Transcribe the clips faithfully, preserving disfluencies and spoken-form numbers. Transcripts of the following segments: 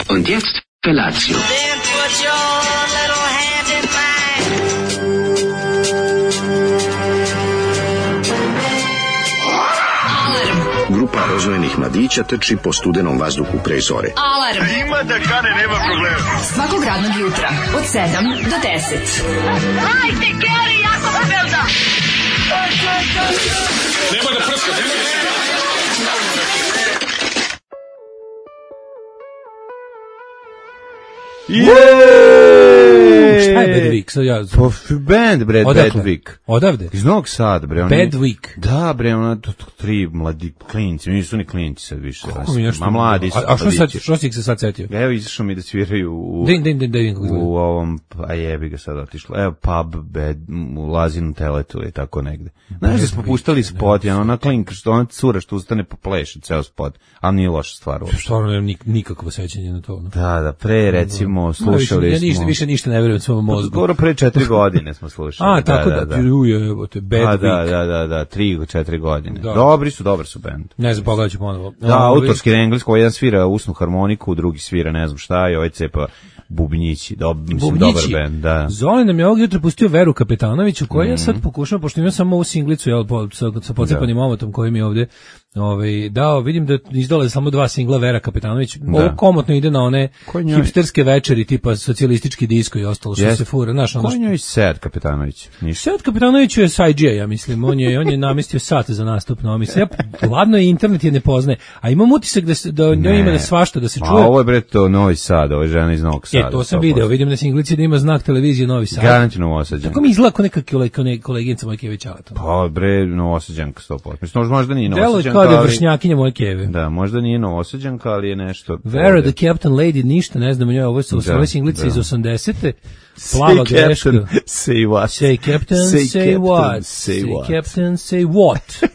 Und jetzt Felatio. Then put your little hand in mine. Grupa rozvojenih mladića trči po studenom vazduhu pre zore. Alarm. Ima da kane, nema problema. Svakog radnog jutra od sedam do deset. Hajde, Geri, jako se velda. Nema da prska, nema da prska. Jeeeej! Šta je Bad Week? So ja... Pa band, bre, Bad Week. Odavde? Iz Novog Sada, bre. Oni... Bad Week. Da, bre, ona, to, to, tri mladi klinci, nisu ni klinci sad više. Kako mi nešto... Ma mladi su. A, a što, sad, što si ih se sad setio? Evo, izašao mi da sviraju u... Din, din, din, din, din, u ovom, a jebi ga sad otišlo. Evo, pub, bed, u Lazinu teletu i tako negde. Znaš da smo puštali spot, ja, ona klinka, što ona cura što ustane po pleši, ceo spot, ali nije loša stvar. Stvarno nemam nik, nikakvo sećanje na to. No? Da, da, pre, recimo, slušali ja, smo... ništa, više ništa ne verujem svom mozgu. Skoro pre četiri godine smo slušali. A, tako da, da, da. Uje, evo te, Bad A, Week. da, da, da, da, tri, četiri godine. Da. Dobri su, dobar su band. Ne znam, pogledat ću ponovo. Da, autorski na engleskom, jedan svira usnu harmoniku, drugi svira ne znam šta i ovaj cepa bubnjići, dob, mislim, Bubnjići. dobar band, da. Zoli nam je ovog jutra pustio Veru Kapetanoviću, koja mm. ja sad pokušam, pošto imam samo ovu singlicu, jel, po, sa, sa pocepanim omotom koji mi je ovde ovaj, dao, vidim da izdala samo dva singla Vera Kapetanović, da. Ovo komotno ide na one njoj... hipsterske večeri, tipa socijalistički disko i ostalo što yes. se fura. Znaš, ono što... Ko je njoj Sead Kapetanović? Sead Kapetanović je sajđija, ja mislim, on je, on je namestio sat za nastup na omis. Ja, ladno je, internet je ne poznaje, a imam utisak da, se, da njoj ima da svašta, da se čuje. A ovo je bre to Novi Sad, ovo je žena iz Novog Sada. E, to sam video, vidim na singlici da ima znak televizije Novi Sad. Garanti Novosađanka. Tako mi izgleda kao neka koleginica moje Kevićavata. Pa bre, Novosađanka sto posto. Mislim, možda nije Novosađanka, kao da je vršnjakinja moje Keve. Da, možda nije Novosađanka, ali je nešto... Vera the Captain Lady, ništa, ne znam, njoj, ovo su ove singlice iz osamdesete. Plava greška. Say what? Say Captain, say, say captain, what? Say, say what? Captain, say what?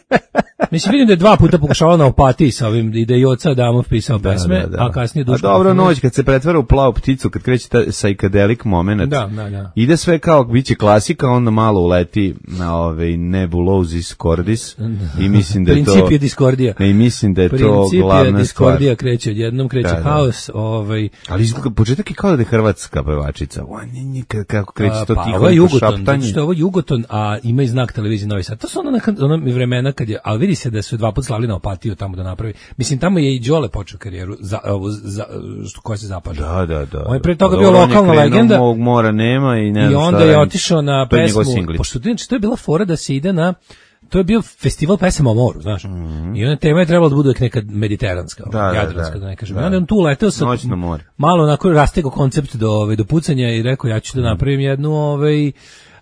Mislim, vidim da je dva puta pokušavala na Opatiji sa ovim, i da je i oca Adamov pisao da, pesme, da, da. a kasnije Duško. A dobro, noć, kad se pretvara u plavu pticu, kad kreće ta psychedelic moment, da, da, da. ide sve kao, bit će klasika, onda malo uleti na ove nebulosis cordis i mislim da je to... Princip je diskordija. I mislim da je Princip to glavna stvar. Princip je diskordija, kreće odjednom, kreće da, da. haos. Ovaj... Ali izgleda, početak je kao da je hrvatska pevačica. Kako kreće to pa, tiho ovo je Jugoton, šaptanje. što je ovo Jugoton, a ima i znak televizije Novi Sad. To su ona, ona vremena kad je, ali vidi se da su dva put slali na Opatiju tamo da napravi. Mislim, tamo je i Đole počeo karijeru, za, za, što koja se zapaža. Da, da, da. On je pre toga da, bio lokalna legenda. Mog mora nema i ne I onda šta, je otišao na pesmu, pošto to je bila fora da se ide na, to je bio festival pesama o moru, znaš. Mm-hmm. I ona tema je trebala da bude neka mediteranska, da, jadranska, da, da ne kažem. Da. I onda on tu leteo sa noćno more. Malo onako rastego koncept do ove do pucanja i rekao ja ću da napravim jednu ovaj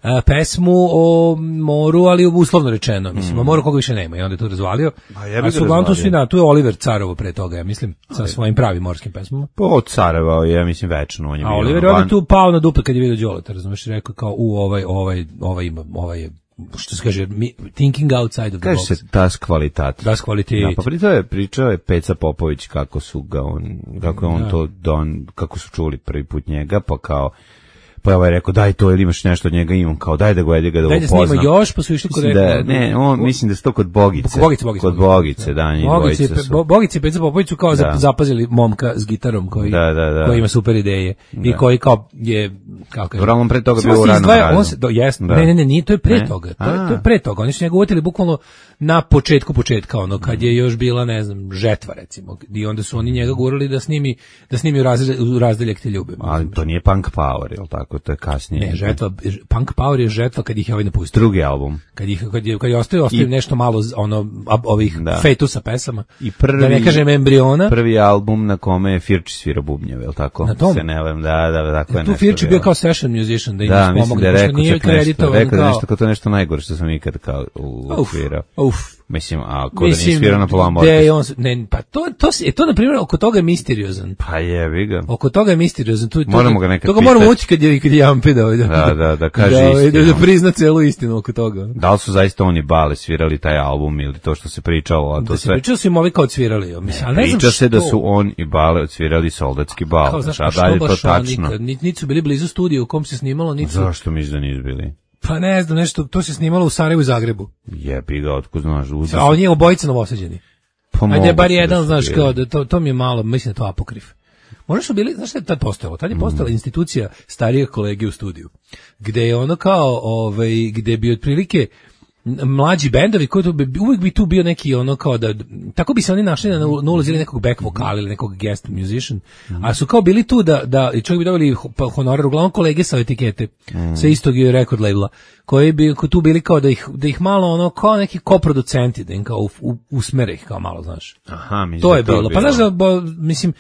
a, pesmu o moru, ali uslovno rečeno, mislim, mm. o moru koga više nema i onda je to razvalio. A, ja a su uglavnom svi da, tu je Oliver Carovo pre toga, ja mislim, sa svojim pravim morskim pesmama. Pa od Careva, ja mislim, večno. On je a Oliver je tu pao na dupe kad je vidio Đoleta, razumeš, rekao kao, u, ovaj, ovaj, ovaj ima, ovaj je, što se kaže, thinking outside of the kaže box. Kaže se das kvalitat. Das kvalitet. Ja, pa pričao je, pričao je Peca Popović kako su ga on, kako je on da. to don, kako su čuli prvi put njega, pa kao, pa ovaj rekao daj to ili imaš nešto od njega imam kao daj da go jede ga da upoznam. Daj da snima još pa su išli kod da, ne, on mislim da se to kod Bogice. Kod Bogice, Bogice. Kod Bogice, da, njih Bogice, dvojice su. Bogice i Peca Popović su kao da. zapazili momka s gitarom koji, da, da, da. koji ima super ideje da. i koji kao je kako kaže. Dobro, on pre toga bio u ranom radu. On se, do, jest, da. Ne, ne, ne, nije, to je pre ne? toga. To je, to je pre toga. Oni su njega uvjetili bukvalno na početku početka, ono, kad je još bila, ne znam, žetva, recimo. I onda su oni njega gurali da snimi, da snimi u, razdelj, u razdeljak te ljube. Ali to nije punk power, je li tako? To je kasnije. Ne, žetva, punk power je žetva kad ih je ovaj napustio. Drugi album. Kad ih, kad je, kad je ostavio, ostavio I, nešto malo, ono, ovih da. fetusa pesama. I prvi, da ne kažem embriona. Prvi album na kome je Firči svira bubnjeve, je li tako? Na tom? Se ne vem, da, da, tako je tu nešto. Tu Firči bio kao session musician, da im da, pomogne. Da, rekao nije čak nešto, rekao kao... nešto kao to nešto najgore što sam ikad kao usvirao. Uf, Mislim, a ko da nije svirao na Polam orkestru? Ne, pa to, to, to, to na primjer, oko toga je misteriozan. Pa jebi ga. Oko toga je misteriozan. Tu, moramo ga nekad pitati. Toga moramo ući kad je, kad je Jampi da, da, da, da, da kaže da, istinu. Da, da prizna celu istinu oko toga. Da li su zaista oni Bale svirali taj album ili to što se pričalo? A to da sve... se pričalo su im ovi kao odsvirali. Mislim, ne, ne priča znam se da su on i Bale odsvirali Soldatski bal. Kao, znaš, a dalje to tačno. Niti su bili blizu studiju u kom se snimalo, niti su... Zašto misliš da nisu bili? Pa ne znam, nešto, to se snimalo u Sarajevu i Zagrebu. Jebi ga, otkud znaš. A on je obojica Novosađeni. Pa ajde, bar jedan, znaš, kao, da to, to mi je malo, mislim da to apokrif. Možda su bili, znaš šta je tad postojalo? Tad je postojala mm. institucija starijih kolege u studiju, gde je ono kao, ovaj, gde bi otprilike mlađi bendovi koji tu bi, uvijek bi tu bio neki ono kao da tako bi se oni našli na, na ulozi ili nekog back vokala ili nekog guest musician, mm. a su kao bili tu da da i čovjek bi dobili honorar, uglavnom kolege sa etikete mm. sa istog record labela koji bi tu bili kao da ih da ih malo ono kao neki koproducenti da im kao u, usmere ih kao malo, znaš. Aha, mi to je bilo. bilo. Pa znaš da bo, mislim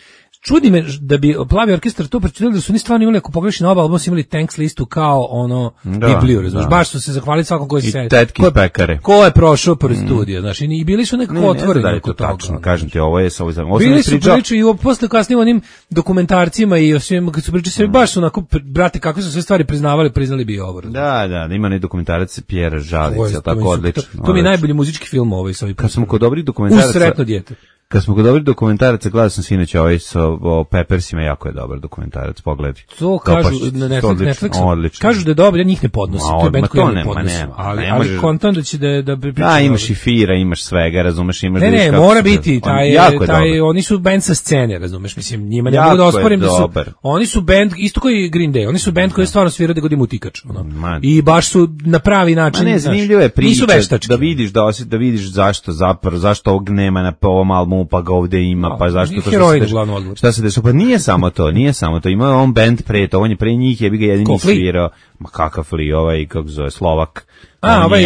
čudi me da bi Plavi orkestar to pročitali da su oni stvarno imali, ako pogledaš na oba albuma, su imali thanks listu kao ono da, Bibliju, razumiješ, baš su se zahvalili svakom koji se tetki iz pekare. Ko je prošao pored mm. studija, znaš, i bili su nekako otvoreni. Da, to tačno, kažem ti, ovo je sa ovim zajedno. Bili su priču i posle kasnije onim dokumentarcima i o svim, kad su pričali sve, baš su onako, brate, kako su sve stvari priznavali, priznali bi i ovo. Da, da, ima ne dokumentarac Pjera Žalića, tako odlično. To, to mi je najbolji muzički film ovaj sa ovim. Kad smo kod dobrih dokumentaraca. Uz sretno dijete. Kad smo kod dobrih dokumentaraca, gledao sam sinoć ovaj sa o Peppersima, jako je dobar dokumentarac, pogledaj. To kažu na Netflix, Netflixu. Odlično. Kažu da je dobar, ja njih ne podnosim. To je bend koji ne podnosim. Ali, ali kontent da će da da bi pričao. Da, imaš i fira, imaš svega, razumeš, imaš. Ne, ne, mora biti taj taj oni su bend sa scene, razumeš, mislim, njima ne mogu da osporim da su. Oni su bend isto koji Green Day, oni su bend koji stvarno svira da godinu utikač, ono. I baš su na pravi način. Ne, zanimljivo je priča da vidiš da da vidiš zašto zapravo zašto ovog nema na ovom albumu, pa ga ovde ima, pa zašto to se dešava? Šta se dešava? Pa nije samo to, nije samo to. Ima on bend pre to, on je pre njih, jebi ga jedini svirao. Ma kakav Flea, ovaj, kako zove, Slovak. A, ovaj,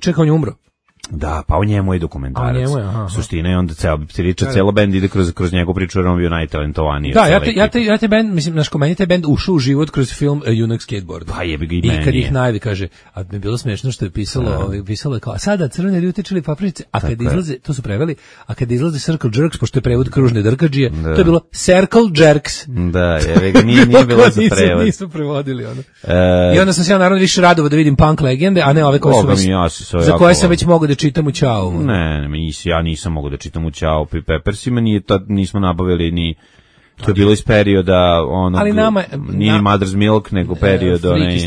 čekaj, on je umro. Da, pa o njemu je dokumentarac. Njemu je, aha, suština je onda ceo priča, celo bend ide kroz kroz njegov priču, jer on bio najtalentovaniji. Da, ja te, ja te, ja te bend, mislim, naš komeni taj bend ušao u život kroz film Junak skateboard. Pa jebi ga i meni. I kad ih najvi kaže, a mi je bilo smešno što je pisalo, ovaj, pisalo je kao, a sada crvene ljutičili papričice, a kad izlaze, to su preveli, a kad izlaze Circle Jerks, pošto je prevod kružne drkadžije, to je bilo Circle Jerks. Da, jebi ga, nije, nije bilo za prevod. Nisu prevodili ono. I onda sam se ja naravno više radovao da vidim punk legende, a ne ove koje su već, za koje sam već mogao da čitam u Ćao. Ne, ne, nis, ja nisam mogao da čitam u Ćao pri Peppersima, nije to, nismo nabavili ni, to je bilo iz perioda onog, ali nama, nije na, Mother's Milk, nego period onaj,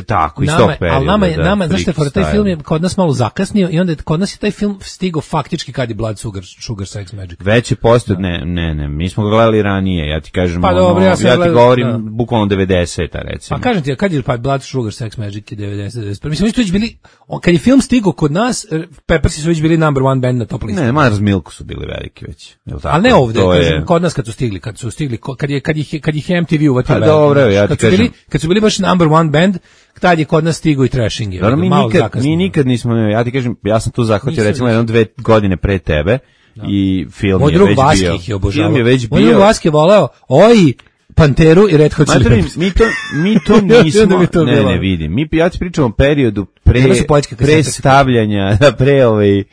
tako, iz tog perioda. Ali nama je, da, nama, znaš te, taj film je kod nas malo zakasnio i onda je, kod nas je taj film stigao faktički kad je Blood Sugar, Sugar Sex Magic. Već je postao, ne, ne, ne, mi smo ga gledali ranije, ja ti kažem, pa, ono, dobro, ja, ja ti gledali, govorim da. Bukvalno devedeseta, recimo. Pa kažem ti, kad je pa Blood Sugar Sex Magic je devedeset, devedeset. Mislim, mi su već bili, kad je film stigao kod nas, Peppersi su već bili number one band na top listi. Ne, Mother's Milk su bili veliki već. Ali ne ovde, kažem, je... kod nas kad su stigli, kad su stigli, kad je, kad ih, kad ih M T V uvatio. Pa dobro, ja ti kažem. Kad su bili baš number one band, tad je kod nas stigo i trashing. Dobro, mi nikad, mi nikad nismo, ja ti kažem, ja sam tu zahvatio recimo jedno dve godine pre tebe da. I film Moj je već bio. Moj drug Vaski je obožavao. Film je već bio. Moj drug Vaski je voleo, oj, Panteru i Red Hot Chili Peppers. Mi to, mi to nismo, to ne, ne vidim. Mi, ja ti pričam o periodu pre, pre stavljanja, pre ovaj,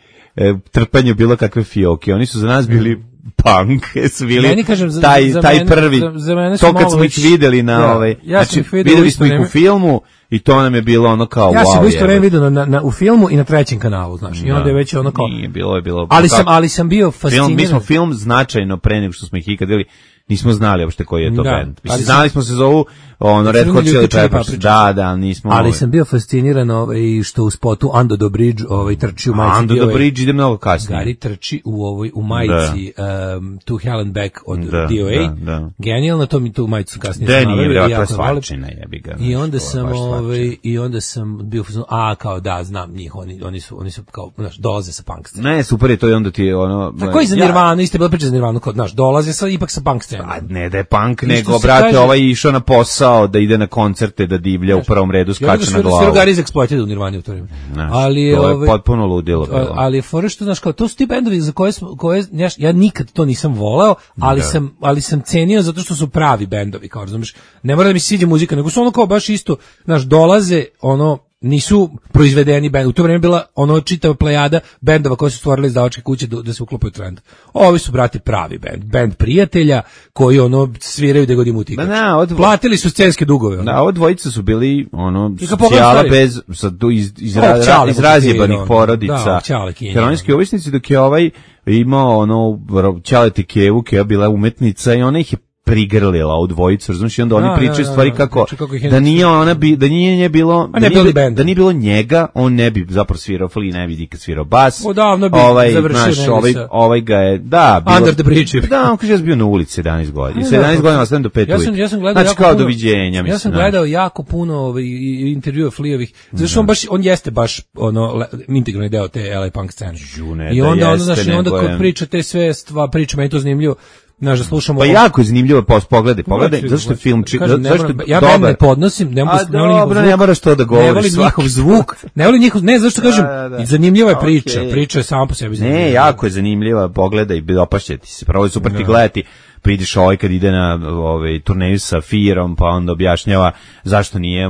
trpanju bilo kakve fioke. Oni su za nas bili punk, su bili kažem, za, taj, za taj mene, prvi, za, za mene to kad smo ih videli na ja, ovaj, ja znači videli smo ih u filmu i to nam je bilo ono kao ja wow. Ja sam isto vreme vidio na, na, u filmu i na trećem kanalu, znaš, i onda je već ono kao... Nije, bilo je bilo... Ali sam, ali sam bio fasciniran. Film, mi smo film značajno pre nego što smo ih ikad videli, nismo znali uopšte koji je to da, band. Mislim, znali smo se zovu ono Red Hot Chili Peppers. Da, da, nismo. Ali ovaj. sam bio fasciniran ovaj što u spotu Under the Bridge ovaj trči u majici. Under the Bridge ide mnogo kasnije. Gari trči u ovoj u majici um, To Hell and Back od da, D O A. Da, da. Genijalno, to mi tu majicu kasnije znali. Da, nije, svačina jebi ga. I onda sam ovaj i onda sam bio a kao da znam njih, oni oni su oni su kao znaš dolaze sa punk scene. Ne, super je to i onda ti ono. Tako i za Nirvanu, isto bilo priča za Nirvanu, kao znaš dolaze sa ipak sa punk scene. A ne da je punk, nego brate ovaj išao na posao da ide na koncerte, da divlja u prvom redu, skače na glavu. Svirogari iz Exploited u Nirvani u to vrijeme. Ali je, to je potpuno ludilo bilo. Ali je fora što, znaš, kao, to su ti bendovi za koje, koje ja, ja nikad to nisam voleo, ali, sam, ali sam cenio zato što su pravi bendovi, kao razumiješ. Ne mora da mi se sviđa muzika, nego su ono kao baš isto, znaš, dolaze, ono, nisu proizvedeni bend. U to vrijeme bila ono čitava plejada bendova koji su stvorili izdavačke kuće da, da se uklopaju trend. Ovi su, brati, pravi bend. Bend prijatelja koji ono sviraju da god im utika. Odvo... Platili su scenske dugove. Ono. Da, ovo dvojica su bili ono socijala bez sa, iz, iz, oh, iz razjebanih porodica. Da, heroinski ovisnici, dok je ovaj imao ono Ćaleti Kevu, Keva bila umetnica i ona ih je prigrlila ovu dvojicu, razumiješ, i onda oni da, pričaju da, stvari da, kako, kako da nije ona bi, da nije nje bilo, A ne da, nije, band. da nije bilo njega, on ne bi zapravo svirao Flea, ne bi nikad svirao bas. Odavno bi ovaj, završio znaš, ovaj, sa... ovaj ga je, da, bilo, Under the bridge. da, on kaže, ja sam bio na ulici sedamnaest godina, sedamnaest godina ostavim do pet ja sam, ja sam gledao znači, jako kao puno, doviđenja, mislim. Ja sam gledao jako puno ovaj, intervjua Fleavih, zato što on baš, on jeste baš ono, le, integralni deo te L A punk scene. Žune, I onda, da ono, znaš, i onda je... kod priča te sve stva, priča, meni je to zanimljivo. Znaš, da slušamo... Pa ovo... jako je zanimljivo, pa pogledaj, pogledaj, zašto je film... Či... Kažem, ne zašto moram, je ja dobar... ne podnosim, ne, A ne volim njihov zvuk. Ne moraš to da govoriš. Ne volim njihov zvuk, ne volim njihov... Ne, zašto kažem, da, da, da. zanimljiva je priča, Okay. priča je sama po sebi zanimljiva. Ne, jako je zanimljiva, pogledaj, dopašće ti se, pravo je super ti gledati, pridiš ovaj kad ide na ovaj, turneju sa Firom, pa onda objašnjava zašto nije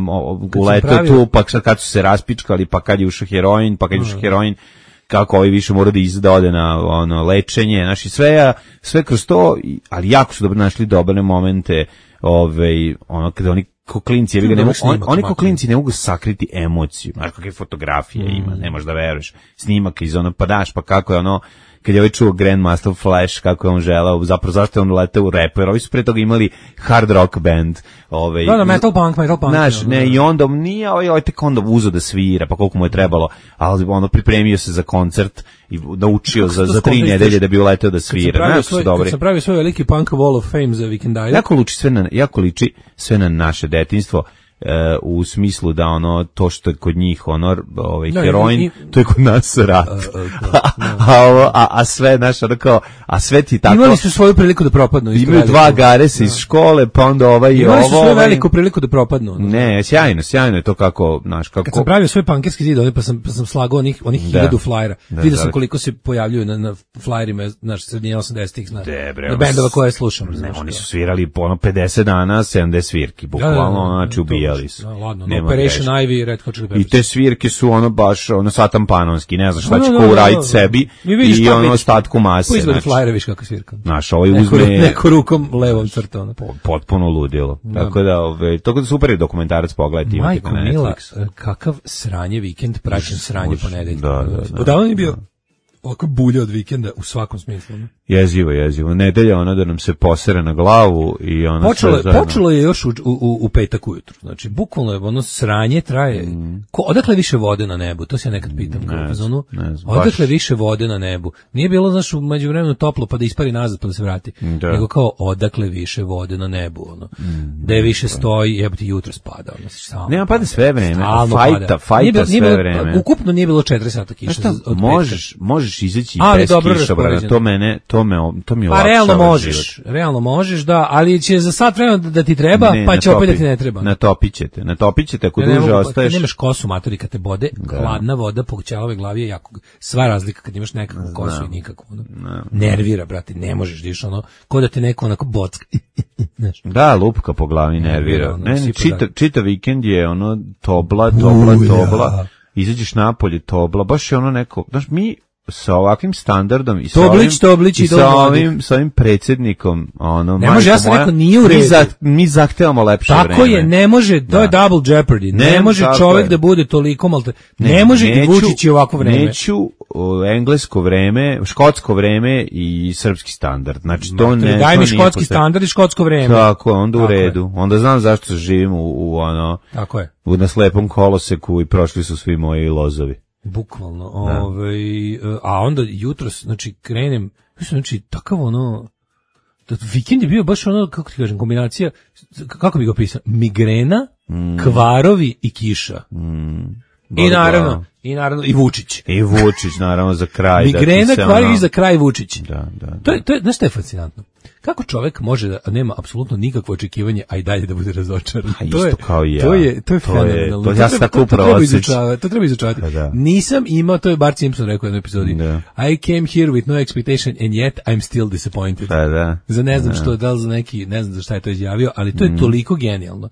uletao tu, pa kad su se raspičkali, pa kad je ušao heroin, pa kad je ušao heroin, kako ovaj više mora da izda ode na ono lečenje, znači sve sve kroz to, ali jako su dobro našli dobre momente, ovaj ono kada oni ko klinci, ja ne mogu, on, oni ko klinci ne mogu sakriti emociju, znaš kakve fotografije mm. ima, ne možeš da veruješ, snimak iz ono, pa daš, pa kako je ono, kad je ovaj čuo Grandmaster Flash, kako je on želao, zapravo zašto je on letao u repu, jer ovi su pre toga imali hard rock band. Ovaj, da, da, metal punk, metal punk. Znaš, ne, i onda nije, ovaj, ovaj tek onda uzo da svira, pa koliko mu je trebalo, ali ono pripremio se za koncert i naučio za, za tri nedelje da bi uletao da svira. Znaš, su dobri. Kad sam pravio svoj veliki punk Wall of Fame za Weekend jako liči sve na, jako liči sve na naše detinjstvo, Uh, u smislu da ono to što je kod njih ono ovaj no, heroin i, i, to je kod nas rat uh, uh, uh, a, a, a sve naš ono kao a sve ti tako imali su svoju priliku da propadnu imaju dva garesa iz škole pa onda ovaj i ovo imali su svoju ovaj, veliku priliku da propadnu ono. Ne, sjajno, sjajno je to kako naš kako kad sam pravio svoj pankerski zid pa sam pa sam slagao onih onih hiljadu flyera vidio sam koliko se pojavljuju na, na flyerima naš srednje osamdesetih na, na bendova koje slušam ne, oni su svirali po ono pedeset dana sedamdeset svirki bukvalno znači ubijali su. No, ladno, no, Operation Ivy, Red Hot Chili Peppers. I te svirke su ono baš ono satan panonski, ne znaš šta će ko uraditi sebi i ono ostatku mase. Izgleda flajere, viš kako svirka. Znaš, ovaj uzme... Neko rukom levom crta. Ono. Potpuno ludilo. Da. Tako da, ove, to super je dokumentarac, pogledajte, imate na Netflix. Mila, kakav sranje vikend, praćen sranje ponedeljka. Da, da, da. Odavno je bio ovako bulja od vikenda u svakom smislu. Ne? Jezivo, jezivo. Nedelja ona da nam se posere na glavu i ona počelo, sve zajedno. Počelo je još u, u, u petak ujutru. Znači, bukvalno je ono sranje traje. Mm. Ko, odakle više vode na nebu? To se ja nekad pitam. Ne, kao zonu, ne znam, odakle baš. Više vode na nebu? Nije bilo, znaš, u međuvremenu toplo pa da ispari nazad pa da se vrati. Da. Nego kao odakle više vode na nebu. Ono. Mm, da je više da. Stoji, jebati jutro spada. Ono, stalno, nema pada sve vreme. Fajta, fajta sve bilo, vreme. Ukupno nije bilo četiri sata kiša. Možeš, možeš izaći bez kišobrana. To mene, to me, to mi pa realno možeš, život. realno možeš, da, ali će za sat vremena da ti treba, ne, pa će opet da ti ne treba. Natopit ćete, natopit ćete ako ne, duže ostaješ. Kad nemaš kosu, matori, kad te bode, da. Hladna voda po ćelavoj glavi je jako, sva razlika kad imaš nekakvu kosu Znam. I nikakvu. No. Nervira, brate, ne možeš diš ono, ko da te neko onako bocka. Da, lupka po glavi nervira. Ne, ne, čita, čita vikend je ono tobla, tobla, Uja. tobla, izađeš napolje tobla, baš je ono neko, znaš, mi sa ovakvim standardom i sa toblić, ovim, toblić, i sa ovim, sa ovim predsjednikom, ono, ne može, ja sam rekao, nije u redu. Mi, za, mi zahtevamo lepše tako vreme. Tako je, ne može, to da. Je double jeopardy, ne, ne može čovjek je. Da bude toliko malte, ne, ne može neću, Vučić i ovako vreme. Neću o, englesko vreme, škotsko vreme i srpski standard, znači to ne. Daj mi škotski standard i škotsko vreme. Tako, onda u tako redu, je. Onda znam zašto živim u, u ono, tako je. U naslepom koloseku i prošli su svi moji lozovi. Bukvalno, ovaj, a onda jutros, znači, krenem, znači, takav ono, vikend je bio baš ono, kako ti kažem, kombinacija, kako bi ga opisao, migrena, mm. kvarovi i kiša. Mm. I naravno, i naravno, i Vučić. I Vučić, naravno, za kraj. Migrena, da kvarovi ono... i za kraj Vučić. Da, da, da. To je, to je, znaš što je fascinantno? Kako čovjek može da nema apsolutno nikakvo očekivanje, a i dalje da bude razočaran? A isto kao i ja. To je, to je fenomenalno. To, to, ja to, to, to, treba izučavati, to treba izučavati. Da. Nisam imao, to je Bart Simpson rekao u jednoj epizodi, da. I came here with no expectation and yet I'm still disappointed. Da, da. Za ne znam da. Što, da li za neki, ne znam za šta je to izjavio, ali to je mm. toliko genijalno.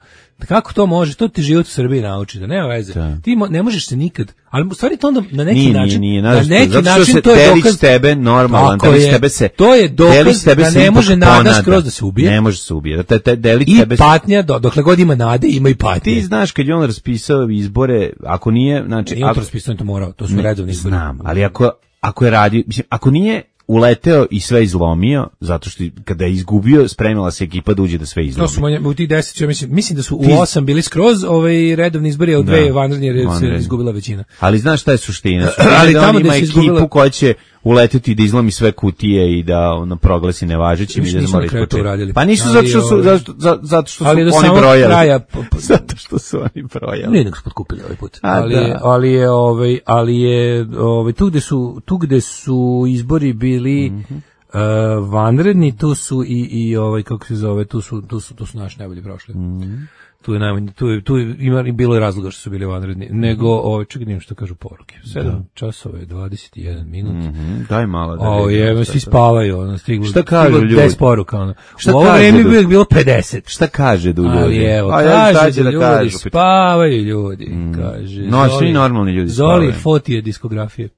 Kako to može? To ti život u Srbiji nauči, da nema veze. Da. Ti mo, ne možeš se nikad, ali u stvari to onda na neki nije, način, nije, nije, na neki način to je dokaz tebe normalan, delić tebe se. To je dokaz da ne može nada skroz da se ubije. Ne može se ubije. Da te, te delić I tebe patnja, do, dokle god ima nade, ima i patnje. Ti znaš kad je on raspisao izbore, ako nije, znači, nije on to raspisao, to morao, to su redovni izbori. Znam, ali ako ako je radio, mislim, ako nije uleteo i sve izlomio, zato što kada je izgubio, spremila se ekipa da uđe da sve izlomi. To su manje, u tih deset, ja mislim, mislim da su u osam bili skroz ovaj redovni izbori, a u dve vanredni jer se izgubila većina. Ali znaš šta je suština? Suština ali da tamo on ima ekipu izgubila... koja će uleteti da izlomi sve kutije i da ono proglasi nevažećim i da mora ispočeti. Pa nisu zato što su, zato, zato što su oni brojali. Kraja, zato što su oni brojali. Nije nego su potkupili ovaj put. A, ali, je, ali je, ovaj, ali je, ovaj, tu gde su, tu gde su izbori bili mm-hmm. uh, vanredni, tu su i, i ovaj, kako se zove, tu su, tu su, tu su naši najbolji prošli. Mm-hmm. Tu je najmanje, tu je, tu je, ima, bilo je razloga što su bili vanredni, nego, ovaj, čekaj, što kažu poruke. sedam časova je dvadeset jedan minut. Mm-hmm. Daj malo da o, je, svi spavaju, ono, stiglo, šta kažu ljudi? deset poruka, ono. Šta u ovo vreme bi bilo pedeset. Šta kaže du ljudi? Ali evo, a, kaže da ljudi, kažu, spavaju ljudi, mm. kaže. No, svi normalni ljudi spavaju. Zoli fotije diskografije.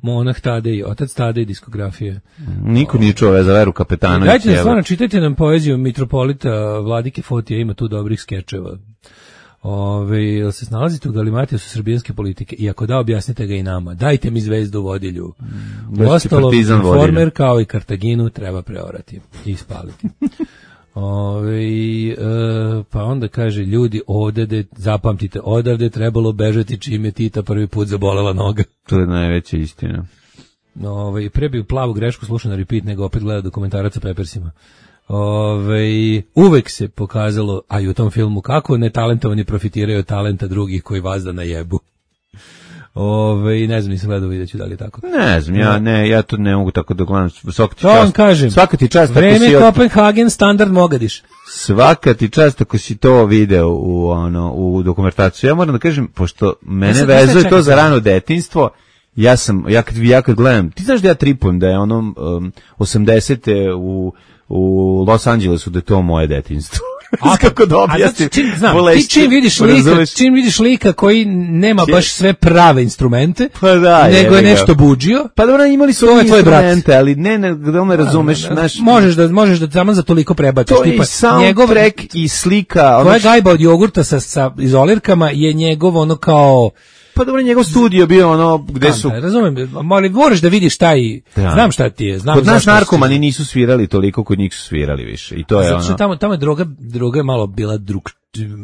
Monah Tadej, otac Tadej diskografije. Niko nije čuo za Veru Kapetanović. Dajte da stvarno čitajte nam poeziju mitropolita Vladike Fotija, ima tu dobrih skečeva. Ove, jel se snalazite u Galimatijesu su srbijanske politike i ako da, objasnite ga i nama. Dajte mi zvezdu vodilju. Mm, Ostalo, informer kao i Kartaginu treba preorati i spaliti. Ove, e, pa onda kaže ljudi ovdje, zapamtite, odavde trebalo bežati čim je Tita prvi put zabolela noga. To je najveća istina. Ove, pre bi plavu grešku slušao na repeat nego opet gleda dokumentarac o Peppersima. Ove, uvek se pokazalo, a i u tom filmu, kako netalentovani profitiraju od talenta drugih koji vas da najebu. Ove, ne znam, nisam gledao, vidjet ću da li je tako. Ne znam, ja ne, ja to ne mogu tako da gledam. Svaka ti to čast, kažem, svaka ti čast vreme ako si Kopenhagen, standard Mogadiš. Svaka ti čast ako si to video u, ono, u dokumentaciju. Ja moram da kažem, pošto mene ja vezuje to za rano detinjstvo, ja sam, ja kad, ja kad gledam, ti znaš da ja tripujem da je onom um, osamdesete u, u Los Angelesu da je to moje detinjstvo. A kako da objasnim? Čim, znam, ti čim vidiš lika, čim vidiš lika koji nema baš sve prave instrumente, pa da, nego je nešto budžio. Pa dobro, imali su ove instrumente, ali ne, ne, da me razumeš, da, naš, možeš da možeš da samo za toliko prebaciš, to tipa njegov trek i slika, ono je gajba od jogurta sa sa izolirkama je njegov ono kao pa dobro, njegov studio bio ono gde su... Da, razumem, ali moraš da vidiš taj... Da. Znam šta ti je. Znam kod nas narkomani nisu svirali toliko, kod njih su svirali više. I to je znači, ono... Tamo, tamo je droga, droga je malo bila drug...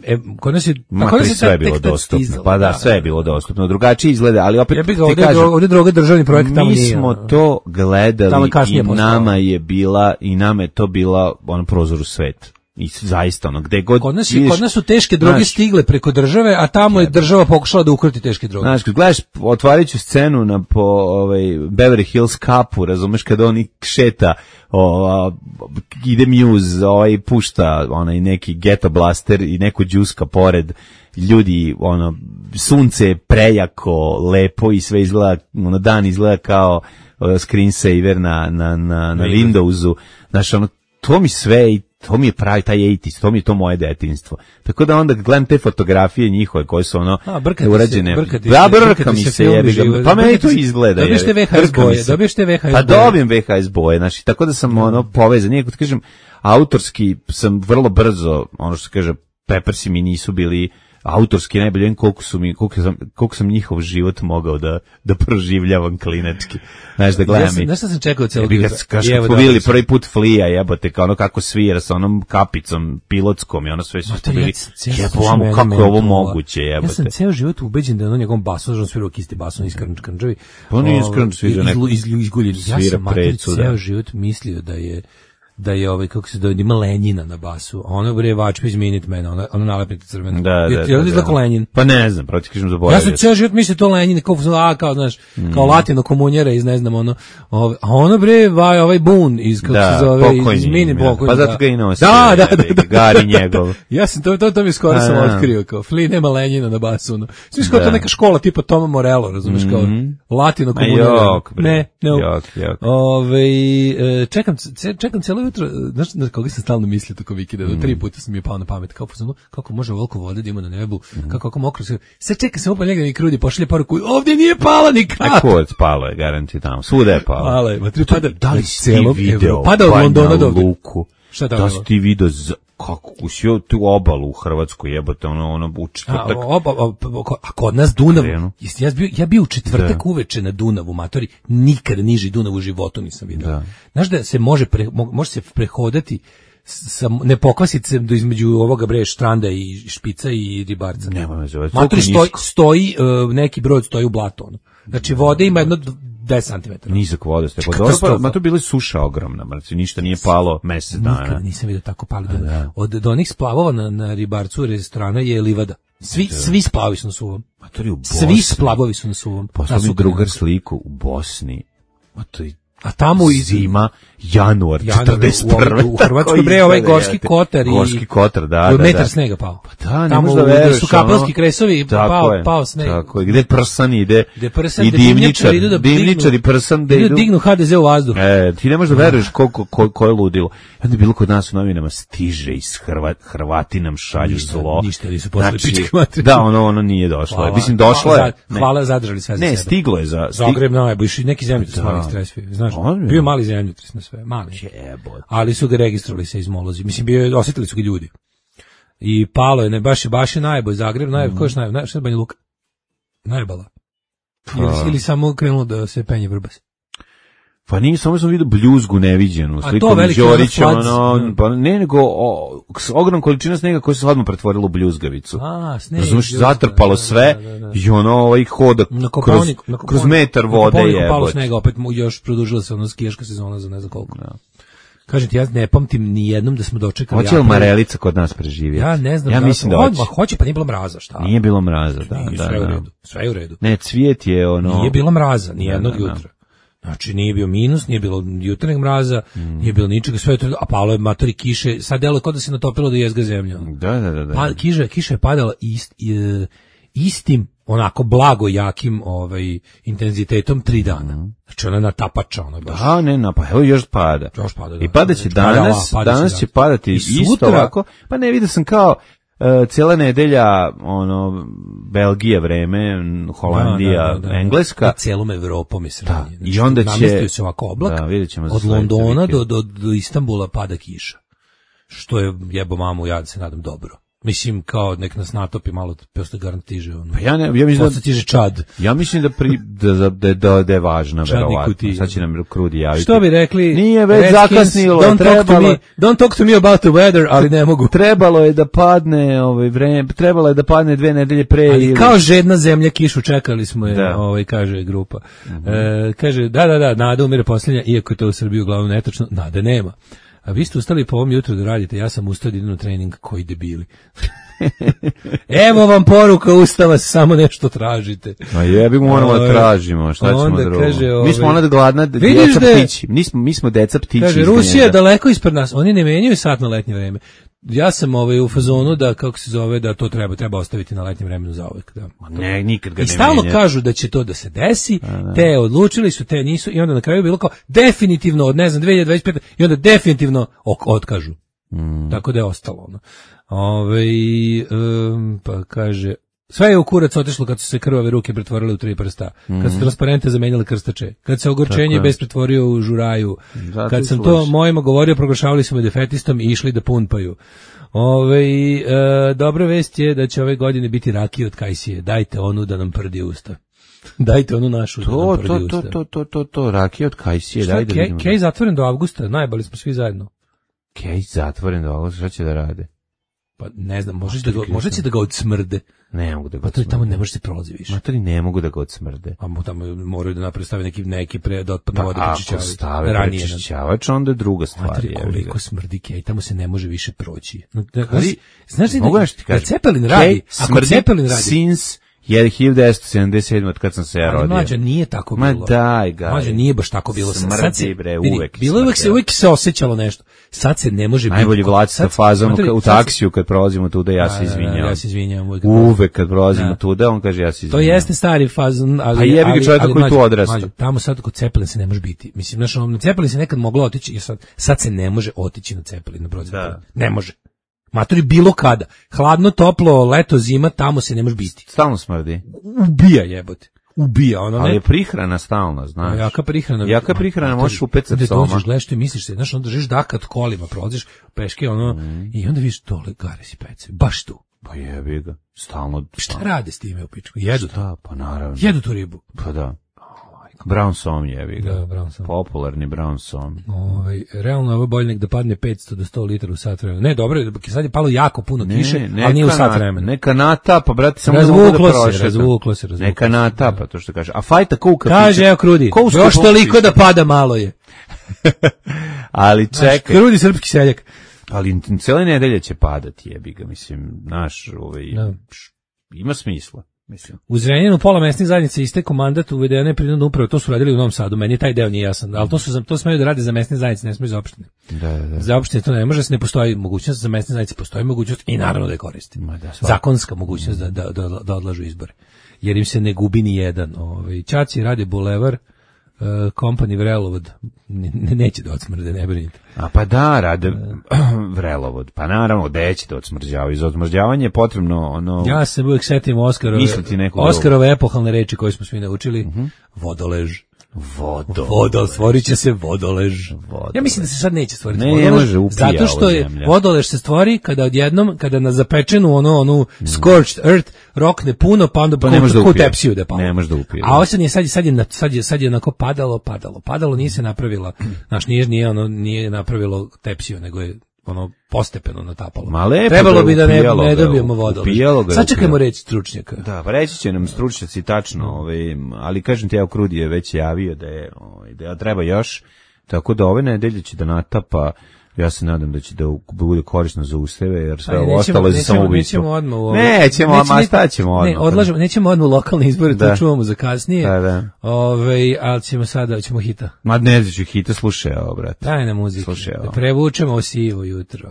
E, kod nas je... Ma, kod nas je sve je bilo dostupno. Stizala, pa da, sve je bilo dostupno. Drugačije izgleda, ali opet ja ti ovdje, kažem... Ovdje droga državni projekt tamo mi nije. Mi smo to gledali i nama je bila, i nama je to bila ono prozor u svet. I zaista ono, gde god... Kod nas, vidiš, kod nas su teške droge znaš, stigle preko države, a tamo je država pokušala da ukroti teške droge. Znaš, kad gledaš, otvarit ću scenu na po ovaj, Beverly Hills Cupu, razumeš, kada on šeta, o, ide Muse, ovaj, pušta onaj neki Ghetto Blaster i neko džuska pored, ljudi, ono, sunce je prejako, lepo i sve izgleda, ono, dan izgleda kao uh, screensaver na, na, na, na Windowsu, znaš, ono, to mi sve i to mi je pravi taj osamdeset, to mi je to moje detinjstvo. Tako da onda gledam te fotografije njihove koje su ono a, urađene. Da, brka mi se jebi ga. Pa meni to izgleda. Dobiješ te ve ha es boje, dobiješ te ve ha es boje. Pa dobijem ve ha es boje, znači tako da sam ono povezan. Nije, kad kažem, autorski sam vrlo brzo, ono što se kaže, Peppersi mi nisu bili autorski najbolje, koliko su mi koliko sam koliko sam njihov život mogao da da proživljavam klinački. Znaš da gledam. Ja znaš šta sam čekao celog jutra. Kad smo bili prvi put Flija, jebote, kao ono kako svira sa onom kapicom pilotskom i ono sve su bili. Jebote, kako je ovo moguće, jebote. Ja sam ceo život ubeđen da je on njegovom basom, on svira kisti basom iz Krnčevi. Pa nije iz Krnčevi, nego izguljen. Ja sam ceo život mislio da je da je ovaj kako se da ima Lenjina na basu, a ono bre Vačpić iz Minutemena, ona ona nalepnica crvena. Da, da, je, je da, da. Lenjin? Pa ne znam, protiv kažem zaboravio. Ja sam ceo život mislio to Lenjin, kao a kao znaš, mm. kao latino komunjera iz ne znam ono, ovaj, a ono bre vaj ovaj Bun iz kako da, se zove iz Mini pokojni. Pa zato ga i nosi. Da, da, da, da, Gari njegov. Ja sam to to to mi skoro sam otkrio kao Fli nema Lenjina na basu, no. Svi kao to neka škola tipa Toma Morello, razumeš kao latino komunjera. Ne, ne. Ovaj čekam čekam celo jutro, znaš na koga sam stalno mislio tako vikenda, do tri puta sam mi je pao na pamet, kako, kako može ovoliko vode da ima na nebu, mm. kako, kako mokro se, sad čeka se opet njega i krudi, pošalje poruku, ovdje nije pala ni kap. A kod spalo je, garanti tamo, svuda je palo. Pala je, ma tri pada, da li si ti video, pada od Londona do Luku, šta da si ti video, kako usio tu obalu u Hrvatskoj, jebote, ono, ono, u četvrtak. A, oba, oba, a kod nas Dunav, ja bio, ja bio u četvrtak da. uveče na Dunavu, matori, nikada niži Dunav u životu nisam vidio. Da. Znaš da se može, pre, može se prehodati, sa, ne pokvasiti se do između ovoga bre štranda i špica i ribarca. Nema me zove. Matori stoji, stoji uh, neki brod stoji u blatu, ono. Znači vode ima jedno deset centimetara. Nizak voda ste. Pa ma to bila suša ogromna, znači ništa nije palo mesec dana. Nikada nisam vidio tako pali. Da. Od do onih splavova na, na ribarcu restorana je livada. Svi da. svi splavovi su na suvom. Matori u Bosni. Svi splavovi su na suvom. Poslao mi drugar sliku u Bosni. Matori a tamo i zima, januar, četrdeset prve U, u Hrvatskoj bre ovaj Gorski Kotar i Gorski Kotar, da, da, metar snega pao. Pa da, ne tamo možda veruješ, su kapelski kresovi, pao, je, pao sneg. Tako je, gde prsan ide, gde prsan, i dimničar, da dimničar i prsan da idu. Dignu ha de ze u vazduh. E, ti ne možeš da veruješ koliko ko, ko je ludilo. I onda je bilo kod nas u novinama, stiže iz Hrvat, Hrvati nam šalju ništa, zlo. Ništa nisu poslali znači, pičke materije. Da, ono, ono nije došlo. Hvala, Mislim, došlo je. Hvala, zadržali sve za ne, sebe. Ne, stiglo je za... Zagreb najbolji, neki zemljotres mali stresovi, znaš. Bio mali zemljotres na sve, mali. Jebot. Ali su ga registrovali se izmolozi. Mislim, bio je, osjetili su ga ljudi. I palo je, ne, baš je, baš je najbolj, Zagreb, najbolj, mm. ko je najbolj, najbolj, šta je Banja Luka? Najbala. Ili, ili samo krenulo da se penje vrbas. Pa nije, samo sam vidio bljuzgu neviđenu, slikom Đorića, ono, pa ne, nego o, ogromna količina snega koja se odmah pretvorila u bljuzgavicu. A, sneg. Razumiješ, zatrpalo sve da, da, da. I ono, ovaj hoda na kroz, na kroz metar vode je. Na palo snega, opet mu još produžila se ono skijaška sezona za ne znam koliko. Da. Kažem ti, ja ne pamtim ni jednom da smo dočekali. Hoće li Marelica kod nas preživjeti? Ja ne znam. Ja da mislim da hoće. Ma hoće, pa nije bilo mraza, šta? Nije bilo mraza, da, nije, da, sve da. u redu. Sve je u redu. Ne, cvijet je ono. Nije bilo mraza, ni jednog da, da, jutra. Znači nije bio minus, nije bilo jutarnjeg mraza, mm. nije bilo ničega, sve to, a palo je matori kiše, sad delo kao da se natopilo da jezga zemlja. Da, da, da. da. Pa kiša, kiša je padala ist, istim onako blago jakim ovaj intenzitetom tri dana. Mm. Znači ona natapača ona baš. Da, ne, na pa evo još pada. Još pada. Da. I pada će danas, pada, danas će, će padati i isto sutra, ovako. Pa ne, vidio sam kao Uh, cijela nedelja, ono, Belgija vreme, Holandija, da, da, da, da. Engleska. I cijelom Evropom je sranje. Da. Znači, i onda će... Namestio se ovako oblak, da, vidjet ćemo od Londona do, do, do Istanbula pada kiša. Što je, jebo mamu, ja se nadam dobro. Mislim, kao nek nas natopi malo, posto garant tiže. Ono. Pa ja, ne, ja mislim da... tiže Čad. Ja mislim da, pri, da, da, da, da je važna, verovatno. Sad će nam Krudi javiti. Što bi rekli? Nije već zakasnilo. Don't, trebalo, talk to me, don't talk to me about the weather, ali ne mogu. Trebalo je da padne, ovaj, vreme, trebalo je da padne dve nedelje pre. Ali ili... kao žedna zemlja kišu čekali smo je, da. ovaj, kaže grupa. Mm-hmm. E, kaže, da, da, da, nada umire posljednja, iako je to u Srbiji uglavnom netočno, nade nema. A vi ste ustali po ovom jutru da radite, ja sam ustao da idem na trening, koji debili. Evo vam poruka Ustava, samo nešto tražite. Ma jebi mu moramo da tražimo, šta ćemo drugo. Mi smo ona gladna djeca ptići. Mi smo, mi smo deca ptići. Kaže, Rusija je daleko ispred nas, oni ne menjaju sat na letnje vreme. Ja sam ovaj u fazonu da, kako se zove, da to treba treba ostaviti na letnjem vremenu zauvek. Da. Ne, nikad ga ne I stalno menja. kažu da će to da se desi, a, da. Te odlučili su, te nisu, i onda na kraju je bilo kao definitivno od, ne znam, dve hiljade dvadeset pete i onda definitivno otkažu. Mm. Tako da je ostalo ono. Ove, um, pa kaže, sve je u kurac otišlo kad su se krvave ruke pretvorile u tri prsta, mm. kad su transparente zamenjali krstače, kad se ogorčenje bez pretvorio u žuraju, zato kad sam sluši. To mojima govorio, proglašavali su me defetistom i išli da punpaju. Ove, e, dobra vest je da će ove godine biti rakije od Kajsije, dajte onu da nam prdi usta. Dajte onu našu to, da nam prdi to, usta. To, to, to, to, to, rakije od Kajsije, dajte da vidimo. Kej zatvoren do avgusta, najbali smo svi zajedno. Kej zatvoren do avgusta, šta će da rade? Pa ne znam, možeš da ga, možda će da ga odsmrde. Ne mogu da ga pa to je tamo ne može se prolazi više. Matori ne mogu da ga odsmrde. A tamo moraju da naprave stave neki neki pre da otpadne pa vode prečišćavaju. Ako stave prečišćavač, onda je druga stvar. Matori, koliko smrdi Kej, tamo se ne može više proći. No, da, ali, znaš li da, da Cepelin radi, ako Cepelin radi, since je hiljadu devetsto sedamdeset sedam od kad sam se ja rodio. Ali mlađa nije tako bilo. Ma daj ga. Mlađa nije baš tako bilo. Smrdi, sad se, bre, vidi, uvek. Bilo uvek se, uvek se osjećalo nešto. Sad se ne može biti. Najbolji vlad sa fazom u taksiju kad prolazimo tuda, ja se izvinjam. Ja se izvinjam. Uvek, uvek kad prolazimo tuda, on kaže ja se izvinjam. To jeste stari fazon, ali... A jebi ga čovjeka koji tu odrasta. Tamo sad kod Cepelin se ne može biti. Mislim, znaš, na Cepelin se nekad moglo otići, jer sad, sad se ne može otići na Cepelin, na brod. Ne može. Matori bilo kada. Hladno, toplo, leto, zima, tamo se ne može biti. Stalno smrdi. Ubija jebote. ubija, ono ne. Ali je prihrana stalna, znaš. Jaka prihrana. Jaka prihrana, možeš upecati soma. Onda dođeš, gledaš ti misliš se, znaš, onda držiš dakat kolima, prolaziš peške, ono, mm. i onda vidiš dole gare si pece, baš tu. Pa jebi ga, stalno. Šta rade s time u pičku? Jedu to. Pa naravno. Jedu tu ribu. Pa da. Brown som jebi ga. Da, brown som. Popularni brown som. Ovaj, realno je ovo bolje nek da padne petsto do sto litara u sat vremena. Ne, dobro, sad je palo jako puno kiše, ali nije u sat vremena. Neka natapa, brate, samo razvuklo da se, razvuklo se, razvuklo. Neka natapa, to što kaže. A fajta kuka. Kaže, evo Krudi, još toliko da pada malo je. Ali čekaj. Krudi srpski seljak. Ali cijele nedelje će padati, jebi ga, mislim, naš, ovaj, no. Ima smisla. Mislim. U Zrenjaninu pola mesnih zajednica istekao mandat, uvedene prinudne uprave, to su radili u Novom Sadu, meni taj deo nije jasan, ali to su to smeju da rade za mesne zajednice, ne smeju za opštine. Da, da. Za opštine to ne može, se ne postoji mogućnost, za mesne zajednice postoji mogućnost i naravno da je koristi. Da, zakonska mogućnost da, da, da, da odlažu izbore. Jer im se ne gubi ni jedan. Ovaj Ćaci radi bulevar, Uh, company Vrelovod ne, neće da odsmrde, ne brinite. A pa da, rade Vrelovod, pa naravno, da će da odsmrđavaju. Za odsmrđavanje je potrebno ono... Ja se uvijek setim Oskarove, Oskarove epohalne reči koje smo svi naučili. Uh-huh. Vodolež. Vodo. Vodol, stvorit će se vodolež. Vodolež. Ja mislim da se sad neće stvoriti ne, vodolež. Ne može upija zato što je vodolež se stvori kada odjednom, kada na zapečenu ono, onu mm. scorched earth rokne puno, pa onda pa ko, da ko tepsiju da palo. Ne može da upije. A ovo sad je, sad je, sad je, sad je, sad je onako padalo, padalo, padalo, nije se napravila, znaš, nije, nije, ono, nije napravilo tepsiju, nego je ono postepeno natapalo. Ma lepo, trebalo da bi da ne, ne dobijemo vodolež. Sačekajmo reći stručnjaka. Da, pa reći će nam stručnjaci tačno, ovaj, ali kažem ti, evo Krudi je već javio da je, ovaj, da treba još, tako da ove nedelje će da natapa. Ja se nadam da će da bude korisno za useve, jer sve ovo ostalo je za samoubistvo. Nećemo odmah u ovo. Nećemo, ma šta ćemo odmah? Ne, odlažemo, nećemo odmah u lokalne izbore, to čuvamo za kasnije. Da, da. Ove, ali ćemo sada, ćemo hita. Ma ne ću hita, slušaj ovo, brate. Daj na muziku. Slušaj ovo. Da prevučemo o sivo jutro.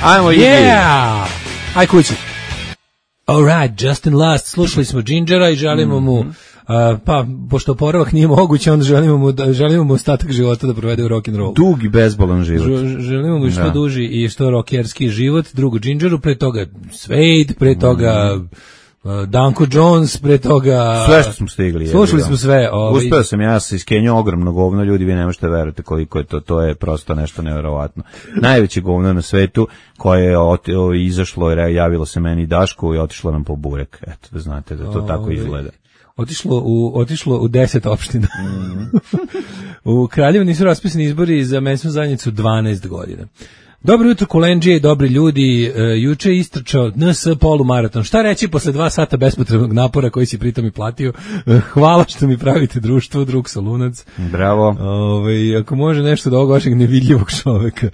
Ajmo, yeah! Aj kući. All right, Justin Last, slušali smo Gingera i želimo mu Uh, pa, pošto oporavak nije moguće, onda želimo mu, da, želimo mu ostatak života da provede u rock'n'roll. Dug i bezbolan život. Ž, želimo mu što da. duži i što rockerski život. Drugo Gingeru, pre toga Suede, pre toga uh, Danko Jones, pre toga... Sve što smo stigli. Slušali smo sve. Ovaj. Uspeo sam, ja se iskenio ogromno govno, ljudi, vi ne možete verujete koliko je to, to je prosto nešto nevjerovatno. Najveće govno na svetu koje je ot, o, izašlo, javilo se meni Daško i otišlo nam po burek. Eto, da znate da to o, tako izgleda. Otišlo u, otišlo u deset opština. Mm. U Kraljevu nisu raspisani izbori za mesnu zajednicu dvanaest godina. Dobro jutro, Kolenđije i dobri ljudi. E, juče je istrčao N S polumaraton. Šta reći posle dva sata bespotrebnog napora koji si pritom i platio? E, hvala što mi pravite društvo, drug Solunac. Bravo. Ove, ako može nešto do ovog vašeg nevidljivog čoveka.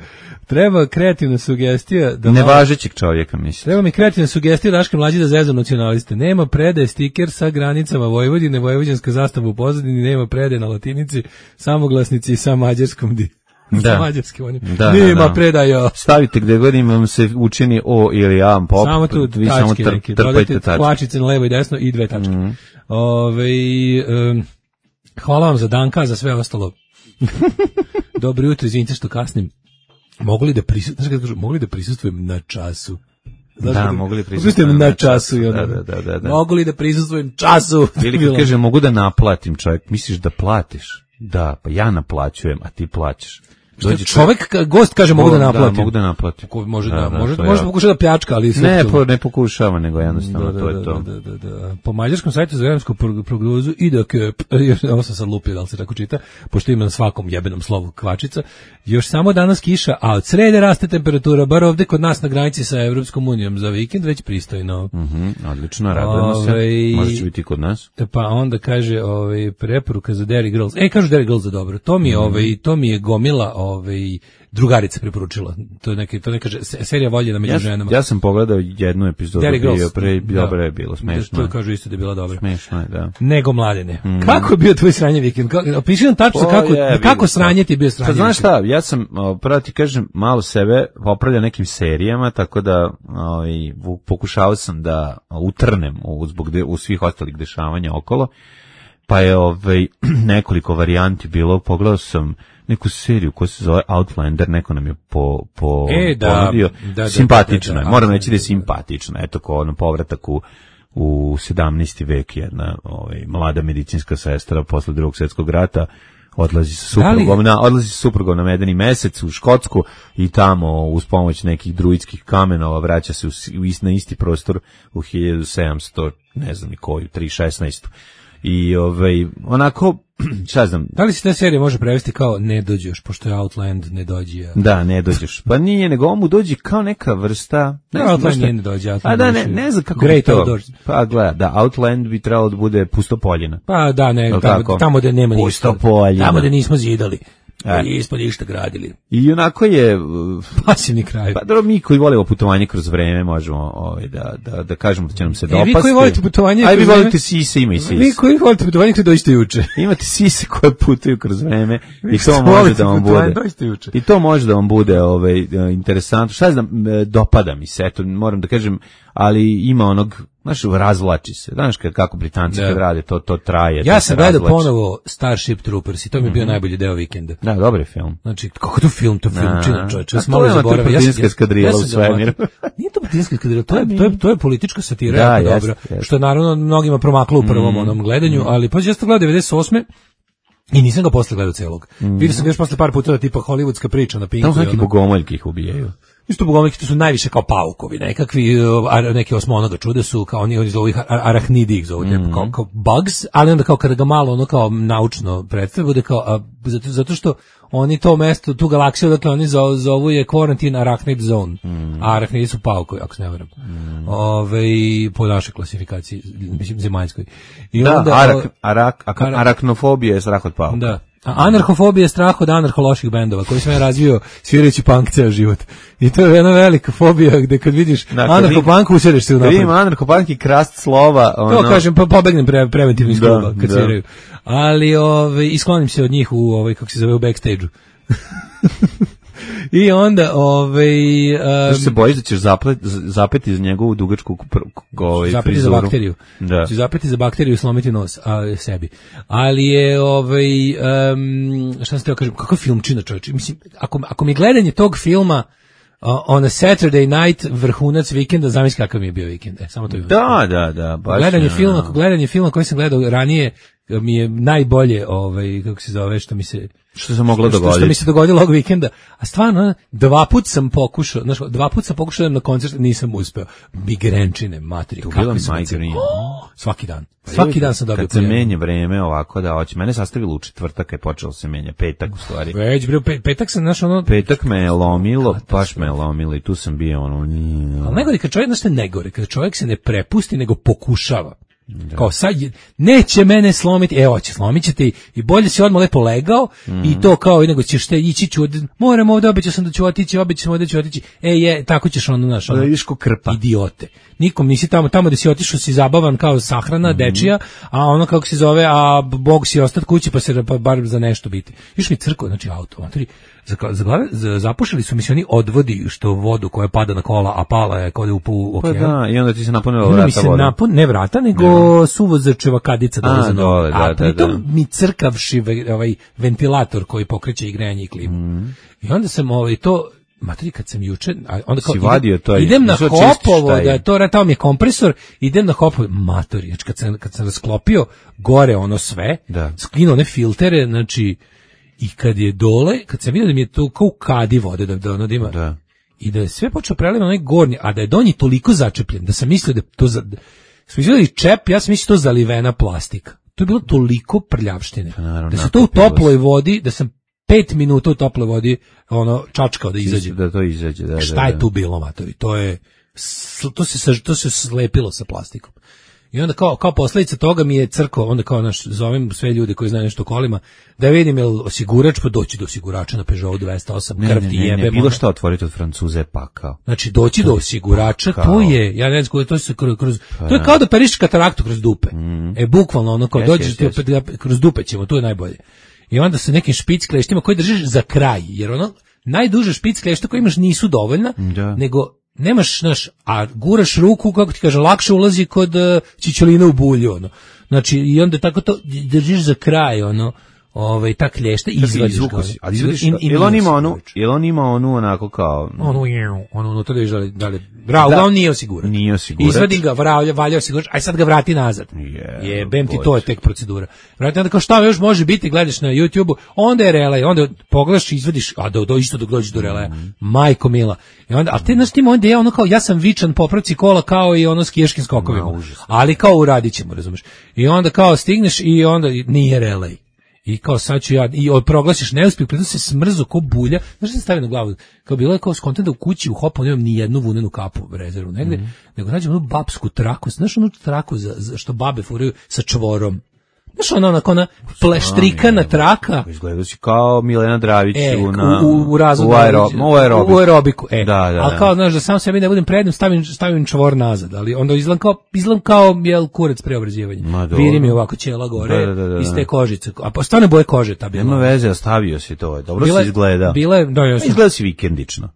Treba kreativna sugestija. Da nevažećeg čovjeka, mislim. Treba mi kreativna sugestija Daška Mlađi da zezu nacionaliste. Nema predaje stiker sa granicama Vojvodine, vojvođanska zastava u pozadini, nema predaje na latinici, samoglasnici sa mađarskom di. Da. Sa mađarskim onim. Da, nema da, da. predaja. Stavite gdje god vam se učini O ili A pop. Samo tu vi samo tačke neke. Dodajte kvačice na levo i desno i dve tačke. Mm. Ove, um, hvala vam za Danka, za sve ostalo. Dobro jutro, izvinite što kasnim. Mogu li da prisustvujem, mogu li da prisustvujem na času? Znaš, da, mogu li prisustvujem na času? I da, da, da, da, da. Mogu li da prisustvujem času? Ili kad kaže, mogu da naplatim, čovjek, misliš da platiš? Da, pa ja naplaćujem, a ti plaćaš. Dođe čovjek, gost kaže mogu da naplatim. Da, mogu da naplatim. Ko može da, da, da može, može pokušati da pljačka, ali ne, po, ne pokušava, nego jednostavno da, to da, je to. Da, da, da, da. Po mađarskom sajtu za vremensku prognozu i da ovo sam sad lupio, da li se tako čita, pošto ima na svakom jebenom slovu kvačica, još samo danas kiša, a od srede raste temperatura, bar ovde kod nas na granici sa Evropskom unijom za vikend, već pristojno. Mhm, odlično, radujemo se. Može će biti kod nas. Pa onda kaže, ovaj preporuka za Derry Girls. E, kažu Derry Girls za dobro. To mi je, ovaj, to mi je gomila, ovaj drugarica preporučila. To je neka to neka serija voljena među ja, ženama. Ja sam pogledao jednu epizodu bio pre, dobro je bilo, smešno. To kažu isto da je bila dobra. Smešno je, da. Nego Mladene. Mm. Kako je bio tvoj sranje vikend? Opiši nam tačno o, kako je, kako sranje ti je bio sranje. Pa znaš šta, ja sam prvo ti kažem malo sebe popravljao nekim serijama, tako da ovaj pokušavao sam da utrnem u zbog de, u svih ostalih dešavanja okolo. Pa je ovaj nekoliko varijanti bilo, pogledao sam neku seriju koja se zove Outlander, neko nam je po, po e, da, ponudio. Da, da, simpatična da, da, je, moram reći da je simpatična, eto ko ono povratak u, u sedamnaesti vek, jedna ovaj, mlada medicinska sestra posle drugog svjetskog rata odlazi sa suprugom na, odlazi sa suprugom na medeni mesec u Škotsku i tamo uz pomoć nekih druidskih kamenova vraća se u, u, na isti prostor u hiljadu sedamsto, ne znam i koju, tri šesnaestu. I ovaj, onako, šta znam. Da li se ta serija može prevesti kao ne dođeš, pošto je Outland ne dođi? Ja. Da, ne dođeš. Pa nije, nego on mu dođi kao neka vrsta... Ne, no, Outland nije ne dođe. A da, ne, ne znam kako Great bi to... Outdoors. Pa gleda, da, Outland bi trebalo da bude pustopoljina. Pa da, ne, tamo, tamo da nema ništa. Pustopoljina. Tamo da nismo zidali. E. I ispod ništa gradili. I onako je... Pasivni kraj. Pa dobro, mi koji volimo putovanje kroz vreme možemo ovaj, da, da, da kažemo da će nam se dopasti. E, vi koji volite putovanje kroz vreme... Aj, vi volite vreme... sise, ima i sise. Vi koji volite putovanje koje dođete juče. Imate sise koje putuju kroz vreme i to može da vam bude. I to može da vam bude ovaj, interesantno. Šta znam, dopada mi se, eto, moram da kažem, ali ima onog... Znaš, razvlači se. Znaš kako Britanci kad rade, to, to traje. Ja sam gledao ponovo Starship Troopers i to mi je bio mm-hmm. najbolji deo vikenda. Da, dobar je film. Znači, kako to film, to film čina čovječe. A to je ona britanska eskadrila u svemiru. Nije to britanska eskadrila, to je, to je, to je politička satira, da, jako dobro. Što je naravno mnogima promaklo u prvom mm-hmm. onom gledanju, ali pa ja sam gledao devedeset osme i nisam ga posle gledao celog. Mm-hmm. Vidio sam ga još posle par puta tipa hollywoodska priča na Pinku. Tamo neki bogomoljki ih ubijaju. Isto bogomoljki, to su najviše kao paukovi, nekakvi, neke osmonoga čude su, kao oni, oni zovu ih arahnidi ih zovu, mm-hmm. kao, kao bugs, ali onda kao kada ga malo ono kao naučno predstavlja, bude kao, a, zato, zato što oni to mesto, tu galaksiju, dakle oni zovu, zovu je Quarantine Arachnid Zone, mm-hmm. a arahnidi su paukovi, ako se ne varam, mm-hmm. Ove, po našoj klasifikaciji, mislim, zemaljskoj. I da, onda, arak, arak, ak, araknofobija je strah od pauka. Da. A anarhofobija je strah od anarhološih bendova, koji sam ja razvio svirajući punk ceo život. I to je jedna velika fobija gde kad vidiš anarhopanku usedeš se u napred. Vidim anarhopank i krast slova. Ono... To kažem, pa pobegnem pre, preventivno iz kluba kad da. Sviraju. Ali ove, isklonim se od njih u, ovaj, kako se zove, u backstage-u. I onda, ovaj... Um, Znaš se bojiš da ćeš zaplet, zapeti za njegovu dugačku ovaj, zapeti frizuru? Za bakteriju. Da. Ću zapeti za bakteriju i slomiti nos a, sebi. Ali je, ovaj, um, šta sam teo kažem, kakav filmčina čovječe? Mislim, ako, ako mi gledanje tog filma uh, on a Saturday night, vrhunac vikenda, zamisli kakav mi je bio vikend. E, samo to je. Da, da, da. Baš gledanje filma, ako gledanje filma koji sam gledao ranije, mi je najbolje, ovaj, kako se zove, što mi se... Što se moglo dogoditi. Što, što mi se dogodilo ovog vikenda. A stvarno, dva put sam pokušao, znaš, dva put sam pokušao na koncert, nisam uspeo. Migrenčine, materi, kakvi su migreni. Oh, svaki dan. Svaki dan sam dobio. Kad se menja vreme ovako da hoće. Mene sastavilo u četvrtak je počelo se menja, petak u stvari. Već, bre, petak sam, znaš, ono... Petak me je lomilo, baš me je lomilo i tu sam bio ono... Ali najgore, kad čovjek, znaš te negore, kad čovjek se ne prepusti, nego pokušava. Da. Kao sad neće mene slomiti, evo će slomit ćete i, i bolje si odmah lepo legao mm. i to kao nego ćeš te ići ću, moram ovdje, obećao sam da ću otići, obećao sam ovdje ću otići, e je, tako ćeš ono naš, ono, vidiš ko krpa. Idiote. Nikom nisi tamo, tamo gde si otišao si zabavan kao sahrana, mm. dečija, a ono kako se zove, a Bog si ostat kući pa se pa bar za nešto biti. Još mi crkva, znači auto, matori, za, za glave, za, zapušili su mi se oni odvodi što vodu koja pada na kola, a pala je kod u u okean. Pa da, i onda ti se napunila vrata mi se voda. Napun, ne vrata, nego ne. Suvozačeva kadica dolaze na dole, da, a da, da. mi crkavši ovaj ventilator koji pokreće i grejanje i klimu. Mm. I onda sam ovaj to matri kad sam juče, onda kao idem, to idem na Hopovo, da je to tamo mi je kompresor, idem na Hopovo, matori, znači kad sam, kad sam rasklopio gore ono sve, da. Skinuo one filtere, znači, i kad je dole, kad sam vidio da mi je to kao u kadi vode, da, da ono da ima, da. I da je sve počeo prelivati onaj gornji, a da je donji toliko začepljen, da sam mislio da to, za, da, smo izgledali čep, ja sam mislio to zalivena plastika. To je bilo toliko prljavštine, naravno, da se to u toploj vodi, da sam pet minuta u toploj vodi ono čačkao da izađe. Da to izađe, da. Šta da, da. je tu bilo, matori? To je to se to se slepilo sa plastikom. I onda kao kao posljedica toga mi je crko, onda kao naš zovem sve ljude koji znaju nešto o kolima, da vidim jel osigurač, pa doći do osigurača na Peugeot dvesta osam, krv ti jebe. Ne, bilo šta otvoriti od Francuze pakao. Znači doći do osigurača, pakao. To je, ja ne znam, to se kroz, kroz to je kao da periš kataraktu kroz dupe. Mm. E bukvalno ono kao yes, dođeš yes, yes. Opet, kroz dupe ćemo, to je najbolje. I onda sa nekim špic kleštima koji držiš za kraj, jer ono najduže špic klešta koje imaš nisu dovoljna, da. Nego nemaš, znaš, a guraš ruku, kako ti kaže, lakše ulazi kod uh, čičolina u bulju, ono. Znači, i onda tako to držiš za kraj, ono, ovaj ta klješta izvadiš ga. Ali izvadiš, jel on ima onu, jel on ima onu onako kao... Ono je, ono unutra da viš da li, da li, bravo, da, on nije osiguran. Nije osiguran. Izvadim ga, valja, valja osigurač, aj sad ga vrati nazad. Yeah, Jebem ti, to je tek procedura. Vrati, onda kao šta još može biti, gledaš na YouTubeu, onda je relej, onda pogledaš i izvadiš, a da do, isto dok dođeš do releja, mm. majko mila. I onda, a te, znaš ti onda ja ono kao, ja sam vičan popravci kola kao i ono skijaškim skokovima. No, ali kao uradit ćemo, razumeš. I onda kao stigneš i onda nije relej. I kao sad ću ja, i proglasiš neuspjeh, pritom se smrzo ko bulja, znaš što se stavi na glavu, kao bilo je kao skontent da u kući u hopu nemam ni jednu vunenu kapu rezervu negde, mm-hmm. nego nađem onu babsku traku, znaš onu traku za, za što babe furaju sa čvorom. Znaš ona onako ona pleštrikana traka. Izgleda si kao Milena Dravić e, u, na, u, u, u, razvodu, u, aero, u, aerobiku. u aerobiku. E. Da, da, ali kao, znaš, da sam sebi ne budem prednim, stavim, stavim čvor nazad, ali onda izgledam kao, izgledam kao jel, kurac preobrazivanja. Viri mi ovako ćela gore, da, da, da, da. iz te kožice. A pa stane boje kože ta bila. Nema veze, ostavio si to. Dobro bile, si izgleda. Bile, da, ja sam... Izgleda si vikendično.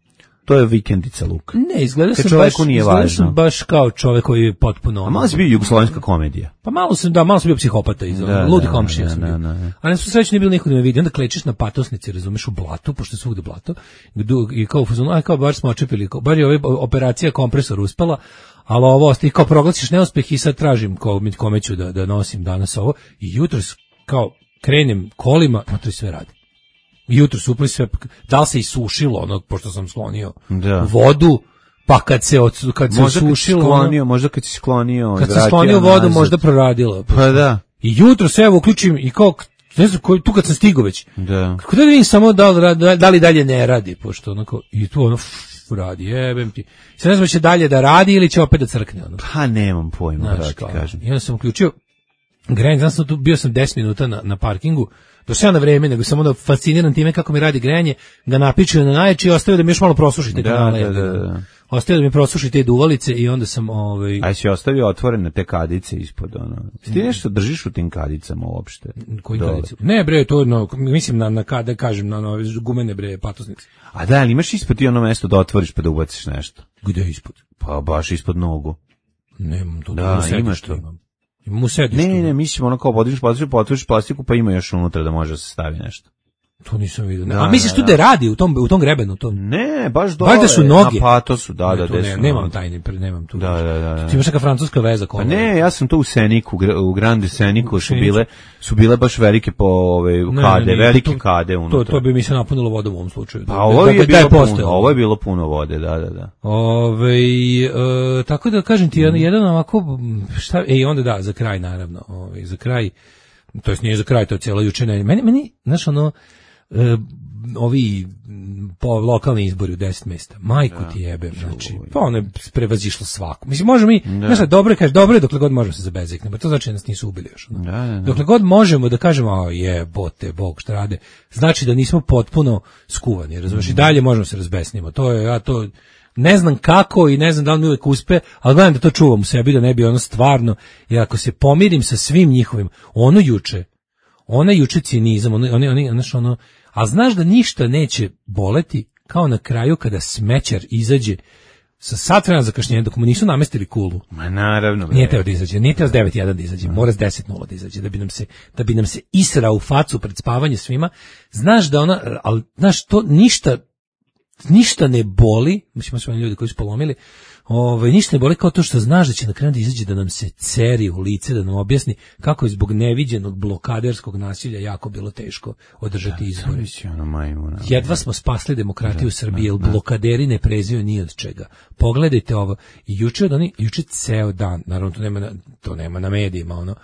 To je vikendica luk. Ne, izgleda sam baš, izgleda sam baš kao čovjek koji je potpuno... A malo si bio jugoslovenska komedija. Pa malo sam, da, malo sam bio psihopata iz da, ludi da, komšija da, sam bio. Da, da, da. A ne su srećni, nije bilo niko da me vidi. Onda klečeš na patosnici, razumeš, u blatu, pošto je svugde blato. I kao, aj kao, baš smo očepili, bar je ova operacija kompresor uspela, ali ovo, ti kao proglasiš neuspeh i sad tražim kome ću da, da nosim danas ovo. I jutros, kao, krenem kolima, no to sve radi. Jutro su sve, da li se isušilo ono, pošto sam sklonio da. vodu, pa kad se, od, kad se možda isušilo... Sklonio, ono, možda kad si sklonio... Kad sam sklonio vodu, nazad. Možda proradilo. Pa da. I jutro se evo uključim i kao, ne znam, tu kad sam stigao već, da. Kako da vidim samo da li, da, da li dalje ne radi, pošto onako, i tu ono, ff, radi, jebem ti. Sad ne znam će dalje da radi ili će opet da crkne. Ono. Pa nemam pojma, znači, da ti kažem. I onda sam uključio grejanje, znam sam tu, bio sam deset minuta na, na parkingu, došao ja na vreme, nego sam onda fasciniran time kako mi radi grejanje, ga napičio na najjači i ostavio da mi još malo prosušite da, kanale. Da, da, da. Ostavio da mi prosuši te duvalice i onda sam... Ovaj... A si ostavio otvorene te kadice ispod, ono... Ti nešto držiš u tim kadicama uopšte? Kojim kadicama? Ne, bre, to no, mislim na, na kada kažem, na, na gumene, bre, patosnice. A da, ali imaš ispod ti ono mesto da otvoriš pa da ubaciš nešto? Gde ispod? Pa baš ispod nogu. Nemam to. Da, imaš to. Imam. Imam u sedištu. Ne, ne, mislim ono kao podiš, podiš, otvoriš plastiku pa ima još unutra da može da se stavi nešto. To nisam vidio. Da, a misliš tu da radi u tom u tom grebenu tom? Ne, baš dole. Baš da su noge. Pa to su, da, da, da. Ne, nemam tajni, nemam tu. Da, da, da, da. Ti imaš neka francuska veza kola. Pa ne, ja sam to u Seniku, u Grande Seniku su bile su bile baš velike po ove kade, velike kade unutra. To to bi mi se napunilo vodom u ovom slučaju. Pa ovo je bilo puno, ovo je bilo puno vode, da, da, da. Ove, e, tako da kažem ti, jedan ovako, šta, e, i onda da, za kraj naravno, ovaj za kraj, to jest nije za kraj, to je cijelo juče, meni, meni, znaš ono, e, ovi po lokalni izbori u deset mesta. Majku ti jebe, znači, pa ono je prevazišlo svako. Mislim, može mi, da. Znaš, dobro je, kaže, dobro je dokle god možemo se zabezeknemo, to znači da nas nisu ubili još. Ono. Da, da, da. Dokle god možemo da kažemo, a jebote, Bog šta rade, znači da nismo potpuno skuvani, razumiješ, mm. i dalje možemo se razbesnimo. To je, ja to, ne znam kako i ne znam da li mi uvijek uspe, ali gledam da to čuvam u sebi, da ne bi ono stvarno, jer ako se pomirim sa svim njihovim, ono juče, ona juče cinizam, oni, oni, oni, znaš, ono, a znaš da ništa neće boleti kao na kraju kada smećar izađe sa sat vremena zakašnjenja dok mu nisu namestili kulu. Ma naravno. Nije teo da izađe, nije teo s devet jedan da izađe, mora s deset nula da izađe, da bi nam se, da bi nam se israo u facu pred spavanje svima. Znaš da ona, ali znaš, to ništa, ništa ne boli, mislim, smo ljudi koji su polomili, Ove, ništa ne boli kao to što znaš da će na kraju da izađe da nam se ceri u lice, da nam objasni kako je zbog neviđenog blokaderskog nasilja jako bilo teško održati izbore. Jedva smo spasli demokratiju u Srbiji, jer blokaderi ne preziju ni od čega. Pogledajte ovo. I juče od oni, juče ceo dan, naravno to nema na, to nema na medijima, ono,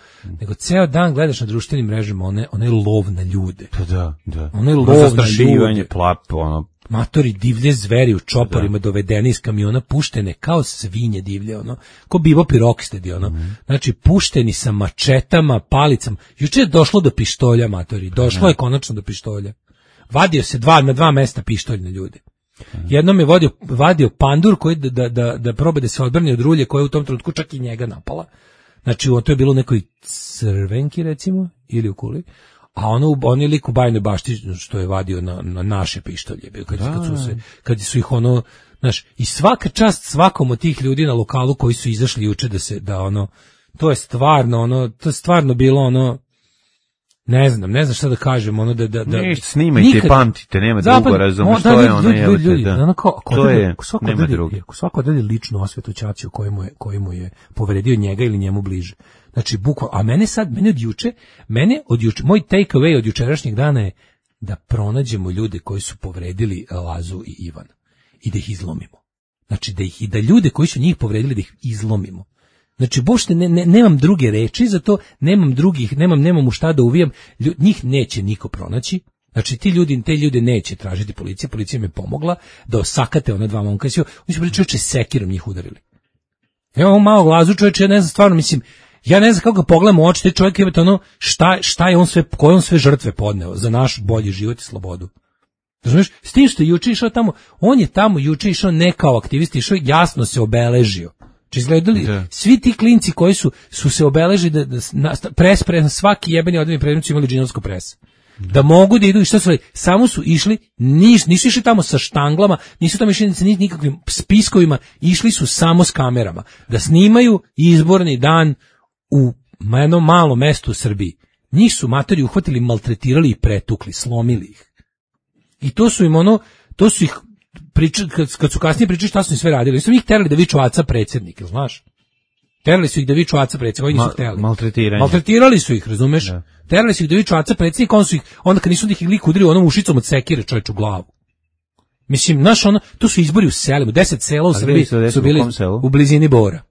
nego ceo dan gledaš na društvenim mrežama one, one lov na ljude. Pa da, da. One lov na ljude. Plap, ono, matori divlje zveri u čoporima, da. Dovedeni iz kamiona, puštene kao svinje divlje, ono, ko Bibo Pirokstedi, ono, mm. znači pušteni sa mačetama, palicama. Juče je došlo do pištolja, matori, došlo mm. je konačno do pištolja. Vadio se dva, na dva mesta pištolj na ljude. Mm. Jednom je vodio, vadio pandur koji da, da, da, da proba da se odbrani od rulje koja je u tom trenutku čak i njega napala. Znači, to je bilo u nekoj crvenki, recimo, ili u kuli. A ono, on je lik u Bajnoj Bašti što je vadio na, na naše pištolje. Kad, kad, su se, kad su ih ono, znaš, i svaka čast svakom od tih ljudi na lokalu koji su izašli juče da se, da ono, to je stvarno, ono, to je stvarno bilo ono, ne znam, ne znam šta da kažem, ono da da da ništa snimajte, nikad, pamtite, nema drugo, razumeš, što je ono, ljudi, ljudi, da. Ono kao, to je, nema drugo. Svako deli ličnu osvetu ćaću kojemu je, kojemu je povredio njega ili njemu bliže. Znači, bukvalno, a mene sad, mene od juče, mene od juče, moj take away od jučerašnjeg dana je da pronađemo ljude koji su povredili Lazu i Ivana i da ih izlomimo. Znači, da ih i da ljude koji su njih povredili, da ih izlomimo. Znači, bošte, ne, ne, nemam druge reči za to, nemam drugih, nemam, nemam u šta da uvijam, Ljud, njih neće niko pronaći, znači ti ljudi, te ljude neće tražiti policija, policija mi je pomogla da osakate ona dva momka, oni su bili čovječe sekirom njih udarili. Evo ovo malo Lazu čovječe, ja ne znam, stvarno, mislim, ja ne znam kako ga pogledam u oči, te čovjek je ono, šta, šta je on sve, koje on sve žrtve podneo za naš bolji život i slobodu. Razumiješ, s tim što je juče išao tamo, on je tamo juče išao ne kao aktivist, išao jasno se obeležio. Či izgledali, da. Svi ti klinci koji su su se obeležili da, da na, pres, pres, svaki jebeni odvojeni predmet su imali džinovsko pres. Da. da mogu da idu i šta su, samo su išli, nis, nisu išli tamo sa štanglama, nisu tamo išli sa nikakvim spiskovima, išli su samo s kamerama, da snimaju izborni dan u jednom malom mestu u Srbiji. Njih su matori uhvatili, maltretirali i pretukli, slomili ih. I to su im ono, to su ih Priča, kad, kad su kasnije pričali šta su im sve radili, su ih terali da viču aca predsjednik, jel znaš? Terali su ih da viču aca predsjednik, oni nisu htjeli. Maltretiranje. Maltretirali su ih, razumeš? Da. Terali su ih da viču aca predsjednik, onda su ih, onda kad nisu da ih lik udario onom ušicom od sekire čovječ u glavu. Mislim, znaš, ono, to su izbori u selima, deset sela u Srbiji su, su bili u, u blizini Bora.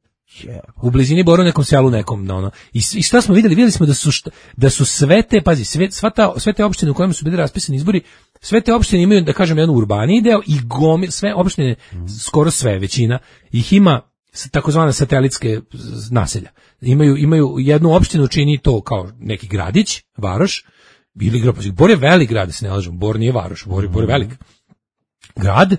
Yeah. U blizini Bora u nekom selu nekom, ono. I, I šta smo vidjeli? Vidjeli smo da su, šta, da su sve te, pazi, sve, sva ta, sve te opštine u kojima su bili raspisani izbori, sve te opštine imaju, da kažem, jedan urbaniji deo i gomil, sve opštine, mm. skoro sve, većina, ih ima takozvane satelitske naselja. Imaju, imaju jednu opštinu čini to kao neki gradić, varoš, ili grad, Bor je velik grad, da se ne lažem, Bor nije varoš, Bor, Bor je velik grad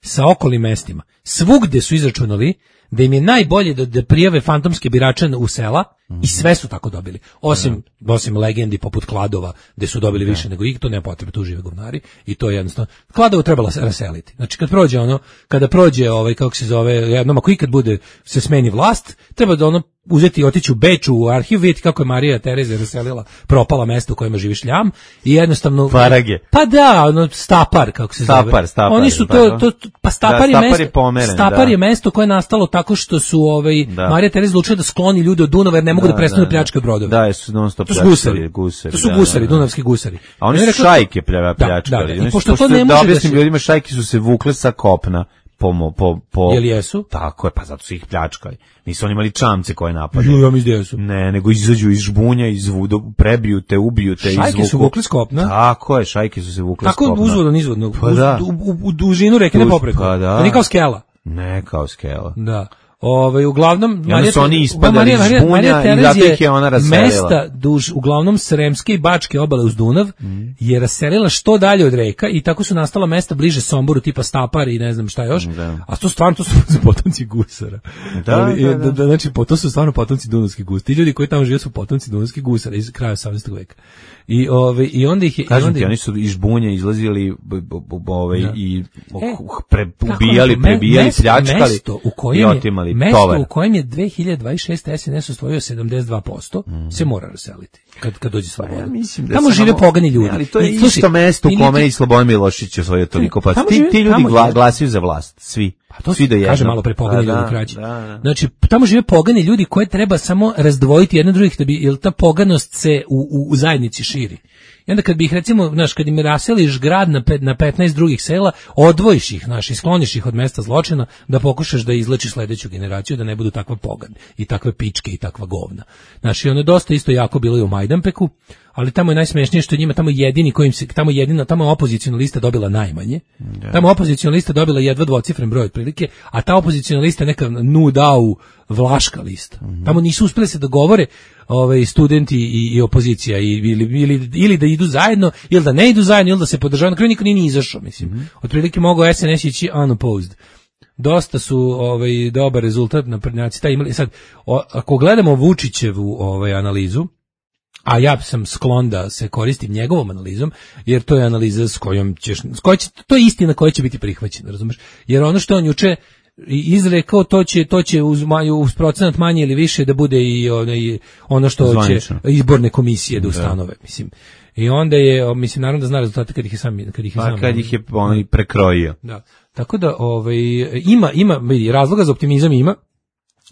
sa okolnim mestima. Svugde su izračunali da im je najbolje da, da prijave fantomske birače u sela mm-hmm. i sve su tako dobili. Osim, da. osim legendi poput Kladova, gde su dobili da. više nego ih, to nema potrebe, tu žive govnari i to je jednostavno. Kladovo trebalo se raseliti. Znači kad prođe ono, kada prođe ovaj, kako se zove, jednom ako ikad bude se smeni vlast, treba da ono uzeti i otići u Beču u arhiv, vidjeti kako je Marija Tereza raselila propala mesta u kojima živi šljam i jednostavno Farage. Pa da, ono Stapar kako se Stapar, zove. Stapar, Oni su to, to, to pa Stapar, da, je Stapar mesto. Je pomeren, Stapar da. je mesto koje je nastalo tako što su ovaj da. Marija Tereza odlučila da skloni ljude od Dunava jer ne mogu da, da prestanu da pljačkaju brodove. Da, su non stop to su gusari, gusari. To su da, gusari, da, da. dunavski gusari. A oni su rekla, šajke pljačkali. Da, da, da. I pošto to ne može da objasnim da ljudima, šajke su se vukle sa kopna. Po, po, po, Jel jesu? Tako je, pa zato su ih pljačkali. Nisu oni imali čamce koje napadaju. Ja mislim da su. Ne, nego izađu iz žbunja, izvudu, prebiju te, ubiju te, izvuku. Šajke su vukli s kopna? Tako je, šajke su se vukli s kopna. Tako uzvodno, nizvodno. Pa da. U, u, u dužinu reke ne popreko. Pa da. Pa nije kao skela. Ne kao skela. Da. Ovaj uglavnom Marija su oni ispadali iz žbunja i zato ih je ona raselila. Mesta duž uglavnom Sremske i Bačke obale uz Dunav mm. je raselila što dalje od reka i tako su nastala mesta bliže Somboru tipa Stapar i ne znam šta još. Da. A to stvarno to su potomci gusara. Da, ali, da, da. da, znači to su stvarno potomci dunavskih gusara. Ti ljudi koji tamo žive su potomci dunavskih gusara iz kraja osamnaestog veka. I ove i onda ih je kažem onda ti, oni su iz žbunja izlazili ovaj da. i e, pre, ubijali, prebijali, mesto, pljačkali mesto u kojem i otimali je, mesto tovar. U kojem je dve hiljade dvadeset šeste es en es osvojio sedamdeset dva posto mm. se mora raseliti kad kad dođe sloboda. Ja mislim da tamo žive samo, pogani ljudi. Ali to je I, isto mesto u kome i Slobodan Milošević osvojio toliko pa ti, ti ljudi gla, glasaju za vlast, svi. Pa to svi do jedno. Kaže malo pre pogani da, ljudi kraći. Da, da. Znači tamo žive pogani ljudi koje treba samo razdvojiti jedno drugih da bi jel ta poganost se u, u, u zajednici širi. I onda kad bi ih recimo, znaš, kad im raseliš grad na, pet, na petnaest drugih sela, odvojiš ih, znaš, i skloniš ih od mesta zločina, da pokušaš da izlečiš sledeću generaciju, da ne budu takva pogan i takve pičke i takva govna. Znaš, i ono je dosta isto jako bilo i u Majdanpeku, ali tamo je najsmešnije što je njima tamo jedini kojim se, tamo jedina, tamo opoziciona lista dobila najmanje, yeah. Tamo opoziciona lista dobila jedva dvocifren broj otprilike, a ta opoziciona lista je neka Nudau Vlaška lista. Mm-hmm. Tamo nisu uspeli se dogovore ovaj studenti i, i opozicija i ili, ili ili da idu zajedno ili da ne idu zajedno ili da se podržavaju, na kraju niko nije ni izašao, mislim. Mm-hmm. Otprilike mogao es en es ići unopposed. Dosta su ovaj dobar rezultat na prednjaci taj imali. Sad o, ako gledamo Vučićevu ovaj analizu, a ja sam sklon da se koristim njegovom analizom, jer to je analiza s kojom ćeš, s kojom će, to je istina koja će biti prihvaćena, razumeš? Jer ono što on juče izrekao, to će to će uz, uz procenat manje ili više da bude i onaj ono što Zvanično. će izborne komisije da ustanove, mislim. I onda je, mislim, naravno da zna rezultate kad ih je sam, kad ih je sam. Pa kad ih je onaj prekrojio. Da. Tako da, ovaj, ima, ima, vidi, razloga za optimizam ima,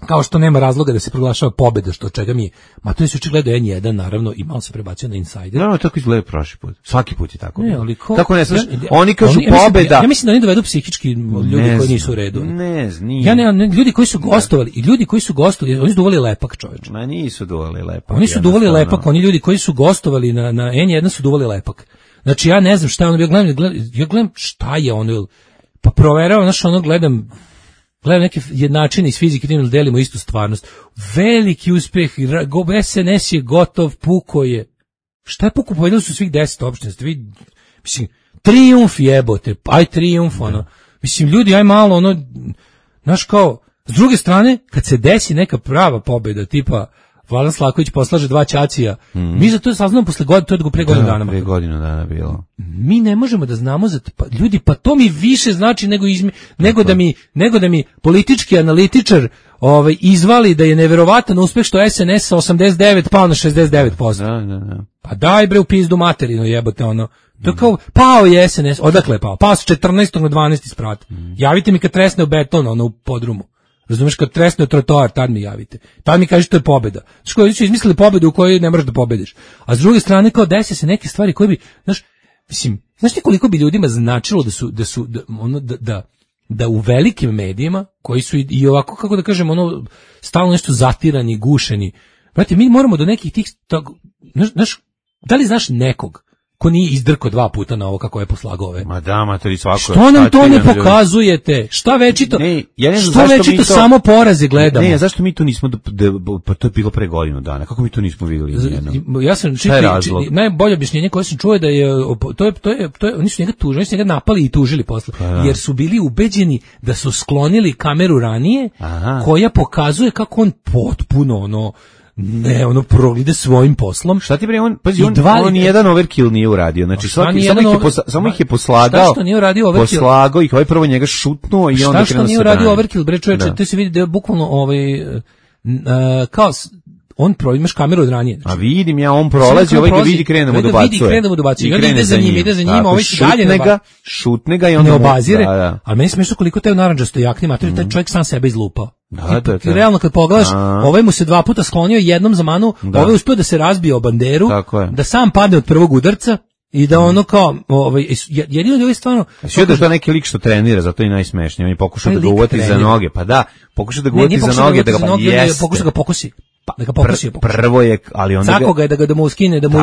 kao što nema razloga da se proglašava pobeda, što od čega mi, ma to je se očigledno en jedan, naravno, i malo se prebacio na Insider. No, no, tako izgleda prošli put. Svaki put je tako. Ne, ali ko, tako ne znaš, ja, oni kažu oni, ja pobeda. Ja, ja mislim da oni dovedu psihički ljudi ne koji nisu u redu. Ne znam, ja ne, ne, ljudi koji su gostovali, i ljudi koji su gostovali, oni su duvali lepak, čoveče. Ma nisu duvali lepak. Oni su duvali lepak, oni ljudi koji su gostovali na, na en jedan su duvali lepak. Znači, ja ne znam šta je ono, ja gledam, ja gledam šta je ono, pa proveravam, znaš, ono, gledam, gledam neke jednačine iz fizike, tim delimo istu stvarnost. Veliki uspeh, es en es je gotov, puko je. Šta je puko, povedali su svih deset opština, ste vi, mislim, trijumf jebote, aj trijumf, ono. Mislim, ljudi, aj malo, ono, znaš kao, s druge strane, kad se desi neka prava pobjeda, tipa, Vladan Slaković poslaže dva ćacija. Mm. Mi za to saznamo posle godine, to je pre godinu dana. Pre godinu dana bilo. Mi ne možemo da znamo za pa, ljudi, pa to mi više znači nego izmi, nego da mi nego da mi politički analitičar ovaj izvali da je neverovatan uspeh što es en es sa osamdeset devet pao na šezdeset devet posto. Da, da, da. Pa daj bre u pizdu materinu, jebote ono. To je kao, pao je es en es, odakle je pao? Pao sa četrnaestog na dvanaesti sprat. Mm. Javite mi kad tresne u beton, ono u podrumu. Razumeš, kad tresne trotoar, tad mi javite. Tad mi kažeš to je pobeda. Znači, koji su izmislili pobedu u kojoj ne možeš da pobediš. A s druge strane, kao desi se neke stvari koje bi, znaš, mislim, znaš ti koliko bi ljudima značilo da su, da su, da, ono, da, da, da u velikim medijima, koji su i, i ovako, kako da kažem, ono, stalno nešto zatirani, gušeni. Brate, mi moramo do nekih tih, tako, znaš, znaš, da li znaš nekog ko nije izdrko dva puta na ovo kako je poslagao ove. Ma da, matori svako. Što nam to ne pokazujete? Šta večito? Ne, ja ne znam što večito to, samo poraze gledamo? Ne, zašto mi to nismo, da, da, pa to je bilo pre godinu dana. Kako mi to nismo vidjeli? Z, ja sam čitao, najbolje objašnjenje koje sam čuo da je, to je, to je, to je, oni su njega tužili, oni su njega napali i tužili posle. Pa, jer su bili ubeđeni da su sklonili kameru ranije, aha, koja pokazuje kako on potpuno, ono, ne, ono proglide svojim poslom. Šta ti bre, on, pazi, on, dva, on nijedan overkill nije uradio. Znači, svaki, samo, ih je posla, samo ih je poslagao. Šta što nije uradio overkill? Poslagao ih, ovaj prvo njega šutnuo i onda krenuo se brani. Šta što nije uradio overkill, bre čoveče, to se vidi da je bukvalno ovaj, uh, kao, on pro, imaš kameru od ranije. Znači, a vidim ja, on prolazi, ovaj ga vidi, krene da mu dobacuje. Vidi, krene da mu dobacuje. I onda ide za njim, ide za njim, ovaj se dalje ne ga, šutne ga i onda ne obazire. Da, da. Ali meni smiješno koliko te u naranđasto jakni mater, taj čovjek sam sebe izlupao. Da, da, da. Realno kad pogledaš, ovaj mu se dva puta sklonio, jednom za manu, ovaj uspio da se razbije o banderu, da sam padne od prvog udarca i da ono kao, ovaj, jedino da je stvarno... Sve da je to neki lik što trenira, zato je najsmešnije, on je pokušao da ga uvati za noge, pa da, pokušao da ga uvati za noge, da ga pa jeste. Pokušao da ga pokosi. Pa, da ga pokosi, Pr, prvo je, ali onda Cako ga je da ga da mu skine, da mu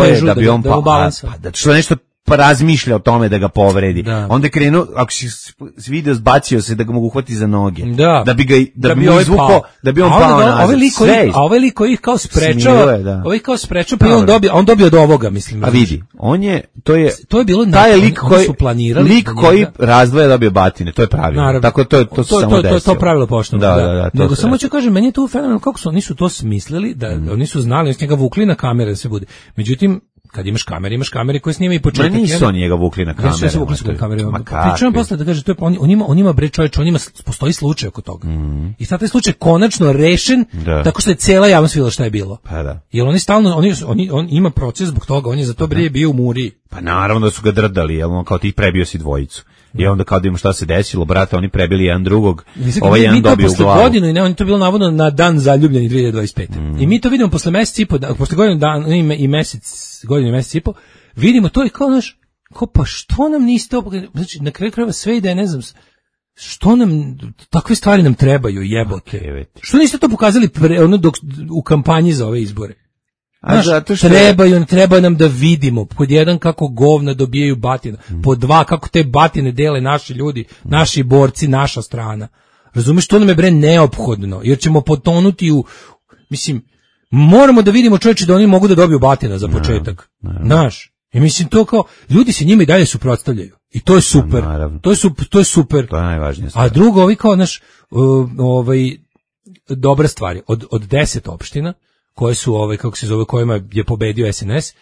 težu, da, da, da mu balansa. Pa, da što nešto pa razmišlja o tome da ga povredi. Da. Onda je krenuo, ako si video zbacio se da ga mogu uhvati za noge. Da, da bi ga da, da bi mu izvukao, da bi on pao nazad. A ovaj lik koji, a ovaj lik koji kao sprečava, da. Ovaj kao sprečava, pa on dobio, on dobio od ovoga, mislim. A vidi, on je, to je, to je bilo taj lik koji su planirali, lik koji razdvaja dobio batine, to je pravilo. Naravno. Tako to to, to se samo desilo. To to pravilo pošteno. Da, da, da. Nego samo ću kažem, meni je to fenomenalno kako su oni su to smislili, da oni su znali, oni su njega vukli na kamere da se bude. Međutim, kad imaš kamere, imaš kamere koje snimaju i početak. Ma nisu oni njega vukli na kamere. Ja se vukli na kamere. Pričam posle da kaže, to je, on, on, ima, on ima bre čovječ, on ima, postoji slučaj oko toga. Mm. I sad taj slučaj konačno rešen, da. Tako što je cijela javnost vidjela šta je bilo. Pa da. Jer oni stalno, oni, oni, on ima proces zbog toga, on je za to bre bio u muri. Pa naravno da su ga drdali, jel on kao ti prebio si dvojicu. I onda kad im šta se desilo, brate, oni prebili jedan drugog, mislim, ovaj jedan dobio u glavu. Godinu i ne, on to bilo navodno na dan zaljubljeni dvije hiljade dvadeset pete. Mm. I mi to vidimo posle mjesec i po, posle godinu dana i mjesec, godinu i mjesec i po, vidimo to i kao naš, kao pa što nam niste opogled, znači na kraju krajeva sve ide, ne znam, što nam, takve stvari nam trebaju, jebote. Okay, što niste to pokazali pre, ono dok, u kampanji za ove izbore? Znaš, zato što trebaju, treba nam da vidimo pod jedan kako govna dobijaju batine, mm. pod dva kako te batine dele naši ljudi, mm. naši borci, naša strana. Razumeš, to nam je bre neophodno, jer ćemo potonuti u, mislim, moramo da vidimo čovječe da oni mogu da dobiju batina za početak. Znaš, i mislim to kao, ljudi se njima i dalje suprotstavljaju. I to je super. To je, to je super. To je najvažnije stvar. A drugo, ovi kao, naš, ovaj, dobra stvari, od, od deset opština, koje su ove, kako se zove, kojima je pobedio es en es,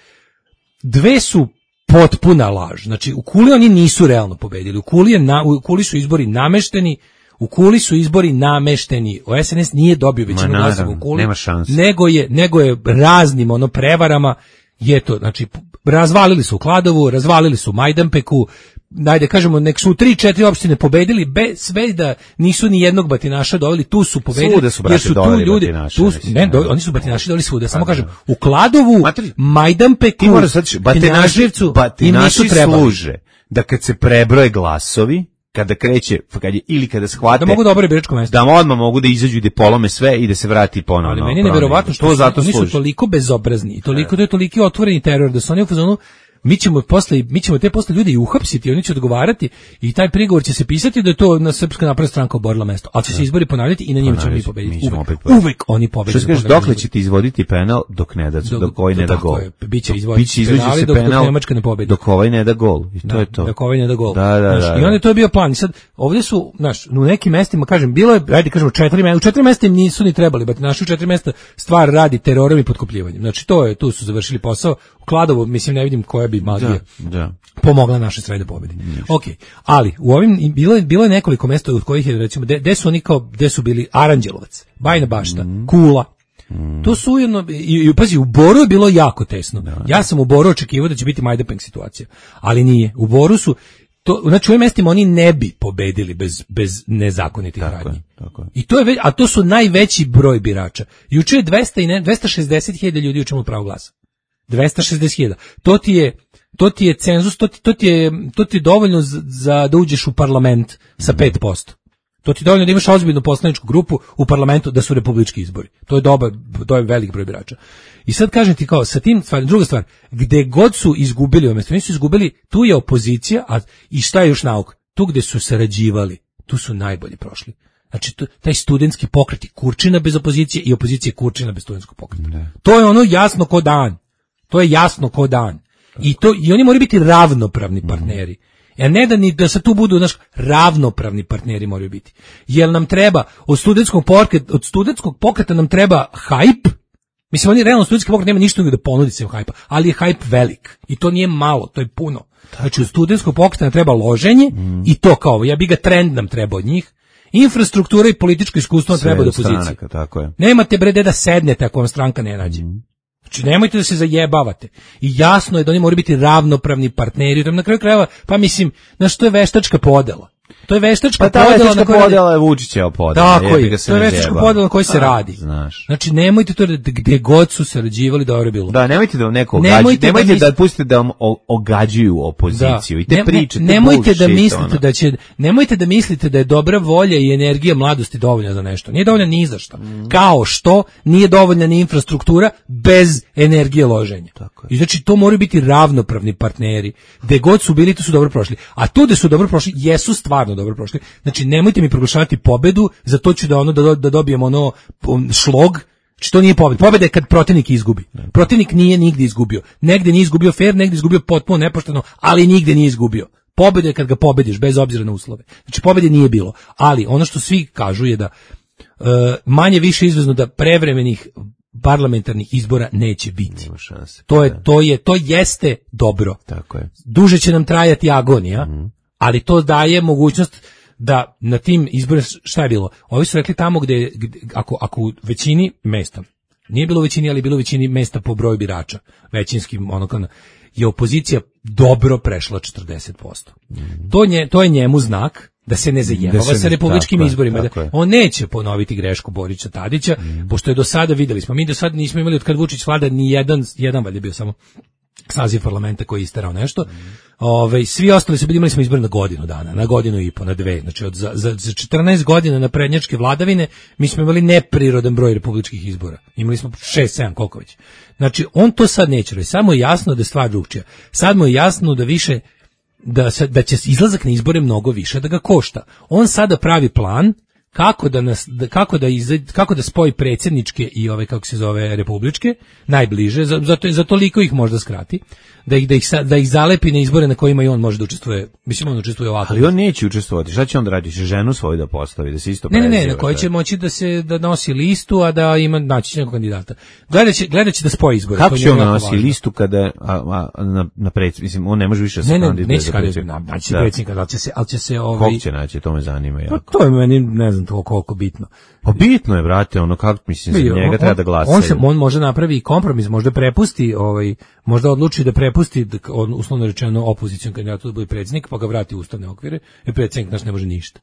dve su potpuna laž. Znači, u Kuli oni nisu realno pobedili. U Kuli, je na, u Kuli su izbori namešteni, U Kuli su izbori namešteni. O S N S nije dobio većinu glasova u Kuli, nego je nego je raznim ono prevarama je to, znači razvalili su Kladovu, razvalili su Majdanpeku, najde kažemo nek su tri četiri opštine pobedili bez sve da nisu ni jednog batinaša doveli, tu su pobedili su, jer su tu ljudi tu su, ne, do, oni su batinaši doveli svuda, samo kažem u Kladovu, Matri, Majdanpeku, batinašivcu batinaši služe da kad se prebroje glasovi, kada kreće, kad je, ili kada shvate da mogu dobro biračko mesto, da odmah mogu da izađu i da polome sve i da se vrati ponovno. Ali meni je neverovatno što to zato oni su toliko bezobrazni i toliko, to je toliki otvoreni teror da su oni u fazonu mi ćemo posle mi ćemo te posle ljudi i uhapsiti, oni će odgovarati i taj prigovor će se pisati da je to na Srpska napredna stranka oborila mesto, ali će se izbori ponavljati i na njima ćemo mi pobediti. Uvek, uvek oni pobede. Što kažeš, dokle ćete izvoditi penal dok ne da dok, dok ovaj ne da gol. Biće izvoditi penali dok, dok Nemačka ne pobedi. Dok ovaj ne da gol. I to da, je to. Dok ovaj ne da gol. Da, da, da, da. I onda je to bio plan. I sad ovdje su, znaš, u nekim mestima, kažem, bilo je, ajde kažemo četiri mesta, u četiri mesta im nisu ni trebali, bat naši u četiri mesta stvar radi terorom i potkopljivanjem. Znači to je, tu su završili posao. U Kladovu, mislim, ne vidim koja bi magija da. pomogla naše srede pobedi. Ok, ali u ovim bilo je, bilo je nekoliko mesta od kojih je recimo gde su oni kao gde su bili Aranđelovac, Bajina Bašta, mm. Kula. Mm. To su ujedno i, i pazi, u Boru je bilo jako tesno. Da. Ja sam u Boru očekivao da će biti Majdanpek situacija, ali nije. U Boru su to, znači u ovim mestima oni ne bi pobedili bez bez nezakonitih radnji. I to je, a to su najveći broj birača. Juče je dvesta i ne, dvesta šezdeset hiljada ljudi učinilo pravo glasa. dvesta šezdeset hiljada. To ti je to ti je cenzus, to ti, to ti je to ti je dovoljno za, za da uđeš u parlament sa pet posto. To ti je dovoljno da imaš ozbiljnu poslaničku grupu u parlamentu da su republički izbori. To je dobar, to je velik broj birača. I sad kažem ti kao sa tim stvar, druga stvar, gde god su izgubili, umjesto oni su izgubili, tu je opozicija, a i šta je još nauk? Tu gde su sarađivali, tu su najbolji prošli. Znači, to, taj studentski pokret je Kurčina bez opozicije i opozicija je Kurčina bez studentskog pokreta. Ne. To je ono jasno ko dan. To je jasno ko dan. I to i oni moraju biti ravnopravni partneri. Mm. A ne da ni da se tu budu naš ravnopravni partneri moraju biti. Jel nam treba od studentskog pokreta, od studentskog pokreta nam treba hajp. Mislim, oni realno studentski pokret nema ništa da ponudi se hajpa, ali je hajp velik. I to nije malo, to je puno. Znači, od studentskog pokreta nam treba loženje mm. i to kao, ja bi ga trend nam treba od njih. Infrastruktura i političko iskustvo treba do opozicije. Tako je. Nemate bre da sednete ako vam stranka ne nađe. Mm. Znači, nemojte da se zajebavate. I jasno je da oni moraju biti ravnopravni partneri. Na kraju krajeva, pa mislim, znaš, to je veštačka podela. To je veštačka pa podela na kojoj podela je Vučićeva podela. Tako je, to je veštačka podela na kojoj se radi. Znaš. Znači, nemojte to da gde god su sarađivali dobro je bilo. Da, nemojte da vam neko ogađuje. Nemojte, nemojte da, misli... da pustite da vam ogađuju opoziciju. Da. I te ne, pričate ne, nemojte bullshit, da mislite ono. da će, nemojte da mislite da je dobra volja i energija mladosti dovoljna za nešto. Nije dovoljna ni za što. Mm. Kao što nije dovoljna ni infrastruktura bez energije loženja. Tako je. I znači, to moraju biti ravnopravni partneri. Gde god su bili, to su dobro prošli. A tu gde su dobro prošli, jesu stvarno dobro prošli. Znači, nemojte mi proglašavati pobedu, za to ću da ono da, da dobijem ono šlog. Znači, to nije pobeda. Pobeda je kad protivnik izgubi. Protivnik nije nigde izgubio. Negde nije izgubio fair, negde izgubio potpuno nepošteno, ali nigde nije izgubio. Pobeda je kad ga pobediš, bez obzira na uslove. Znači, pobede nije bilo. Ali ono što svi kažu je da uh, manje više izvezno da prevremenih parlamentarnih izbora neće biti. To je, to je, to jeste dobro. Tako je. Duže će nam trajati agonija, mm. ali to daje mogućnost da na tim izborima, šta je bilo? Ovi su rekli tamo gde, gde ako, ako u većini mesta, nije bilo u većini, ali bilo u većini mesta po broju birača, većinskim, ono kao, je opozicija dobro prešla četrdeset posto. Mm. To, nje, to je njemu znak da se ne zajebava sa republičkim tako, izborima. Tako da on neće ponoviti grešku Borića Tadića, mm. pošto je do sada, videli smo, mi do sada nismo imali od kad Vučić vlada ni jedan, jedan valjda bio samo saziv parlamenta koji je isterao nešto. Mm. Ove, svi ostali su bili, imali smo izbor na godinu dana, na godinu i po, na dve. Znači, od, za, za, za četrnaest godina na prednjačke vladavine mi smo imali neprirodan broj republičkih izbora. Imali smo šest sedam, koliko već. Znači, on to sad neće reći. Samo je jasno da je stvar drugčija. Sad mu je jasno da više Da, da će izlazak na izbore mnogo više da ga košta. On sada pravi plan kako da nas da, kako da iz, kako da spoji predsjedničke i ove kako se zove republičke najbliže, zato za toliko ih možda skrati. da ih da ih da ih zalepi na izbore na kojima i on može da učestvuje. Mislim on učestvuje ovako. Ali on neće učestvovati. Šta će on da radi? Ženu svoju da postavi, da se isto preziva. Ne, ne, ne, na kojoj će moći da se da nosi listu, a da ima naći nekog kandidata. Gledaće gledaće da spoji izbore. Kako će on nosi važno. Listu kada a, a, na na predsjednik, mislim on ne može više se kandidovati. Ne, ne, neće kandidovati, naći predsjednika, da će se, al će se ovaj Kako će naći, to me zanima jako. Pa to je meni ne znam to koliko bitno. Pa bitno je, brate, ono kako mislim za njega on, treba da glasa. On se on može napravi kompromis, možda prepusti ovaj možda odluči da prepusti on, uslovno rečeno opozicijom kandidatu da bude predsjednik, pa ga vrati u ustavne okvire, jer predsjednik naš ne može ništa.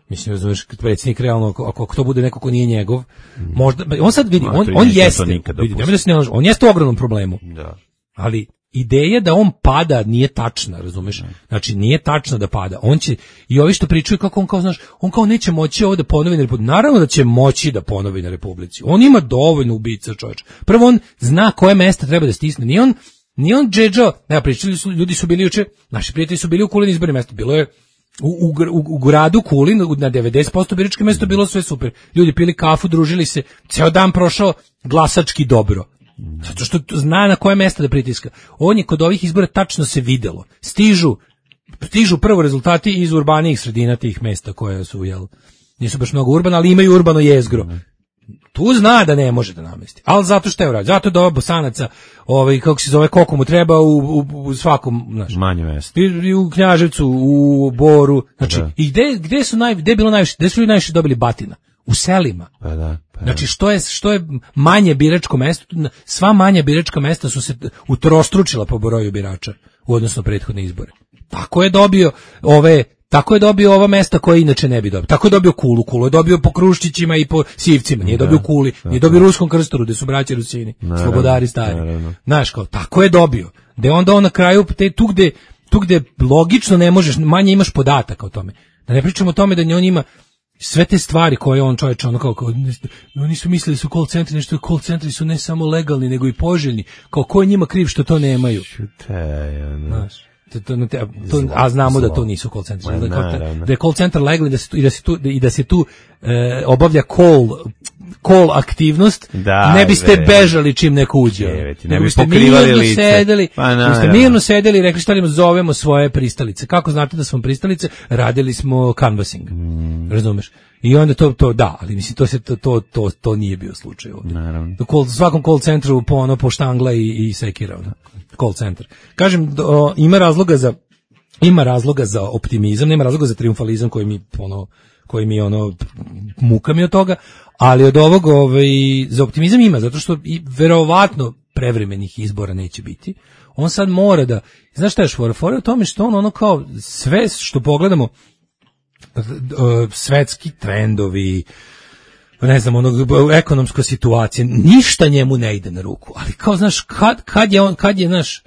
Mislim, razumeš, predsjednik realno, ako, ako to bude neko ko nije njegov, mm. možda, on sad vidi, on, on jeste, vidi, nema da se ne laže, on jeste u ogromnom problemu, da. Ali ideja da on pada nije tačna, razumeš? Znači, nije tačno da pada. On će, i ovi što pričaju kako on kao, znaš, on kao neće moći ovo da ponovi na Republici. Naravno da će moći da ponovi na Republici. On ima dovoljno ubica, čovječ. Prvo, on zna koje mesta treba da stisne. Nije on, nije on džedžo, ne, pričali su, ljudi su bili juče, naši prijatelji su bili u Kulin izbornim mjestu. Bilo je u, u, u, u gradu Kulin, na devedeset posto biračke mjesto bilo sve super. Ljudi pili kafu, družili se, ceo dan prošao glasački dobro. Zato što zna na koje mesta da pritiska. On je kod ovih izbora tačno se videlo. Stižu, stižu prvo rezultati iz urbanijih sredina tih mesta koje su, jel, nisu baš mnogo urbano, ali imaju urbano jezgro. Tu zna da ne može da namesti. Ali zato što je urađeno. Zato da ovo Bosanaca, ovaj, kako se zove, koliko mu treba u, u, u svakom, znaš, manje mesta. I, I u Knjaževcu, u Boru. Znači, da. I gde, gde su naj, gde je bilo najviše, gde su ljudi najviše dobili batina? U selima. Pa da, pa znači što je što je manje biračko mesto, sva manja biračka mesta su se utrostručila po broju birača u odnosu na prethodne izbore. Tako je dobio ove tako je dobio ova mesta koje inače ne bi dobio. Tako je dobio Kulu, Kulu je dobio po Kruščićima i po Sivcima, nije da, dobio Kuli, da, nije dobio Ruskom Krstoru, gde su braća Rusini, naravno, slobodari stari. Naravno. Znaš kao, tako je dobio. Da onda on na kraju te tu gde tu gde logično ne možeš, manje imaš podataka o tome. Da ne pričamo o tome da on ima sve te stvari koje on čovječ ono kao, kao oni su mislili su call centri, nešto call centri su ne samo legalni nego i poželjni, kao ko je njima kriv što to nemaju. Znaš, to, to, to, to, a znamo da to nisu call centri, da, da je call centar legalni da se tu, i da se tu, i da se tu e, obavlja call call aktivnost, da, ne biste be. bežali čim neko uđe. Jeveti, ne biste pokrivali lice. Sedeli, pa biste mirno sedeli i rekli šta li zovemo svoje pristalice. Kako znate da smo pristalice? Radili smo canvassing. Mm. Razumeš? I onda to to da, ali mislim to se to to to, to nije bio slučaj ovdje. Naravno. U call, svakom call centru po ono po štangla i, i sekira. Call centar. Kažem, do, ima razloga za ima razloga za optimizam, nema razloga za trijumfalizam koji mi ono koji mi ono muka mi od toga, ali od ovog ovaj, za optimizam ima, zato što i verovatno prevremenih izbora neće biti. On sad mora da, znaš šta je šfora? Fora u tome što on ono kao sve što pogledamo, svetski trendovi, ne znam, ono, ekonomska situacija, ništa njemu ne ide na ruku, ali kao, znaš, kad, kad je on, kad je, znaš,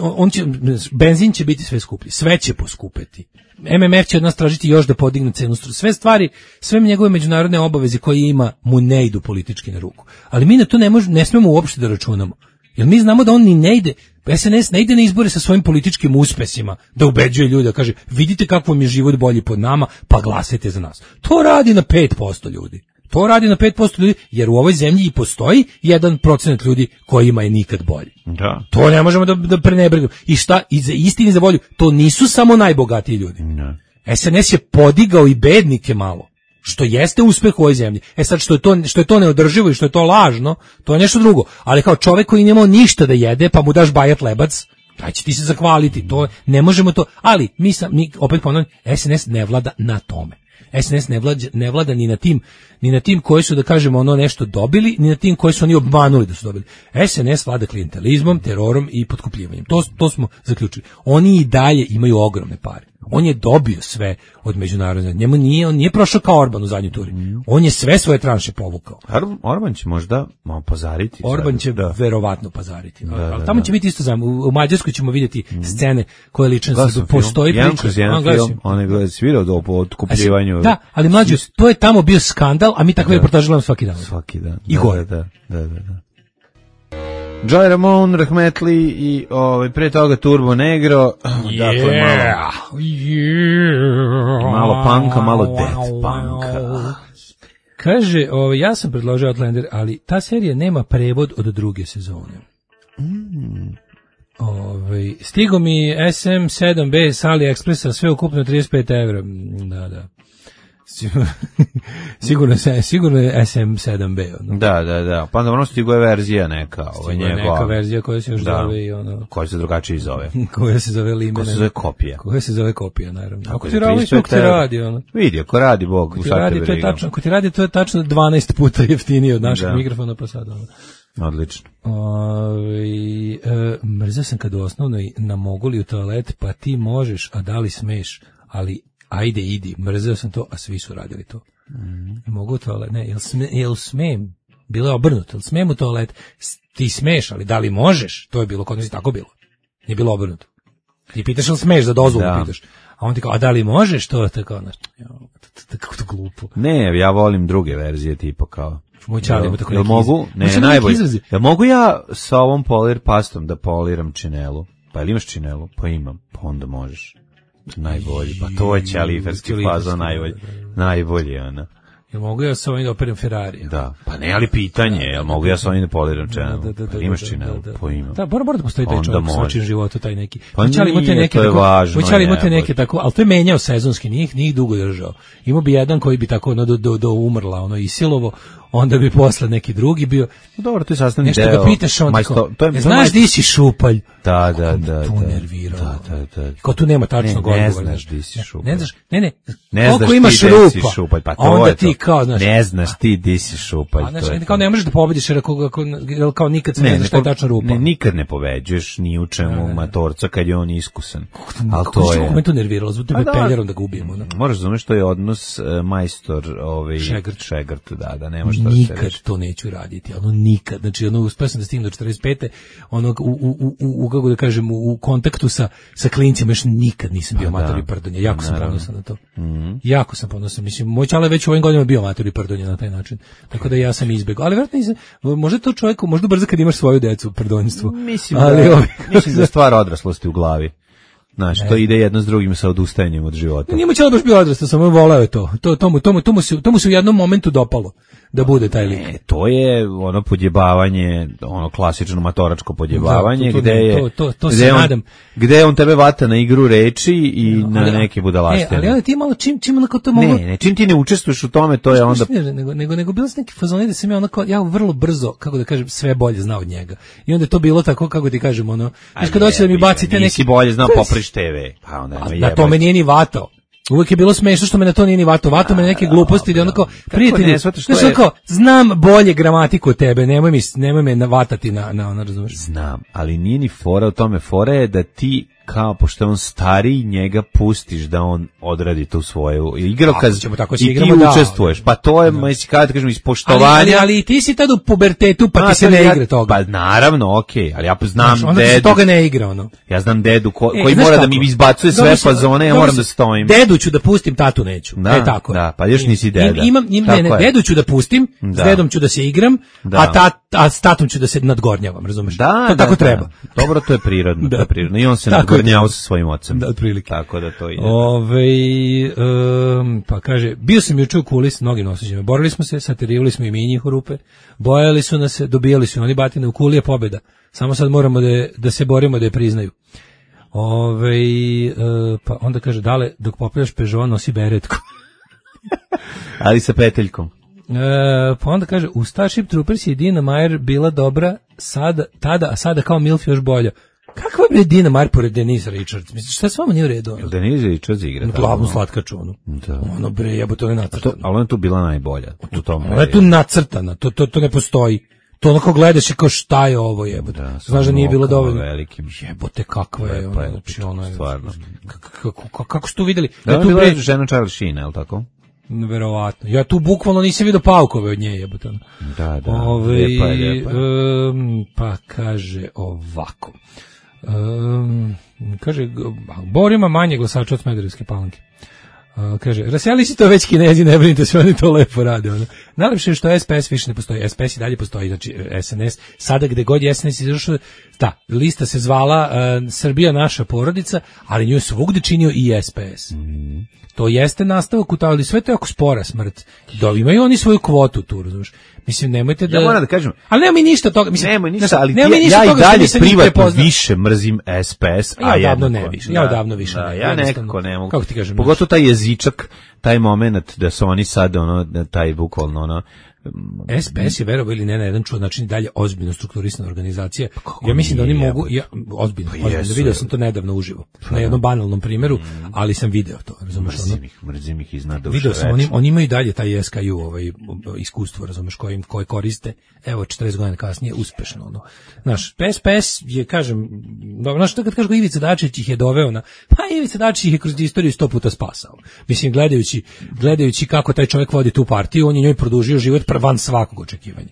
on će, benzin će biti sve skuplji, sve će poskupeti. M M F će od nas tražiti još da podigne cenu struje. Sve stvari, sve njegove međunarodne obaveze koje ima mu ne idu politički na ruku. Ali mi na to ne, možemo, ne smemo uopšte da računamo. Jer mi znamo da on ni ne ide, S N S ne ide na izbore sa svojim političkim uspesima, da ubeđuje ljude, da kaže vidite kako vam je život bolji pod nama, pa glasajte za nas. To radi na pet posto ljudi. To radi na pet posto ljudi, jer u ovoj zemlji i postoji jedan procenat ljudi kojima je nikad bolji. Da. To ne možemo da, da prenebregnemo. I šta, i za istini za volju, to nisu samo najbogatiji ljudi. Da. S N S je podigao i bednike malo, što jeste uspeh u ovoj zemlji. E sad, što je to, što je to neodrživo i što je to lažno, to je nešto drugo. Ali kao čovjek koji nemao ništa da jede, pa mu daš bajat lebac, da će ti se zahvaliti. To, ne možemo to, ali mi, sam, mi opet ponavljam, S N S ne vlada na tome. S N S ne vlada, ne vlada ni na tim, ni na tim koji su, da kažemo, ono nešto dobili, ni na tim koji su oni obmanuli da su dobili. S N S vlada klijentelizmom, terorom i potkupljivanjem. To, to smo zaključili. Oni i dalje imaju ogromne pare. On je dobio sve od međunarodne. Njemu nije, on nije prošao kao Orban u zadnjoj turi. On je sve svoje tranše povukao. Orban će možda malo pazariti. Orban sad, će da. verovatno pazariti. Da, ali da, tamo da. će biti isto zajmo. U, u Mađarskoj ćemo vidjeti mm. scene koje lično Glasam postoji film. priča. Jedan kroz jedan film, on je gleda svirao do otkupljivanju. Da, ali mlađe, to je tamo bio skandal, a mi takve reportaže gledamo svaki dan. Svaki dan. I gore. Da, da, da, da. Joy Ramon, Rahmetli i ovaj pre toga Turbo Negro, yeah, dakle malo, yeah, malo punka, malo death punka. Kaže, ovaj, ja sam predložio Outlander, ali ta serija nema prevod od druge sezone. Mm. Ove, stigo mi S M sedam B s AliExpressa, sve ukupno trideset pet evra. Da, da. sigurno, sigurno je S M sedam B. Ono. Da, da, da. Pa onda ono stigo je verzija neka. Ovo stigo je neka verzija koja se još da. zove i ono... Koja se drugačije zove. koja se zove Limena. Koja se zove kopija. Koja se zove kopija, naravno. Ako ti radi, ako ti radi, ono. Vidi, ako radi, Bog, ako ti radi, to je tačno, ako ti radi, to je tačno dvanaest puta jeftinije od našeg da. mikrofona, pa sad ono. Odlično. Ove, e, mrzeo sam kad u osnovnoj namoguli u toalet, pa ti možeš, a da li smeš, ali ajde idi, mrzeo sam to, a svi su radili to. Mm. Mogu u toalet, ne, jel, sme, jel smem, bilo je obrnuto, jel smem u toalet, ti smeš, ali da li možeš, to je bilo, kod nas je tako bilo, nije bilo obrnuto. Ti pitaš jel smeš, za dozvolu da. pitaš, a on ti kao, a da li možeš, to je tako, kako to glupo. Ne, ja volim druge verzije, tipa kao, moj čale ima tako neki mogu, ne, najbolje. Ja mogu ja sa ovom polir pastom da poliram činelu. Pa jel imaš činelu? Pa imam. Pa onda možeš. Najbolji. Pa to je ćaliferski fazon najbolji. Najbolji, ona. Jel mogu ja sa ovim da operam Ferrari? Da. Pa ne, ali pitanje, jel mogu ja sa ovim da poliram činelu? Da, da, da, pa imaš činelu? Pa imam. Da, mora, mora da postoji taj čovjek u svačim životu, taj neki. Pa nije, to je važno. Moćali imate neke tako, ali to je menjao sezonski, njih, njih dugo držao. Imao bi jedan koji bi tako ono, do, do, do umrla, ono, isilovo, onda bi posle neki drugi bio. Dobro, to je sastavni nešto deo. Nešto ga pitaš on tako, je, znaš di si šupalj? Da, da, da. Tu nervirao. Da, da, da. Kao tu nema tačnog odgovora. Ne znaš di si šupalj. Ne znaš, ne, ne, ne koliko imaš rupa, šupalj, pa to onda je ti kao, znaš. Ne znaš ti di si šupalj. A, znaš, kao ne možeš da pobediš, jer kao, kao nikad se ne, ne znaš šta je tačna rupa. Ne, nikad ne pobeđuješ ni u čemu matorca kad je on iskusan. Ali to je... Kako me to nerviralo, zbog tebe peljerom da ga ubijemo. Moraš znati što je odnos majstor, ovaj, Šegrt, da, da, ne možeš nikad to neću raditi, ono nikad, znači ono uspeo sam da stignem do četrdeset pete ono u, u, u, u, kako da kažem, u kontaktu sa, sa klincima još nikad nisam bio matori prdonja, jako sam ponosan na to. Mm-hmm. Jako sam ponosan, mislim, moj čale već u ovim godinama bio matori prdonja na taj način, tako da ja sam izbegao, ali vjerojatno nisam, možda to čovjeku, možda brzo kad imaš svoju decu, prdonjstvo. Mislim, ali, da, mislim da je stvar odraslosti u glavi. Znaš, to ide jedno s drugim sa odustajanjem od života. Nije mu čelo baš bio odrastao, samo voleo je to. To, to, mu, to, mu, to, mu se, to mu se u jednom momentu dopalo da bude taj lik. Ne, to je ono podjebavanje, ono klasično matoračko podjebavanje, da, to, to, gde je, to, to, to gde, se on, nadam. gde on tebe vata na igru reči i no, na ali, neke budalaštine. E, ali onda ti malo čim, čim onako to mogu... Ne, ne, čim ti ne učestvuješ u tome, to je onda... Ne, nego, nego, nego bilo sam neki fazoni da sam ja onako, ja vrlo brzo, kako da kažem, sve bolje znao od njega. I onda je to bilo tako, kako ti kažem, ono, znaš kad hoće da mi bacite neki... Nisi bolje znao popriš te ve, pa onda A na to me nije ni vatao. Uvijek je bilo smešno što me na to nije ni vatao. Vatao me na neke gluposti da onako, prijatelji, znaš onako, znam bolje gramatiku od tebe, nemoj, mi, nemoj me navatati na, na ono, razumeš? Znam, ali nije ni fora o tome. Fora je da ti, kao, pošto je on stariji, njega pustiš da on odradi tu svoju igrokaz i ti da, učestvuješ. Pa to je, da. Kada da kažem, iz poštovanja. Ali, ali, ali ti si tad u pubertetu, pa a, ti se ne ja, igra toga. Pa naravno, okej, okay, ali ja znam znaš, onda dedu. Onda se toga ne igra, ono. Ja znam dedu ko, e, koji mora kako? Da mi izbacuje sve fazone, ja moram da stojim. Dedu ću da pustim, tatu neću. Da, e, tako da, pa još nisi deda. Imam, im, ne, ne, dedu ću da pustim, da. S dedom ću da se igram, da. a, tat, a s tatom ću da se nadgornjavam, razumeš? Da, to da, tako da. treba. Dobro, to je prirodno, da. To je prirodno. I on se nadgornjava sa svojim ocem. Da, otprilike. Tako da to ide. Ove, um, pa kaže, bio sam juče u Kuli s mnogim nosađima. Borili smo se, satirivali smo i mi njih u rupe. Bojali su nas, dobijali su oni batine. U Kuli je pobjeda. Samo sad moramo da, da se borimo da je priznaju. Ove, uh, pa onda kaže, dale, dok popravljaš Peugeot, nosi beretku. Ali sa peteljkom. E, pa onda kaže, u Starship Troopers je Dina Meyer bila dobra sada, tada, a sada kao Milf još bolja. Kakva je Dina Meyer pored Denise Richards? Misliš, šta s vama nije u redu? Ono? Denise Richards igra. Glavnu slatkaču, ono. Da. Ono, bre, jebo, to je nacrtano. Ali ona je tu bila najbolja. U tom ona je tu nacrtana, to, to, to ne postoji. To onako gledaš i kao šta je ovo, jebote. Da, znaš da nije bilo dovoljno. Velikim. Jebote, kakva je ona, znači ono je. Stvarno. Kako, kako ste tu vidjeli? Da, ja tu bila pre... žena Charlie Sheen, je li tako? Verovatno. Ja tu bukvalno nisam vidio paukove od nje, jebote. Da, da. Ove, lijepa je, lijepa je. Um, pa kaže ovako. Um, kaže, Bor ima manje glasača od Smederevske Palanke. Uh, kaže, raseli si to već Kinezi, ne brinite, sve oni to lepo rade. Ono. Najlepše je što S P S više ne postoji. S P S i dalje postoji, znači S N S. Sada gde god je S N S izašao, da, lista se zvala uh, Srbija naša porodica, ali nju je svugde činio i S P S. Mm. To jeste nastavak u to, ali sve to je jako spora smrt. Da, imaju oni svoju kvotu tu, razumiješ. Mislim, nemojte da... Ja moram da kažem... Ali nema mi ništa toga. Mislim, nema ništa, ali nema ja, ništa ja toga i dalje privatno više mrzim S P S, a ja odavno ne više. Ja odavno više. Da, ja nekako ne mogu. Kako ti kažem? Pogotovo taj jezičak, taj moment da su oni sad, ono, taj bukvalno, ono... S P S je verovao ili ne na jedan čudan način dalje ozbiljno strukturisana organizacija. Ja mislim da oni mogu, ja, ozbiljno, pa ozbiljno, vidio sam to nedavno uživo, pa na jednom banalnom primjeru, mm. ali sam video to, razumeš? Mrzim ih, mrzim ih iznad duše. Video sam, oni, oni imaju dalje taj S K U, ovaj, iskustvo, razumeš, koje, koje koriste, evo, četrdeset godina kasnije, uspešno, ono. Znaš, S P S je, kažem, dobro, znaš, kad kažu Ivica Dačić ih je doveo na, pa Ivica Dačić ih je kroz istoriju sto puta spasao. Mislim, gledajući, gledajući kako taj čovjek vodi tu partiju, on je njoj produžio život van svakog očekivanja.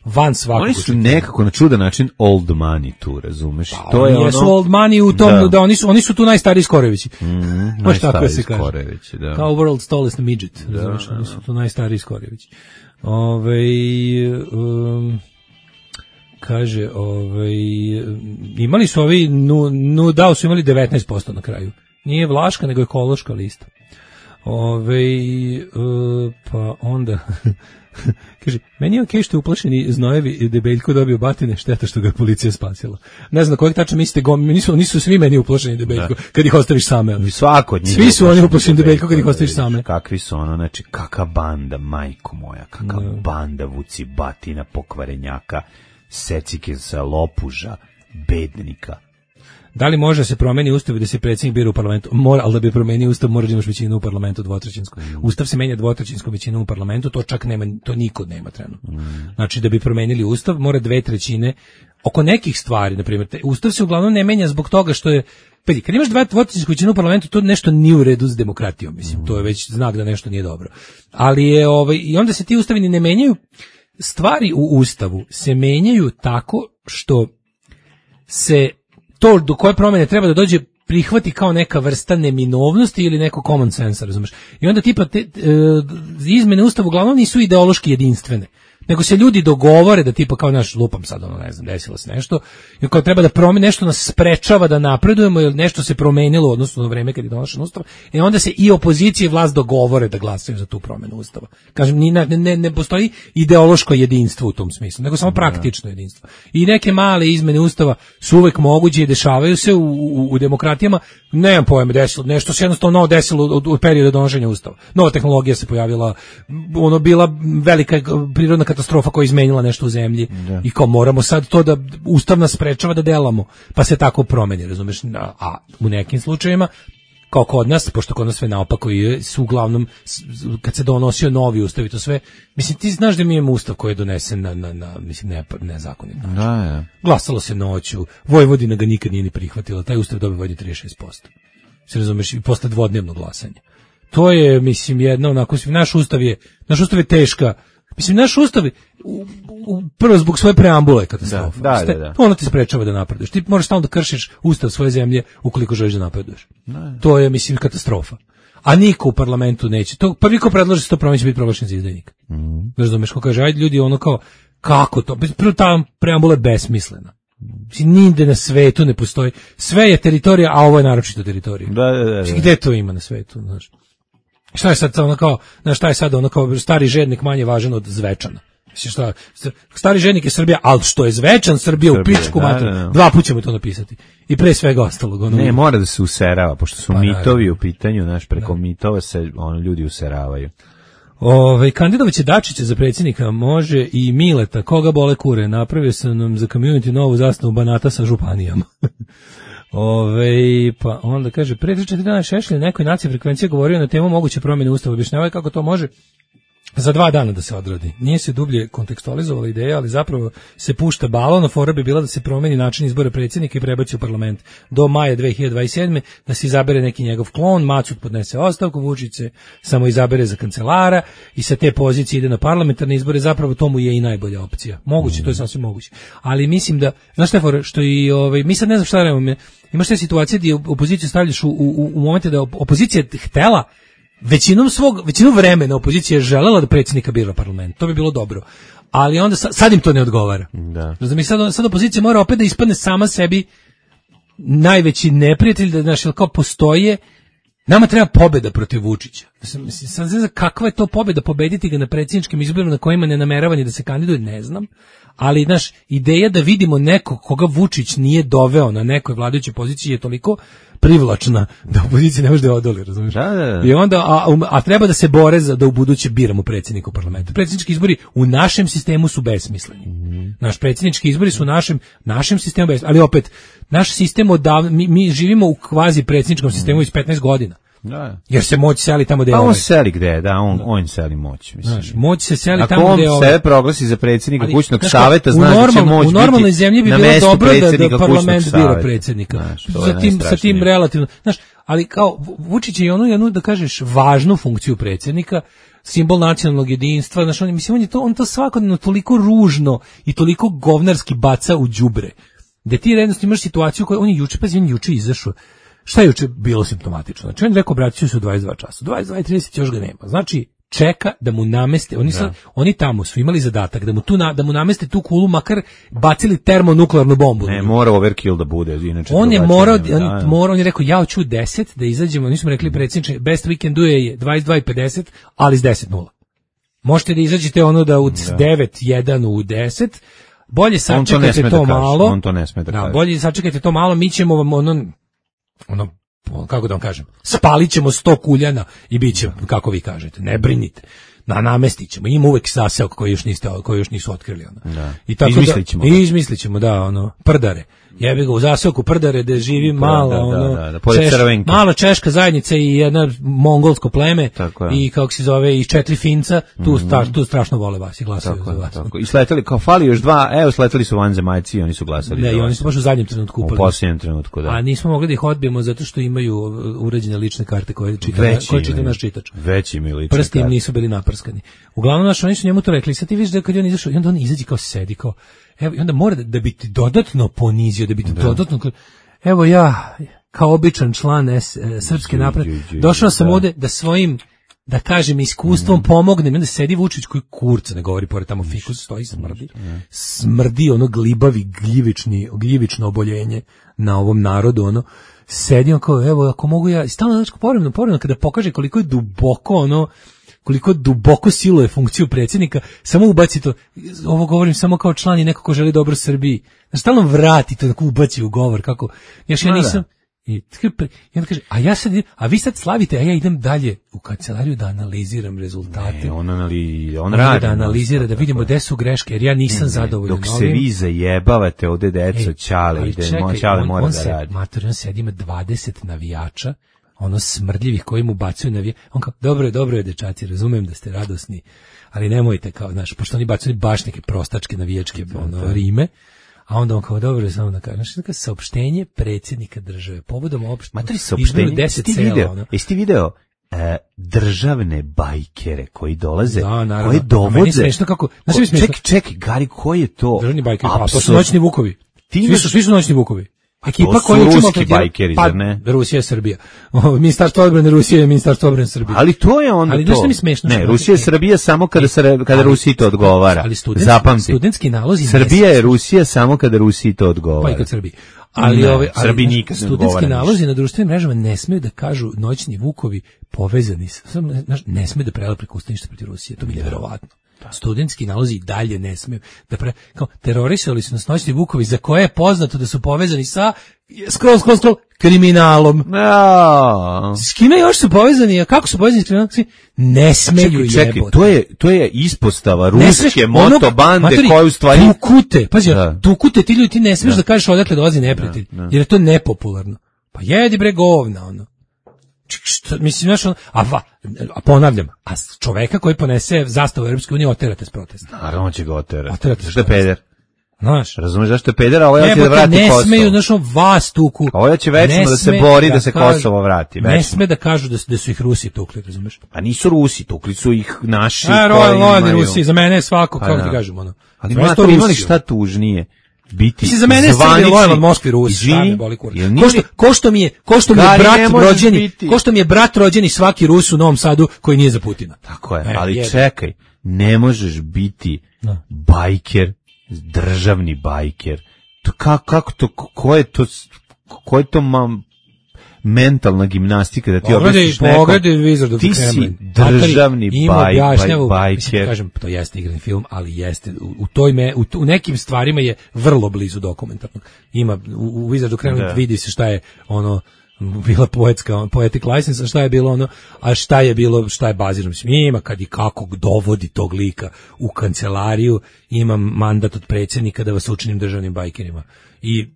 Van svakog Oni su očekivanja. nekako na čudan način old money tu, razumeš? Pa, to je jesu ono... old money u tom da, da oni su oni su tu najstariji Skorevići. Mm, najstariji Skorevići, da. Kao world's tallest midget, da, razumeš? Da, oni su tu najstariji Skorevići. Ovaj um, kaže, ovaj imali su ovi nu, nu dao su imali devetnaest posto na kraju. Nije Vlaška, nego ekološka lista. Ove, uh, pa onda kaže, meni je okej što je uplašeni znojevi i Debeljko dobio batine, šteta što ga je policija spasila. Ne znam na kojeg tačno mislite, gom, nisu, nisu svi meni uplašeni Debeljko, da. Kad ih ostaviš same. Ono. Svako od njih. Svi su oni uplašeni Debeljko kad ih ostaviš same. Kakvi su ono, znači, kaka banda, majko moja, kaka da. Banda vuci batina, pokvarenjaka, secike sa lopuža, bednika. Da li može se promeni ustav da se predsjednik bira u parlamentu? Mora, ali da bi promenio ustav mora da imaš većinu u parlamentu dvotrećinsku. Mm. Ustav se menja dvotrećinskom većinom u parlamentu, to čak nema, to niko nema trenutno. Mm. Znači da bi promenili ustav mora dve trećine. Oko nekih stvari, na primjer, ustav se uglavnom ne menja zbog toga što je, pa kad imaš dva dvotrećinsku većinu u parlamentu, to nešto nije u redu s demokratijom, mislim, to je već znak da nešto nije dobro. Ali je ovaj i onda se ti ustavi ne menjaju. Stvari u ustavu se menjaju tako što se to do koje promjene treba da dođe prihvati kao neka vrsta neminovnosti ili neko common sense, razumeš? I onda tipa te, e, izmene ustava uglavnom nisu ideološki jedinstvene, nego se ljudi dogovore da tipa kao naš lupam sad, ono, ne znam, desilo se nešto, i kao treba da promeni, nešto nas sprečava da napredujemo, ili nešto se promenilo u odnosu na vreme kad je donošen ustav, i onda se i opozicija i vlast dogovore da glasaju za tu promenu ustava. Kažem, ni ne, ne, ne postoji ideološko jedinstvo u tom smislu, nego samo praktično jedinstvo. I neke male izmene ustava su uvek moguće i dešavaju se u, u, u demokratijama, nemam pojma, desilo, nešto se jednostavno novo desilo od, od perioda donošenja ustava. Nova tehnologija se pojavila, ono bila velika prirodna katastrofa koja je izmenila nešto u zemlji, da. I kao moramo sad to da ustav nas sprečava da delamo, pa se tako promeni, razumeš? A u nekim slučajevima, kao kod nas, pošto kod nas sve naopako je, su uglavnom, kad se donosio novi ustav i to sve, mislim, ti znaš da mi imamo ustav koji je donesen na, na, na mislim, ne, nezakonit. Da, ja. Glasalo se noću, Vojvodina ga nikad nije ni prihvatila, taj ustav dobio vodi trideset šest posto. Se razumeš, i posle dvodnevnog glasanja. To je, mislim, jedna onako, naš ustav je, naš ustav je teška. Mislim, naš ustav, u, u, prvo zbog svoje preambule katastrofa. Da, da, da. Ono ti sprečava da napreduješ. Ti možeš stalno da kršiš ustav svoje zemlje ukoliko želiš da napreduješ. Da. To je, mislim, katastrofa. A niko u parlamentu neće. To, prvi ko predloži se to promeni će biti proglašen za izdajnika. Mm. Razumeš, ko kaže, ajde ljudi, ono kao, kako to? Prvo ta preambula je besmislena. Mislim, nigde na svetu ne postoji. Sve je teritorija, a ovo je naročito teritorija. Da, da, da, da. Gde to ima na svetu, znaš? Šta je sad ono kao, znaš, šta je sad ono kao stari žednik manje važan od Zvečana? Mislim, šta, stari žednik je Srbija, ali što je Zvečan Srbija, Srbija u pičku da, mater, da, da. Dva puta ćemo to napisati. I pre svega ostalog. Ono, ne, mora da se userava, pošto su pa, mitovi u pitanju, znaš, preko da. mitova se ono, ljudi useravaju. Ove, kandidovac će Dačića za predsjednika, može i Mileta, koga bole kure, napravio sam nam za community novu zastavu Banata sa županijama. Ove, pa onda kaže, pre tri četiri dana Šešelj nekoj naciji frekvencije govorio na temu moguće promjene ustava, objašnjavaju kako to može za dva dana da se odradi. Nije se dublje kontekstualizovala ideja, ali zapravo se pušta balon, a fora bi bila da se promeni način izbora predsjednika i prebaci u parlament do maja dve hiljade dvadeset sedme, da se izabere neki njegov klon, Macud podnese ostavku, Vučić se samo izabere za kancelara i sa te pozicije ide na parlamentarne izbore, zapravo tomu je i najbolja opcija. Moguće, mm. to je sasvim moguće. Ali mislim da, znaš šta je fora, što i ovaj, mi sad ne znam šta radimo, imaš te situacije gdje opoziciju stavljaš u, u, u momente da opozicija htela većinom svog, većinom vremena opozicija je želela da predsjednika bira parlament. To bi bilo dobro. Ali onda sad, sad im to ne odgovara. Da. Razumiješ, sad, sad opozicija mora opet da ispadne sama sebi najveći neprijatelj, da znaš, kao postoje, nama treba pobjeda protiv Vučića. Mislim, sad ne znam kakva je to pobjeda, pobediti ga na predsjedničkim izborima na kojima ne namerava ni da se kandiduje, ne znam. Ali, znaš, ideja da vidimo nekog koga Vučić nije doveo na nekoj vladajućoj poziciji je toliko privlačna da opozicija ne može da odoli, razumiješ? Da, da, da. I onda, a, a treba da se bore za da u buduće biramo predsjednika u parlamentu. Predsjednički izbori u našem sistemu su besmisleni. Mm. Naš predsjednički izbori su u našem, našem sistemu besmisleni. Ali opet, naš sistem odavno, mi, mi živimo u kvazi predsjedničkom sistemu mm. iz petnaest godina. Da. Jer se moć seli tamo gde je. Pa on ovaj. seli gde je, da, on, on seli moć. Mislim. Znaš, moć se seli ako tamo gde je. Ako on ovaj. sebe proglasi za predsjednika ali, kućnog znaš, saveta, znaš da će moć u normalnoj biti zemlji bi na bilo mestu dobro da, da parlament bira saveta. predsjednika. Znaš, sa, tim, sa tim relativno. Znaš, ali kao Vučić je onu, jednu, da kažeš, važnu funkciju predsjednika, simbol nacionalnog jedinstva, znaš, on, mislim, on je to, on to svakodnevno toliko ružno i toliko govnarski baca u đubre. Da ti jednostavno imaš situaciju koju on je juče, pa on juče izašao. Šta je juče bilo simptomatično? Znači, on je rekao, obraćaju se u dvadeset dva časa. dvadeset dva i trideset još ga nema. Znači, čeka da mu nameste, oni, sad, oni tamo su imali zadatak da mu, tu na, da mu nameste tu kulu, makar bacili termonuklearnu bombu. Ne, mora overkill da bude. Inače on je morao, on, mora, on je rekao, ja hoću u deset da izađemo, nismo rekli predsjedniče, best we can do je dvadeset dva i pedeset, ali s deset nula. Možete da izađete ono da u devet jedan u deset, bolje sačekajte to, to da malo. On to ne sme da, da kaže. Bolje sačekajte to malo, mi ćemo vam ono, ono, kako da vam kažem, spalit ćemo sto kuljana i bit će, kako vi kažete, ne brinite. Na namestit ćemo, ima uvek zaseok koji još niste, koji još nisu otkrili ono. Da. I tako izmislit ćemo. Da, i izmislit ćemo, da, ono, prdare. Jebi ga u zaseoku prdare da živi mala, da, ono, da, da, da, češ, mala češka zajednica i jedna mongolsko pleme i kako se zove i četiri Finca, tu, mm-hmm. sta, tu strašno vole vas i glasaju za vas. Tako. I sleteli, kao fali još dva, evo sleteli su vanzemaljci i oni su glasali. Ne, i oni su baš u zadnjem trenutku upali. U posljednjem trenutku, da. A nismo mogli da ih odbijemo zato što imaju uređene lične karte koje čita, koje čita naš čitač. Veći imaju lične Prsti im karte. nisu bili naprskani. Uglavnom, naš, oni su njemu to rekli, sad ti vidiš da kad je on izašao, i onda on izađe kao sedi, kao, evo, i onda mora da, da bi ti dodatno ponizio, da bi ti da. dodatno, evo ja, kao običan član S, e, Srpske napredne, došao sam da. ovde da svojim, da kažem, iskustvom mm. pomognem, i onda sedi Vučić koji kurca ne govori, pored tamo fikus stoji, smrdi, smrdi ono glibavi, gljivični, gljivično oboljenje na ovom narodu, ono, sedi on kao, evo, ako mogu ja, i stalno, znači, povremeno, povremeno, kada pokaže koliko je duboko, ono, koliko duboko siluje funkciju predsjednika, samo ubaci to, ovo govorim samo kao član i neko ko želi dobro Srbiji, znači stalno vrati to, tako ubaci u govor, kako, još ja nisam, i, i onda kaže, a ja sad, a vi sad slavite, a ja idem dalje u kancelariju da analiziram rezultate. Ne, on, anali, on, on radi. Da analizira, da vidimo gde su greške, jer ja nisam ne, zadovoljan. Dok se vi zajebavate ovde deco, Ćale, ide, Ćale mora on da se, radi. Mater, on sedi, ima dvadeset navijača, ono smrdljivih koji mu bacuju navije. On kao, dobro je, dobro je, dečaci, razumem da ste radosni, ali nemojte kao, znaš, pošto oni bacuju baš neke prostačke navijačke ono, rime, a onda on kao, dobro je, samo da kaže, znaš, neka saopštenje predsjednika države, povodom opšte, izmenu deset cela, ono. Jesi ti video e, državne bajkere koji dolaze, da, naravno, koji dovode, smešno kako, znaš mi smešno, ček, ček, Gari, koji je to? Državni bajkeri, a to su noćni vukovi, svi su, svi su noćni vukovi. Ekipa koja je ruski bajkeri, pa, zar ne? Rusija je Srbija. Ministarstvo odbrane Rusije je Ministarstvo odbrane Srbije. Ali to je onda ali to. Ali mi smešno. Ne, Rusija je Srbija samo kada, se, kada Rusiji to odgovara. Ali student, zapamti. Studentski nalozi. Srbija je Rusija samo kada Rusiji to odgovara. Pa i kad Srbiji. Ali, ne, ove, ali Srbiji nikad ne odgovara. Studentski nalozi na društvenim mrežama ne smeju da kažu noćni vukovi povezani. Ne, ne smeju da prele preko usta ništa protiv Rusije. To bi nevjerovatno. Studentski nalozi i dalje ne smeju da pre, kao terorisali su nas noćni vukovi za koje je poznato da su povezani sa scroll, scroll, scroll, kriminalom. No. S kime još su povezani? A kako su povezani s kriminalom? Ne smeju jebote. Čekaj, čekaj, to je, to je ispostava ruske motobande koje u stvari... Dukute, pazi, da. Dukute, ti ljudi, ti ne smiješ da, da kažeš odakle dolazi neprijatelj, da, da. Jer je to nepopularno. Pa jedi bre govna, ono. Što, mislim, znaš, on, a, va, a ponavljam, a čoveka koji ponese zastavu Europske unije oterate s protesta. Naravno će ga oterati. Oterate što je peder. Znaš, razumeš zašto je peder, a ovo je da vrati ne Kosovo. Ne smeju, znaš, on vas tuku. A ovo će večemo da se bori da, da se kažu, Kosovo vrati. Večemo. Ne sme da kažu da, da su ih Rusi tukli, razumeš? A nisu Rusi, tukli su ih naši. A, koji imaju. Rusi, za mene je svako, kako ti kažemo, ono. Ali ma to imali šta tužnije. biti za mene je Srbija lojalna od Moskve i Rusije. Ko što, ko što mi je, ko što mi je brat rođeni, biti. ko što mi je brat rođeni svaki Rus u Novom Sadu koji nije za Putina. Tako je, e, ali je. čekaj, ne možeš biti no. bajker, državni bajker. To kako, kako to, ko je to, ko je to mam, mentalna gimnastika da ti objasniš nekom. Pogledaj Wizard of the Kremlin. Ti si državni baj, baj, bajker. Mislim, kažem, to jeste igrani film, ali jeste, u, u, toj me, u, u nekim stvarima je vrlo blizu dokumentarnog. Ima, u, u Wizard of the Kremlin da. vidi se šta je ono, bila poetska, poetic license, a šta je bilo ono, a šta je bilo, šta je bazirano. Mislim, ima kad i kako dovodi tog lika u kancelariju, imam mandat od predsjednika da vas učinim državnim bajkerima. I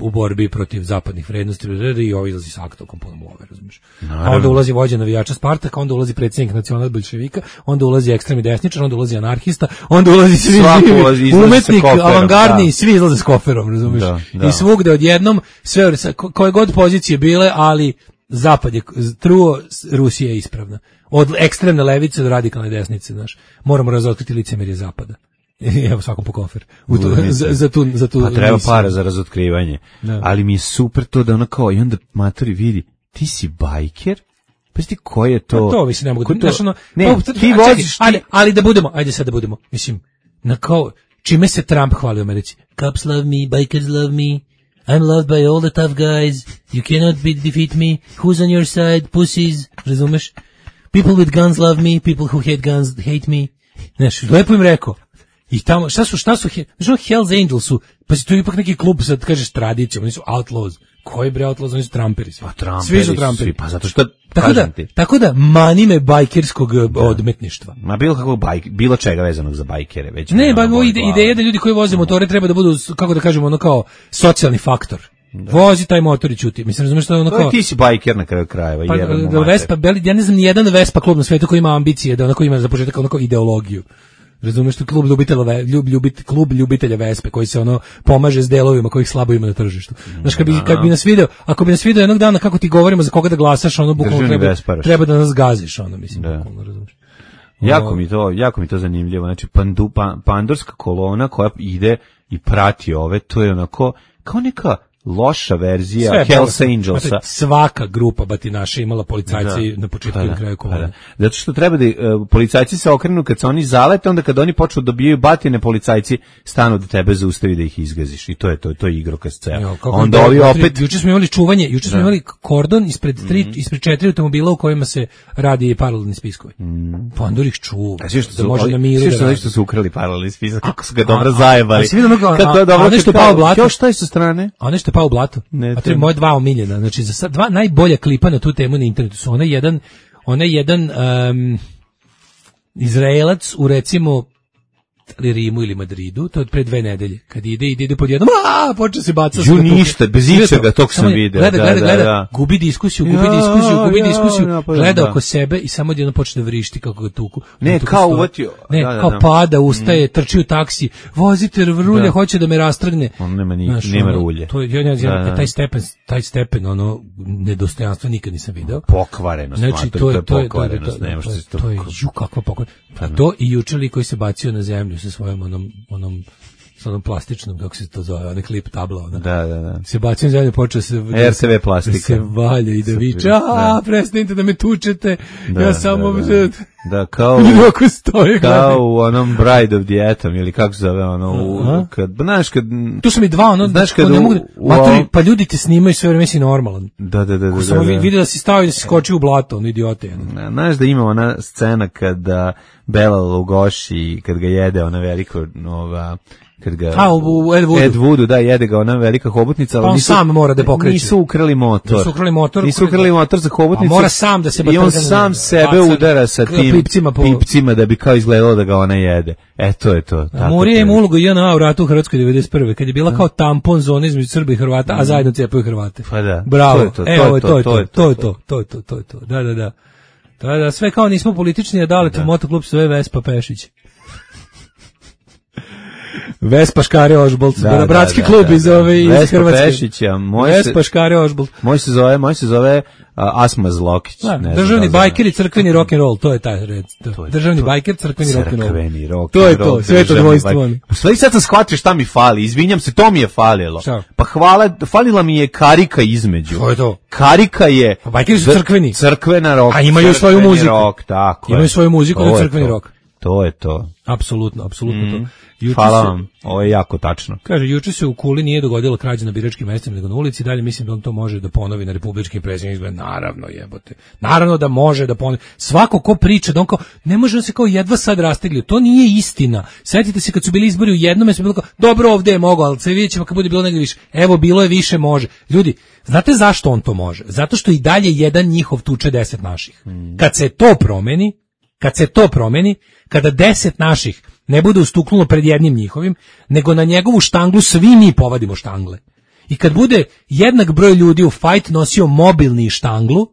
u borbi protiv zapadnih vrednosti i ovo izlazi s aktom punom love, razumiješ. A onda ulazi vođa navijača Spartaka, onda ulazi predsjednik nacional bolševika, onda ulazi ekstremni desničar, onda ulazi anarhista, onda ulazi svi živi, umetnik, koferom, avangardni, da. svi izlaze s koferom, razumiješ. Da, da. I svugde odjednom, sve koje god pozicije bile, ali zapad je truo, Rusija je ispravna. Od ekstremne levice do radikalne desnice, znaš. Moramo razotkriti licemerje zapada. Evo svakom po kofer. U to, za, za tu, za tu pa treba para za razotkrivanje. Da. Ali mi je super to da ono kao, i onda matori vidi, ti si bajker? Pa ti ko je to? Pa to mislim, ne mogu. To, znaš, ono, ne, pa, ti voziš... Ali, ali da budemo, ajde sad da budemo, mislim, na kao, čime se Trump hvali u Americi? Cops love me, bikers love me, I'm loved by all the tough guys, you cannot be, defeat me, who's on your side, pussies, razumeš? People with guns love me, people who hate guns hate me. Znaš, lepo im rekao. I tamo, šta su, šta su, znaš, Hells Angels su, pa si to ipak neki klub, sad kažeš tradicijom, oni su outlaws. Koji bre outlaws, oni su tramperi svi. Pa tramperi svi su tramperi. Pa zato što, tako da, ti. Tako da, mani me bajkerskog da. odmetništva. Ma bilo kako bajk, bilo čega vezanog za bajkere. Već ne, ba, ide, ideja da ljudi koji voze motore treba da budu, kako da kažemo, ono kao socijalni faktor. Da. Vozi taj motor i ćuti. Mislim, razumiješ što je ono kao... Ti si bajker na kraju krajeva. Pa, da Vespa, ja ne znam ni jedan Vespa klub na svijetu koji ima ambicije, da onako ima za početak onako ideologiju. Razumeš, to klub ljubitelja, ljub, ljubit, klub ljubitelja Vespe koji se ono pomaže s delovima kojih slabo ima na tržištu. Znaš, kad bi, kad bi nas video, ako bi nas video jednog dana kako ti govorimo za koga da glasaš, ono bukvalno treba, treba da nas gaziš, ono, mislim, da. Bukvalno, razumeš. Jako mi to, jako mi to zanimljivo. Znači, pandu, pa, pandorska kolona koja ide i prati ove, to je onako, kao neka loša verzija sve Hells Angelsa. Znači, svaka grupa batinaša imala policajci da. na početku i na kraju kolone. Da. Zato što treba da uh, policajci se okrenu kad se oni zalete, onda kad oni počnu da dobijaju batine, policajci stanu da tebe zaustavi da ih izgaziš. I to je to, to je igrokaz ceo. Onda ovi opet... Juče smo imali čuvanje, juče smo imali kordon ispred, tri, mm. ispred četiri automobila u kojima se radi paralelni spiskovi. Mm. Pandor ih čuva. A svi što da su, može na miru da radi. Što su ukrali paralelni spisak, kako su ga dobro zajebali. A nešto pao blato. Još šta je sa strane? A nešto pao blato. Ne, a to je moje dva omiljena. Znači, za sad dva najbolja klipa na tu temu na internetu su onaj jedan, onaj jedan um, Izraelac u recimo Rimu ili Madridu, to je od pre dve nedelje, kad ide, ide, ide pod jednom, a počeo se baca sve. Ju ništa, bez ičega, tog sam video. Gleda, gleda, gleda, gubi diskusiju, gubi diskusiju, gubi diskusiju, gleda oko sebe i samo jedno počne da vrišti kako ga tuku. Ne, kao uvatio. Ne, kao pada, ustaje, trči u taksi, vozite rulje, hoće da me rastrgne. On nema ni, nema rulje. To je, taj stepen, taj stepen, ono, nedostojanstvo nikad nisam video. Pokvarenost, znači, to je pokvarenost, nemaš se to. To je, ju, kakva pokvarenost. To i jučeli koji se bacio na zemlju sa svojom onom, onom, sa onom plastičnom, kako se to zove, onaj klip tabla, ona. Da, da, da. Se bacio na zemlju, počeo se... R C V plastika. Se valja i da viče, a prestanite da me tučete, da, ja samo... Da, da. Da, kao, stoje, kao u onom Bride of the Atom, ili kako se zove, ono, u, kad, znaš, kad... Tu su mi dva, ono, znaš, kad ne u, mogu, u, maturi, pa ljudi te snimaju sve vreme si normalan. Da, da, da. Ko samo da, da. Vidio da si stao i da si skočio u blato, ono, idiote. Ono. Znaš da ima ona scena kada Bela Lugoši, kad ga jede ona veliko, nova... Kad ga, a, u Ed Woodu. Ed Woodu, da, jede ga ona velika hobotnica, ali pa on nisu, sam mora da pokreće. Nisu ukrali motor. Nisu ukrali motor. Nisu ukrali motor za hobotnicu. A mora sam da se i on sam sebe udara sa tim pipcima, po... pipcima da bi kao izgledalo da ga ona jede. E, to je to. Murija ima ulogu J N A u ratu u Hrvatskoj devedeset prve, kad je bila kao tampon zona između Srba i Hrvata, a zajedno cepaju Hrvate. Pa da. Bravo. To je to, evo, to je to, to je to, to je to, to je to. Da, da, da. Da, da, sve kao nismo politični, a dale to motoklub sve Vespa Pešić. Vespa Škare Ožbolt, da, bratski da, klub da, iz ove iz Vespa Hrvatske. Pešića, moj Vespa Škare Ožbolt. Moj se zove, moj se zove uh, Asma Zlokić. Da, ne državni da bajker i crkveni rock and roll, to je taj red. To. To je, državni to, bajker, crkveni rock and roll. Crkveni rock. To je to, sve to dvojstvo. U stvari sad sam shvatio šta mi fali, izvinjam se, to mi je falilo. Šta? Pa hvala, falila mi je karika između. To je to. Karika je... Pa bajkeri su crkveni. Crkvena rock. A imaju svoju muziku. Rock, tako imaju svoju muziku, to je crkveni rock. To je to. Apsolutno, apsolutno mm. to. Juče Hvala se, vam, ovo je jako tačno. Kaže, juče se u Kuli nije dogodila krađa na biračkim mestima nego na ulici, dalje mislim da on to može da ponovi na republičkim predsjedničkim izborima. Naravno, jebote. Naravno da može da ponovi. Svako ko priča da on kao, ne može da se kao jedva sad rastegli. To nije istina. Sjetite se kad su bili izbori u jednom mjestu, bilo kao, dobro ovdje je mogao, ali se vidjet ćemo kad bude bilo negdje više. Evo, bilo je više, može. Ljudi, znate zašto on to može? Zato što i dalje jedan njihov tuče deset naših. Mm. Kad se to promeni, kad se to promeni, kada deset naših ne bude ustuknulo pred jednim njihovim, nego na njegovu štanglu svi mi povadimo štangle. I kad bude jednak broj ljudi u fajt nosio mobilni štanglu,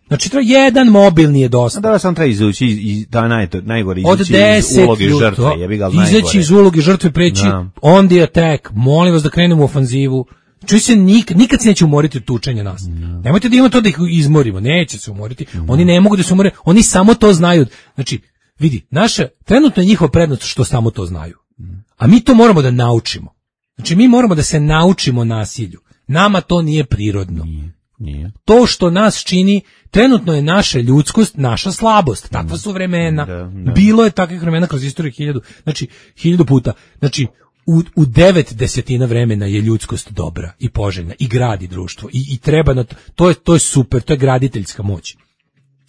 znači treba jedan mobilni je dosta. Da, sam treba izući iz da naj najgore izući iz uloge žrtve, jebi ga najgore. Izaći iz uloge žrtve, preći da. On the attack. Molim vas da krenemo u ofanzivu. Čuj se, nik, nikad se neće umoriti od tučenja nas. No. Nemojte da imamo to da ih izmorimo, neće se umoriti. No. Oni ne mogu da se umore, oni samo to znaju. Znači, vidi, naša, trenutno je njihova prednost što samo to znaju. A mi to moramo da naučimo. Znači, mi moramo da se naučimo nasilju. Nama to nije prirodno. Nije, nije. To što nas čini, trenutno je naša ljudskost, naša slabost. Takva su vremena. Da, da. Bilo je takvih vremena kroz istoriju hiljadu, znači, hiljadu puta. Znači, U, u devet desetina vremena je ljudskost dobra i poželjna i gradi društvo i, i treba na to, to je, to je super, to je graditeljska moć.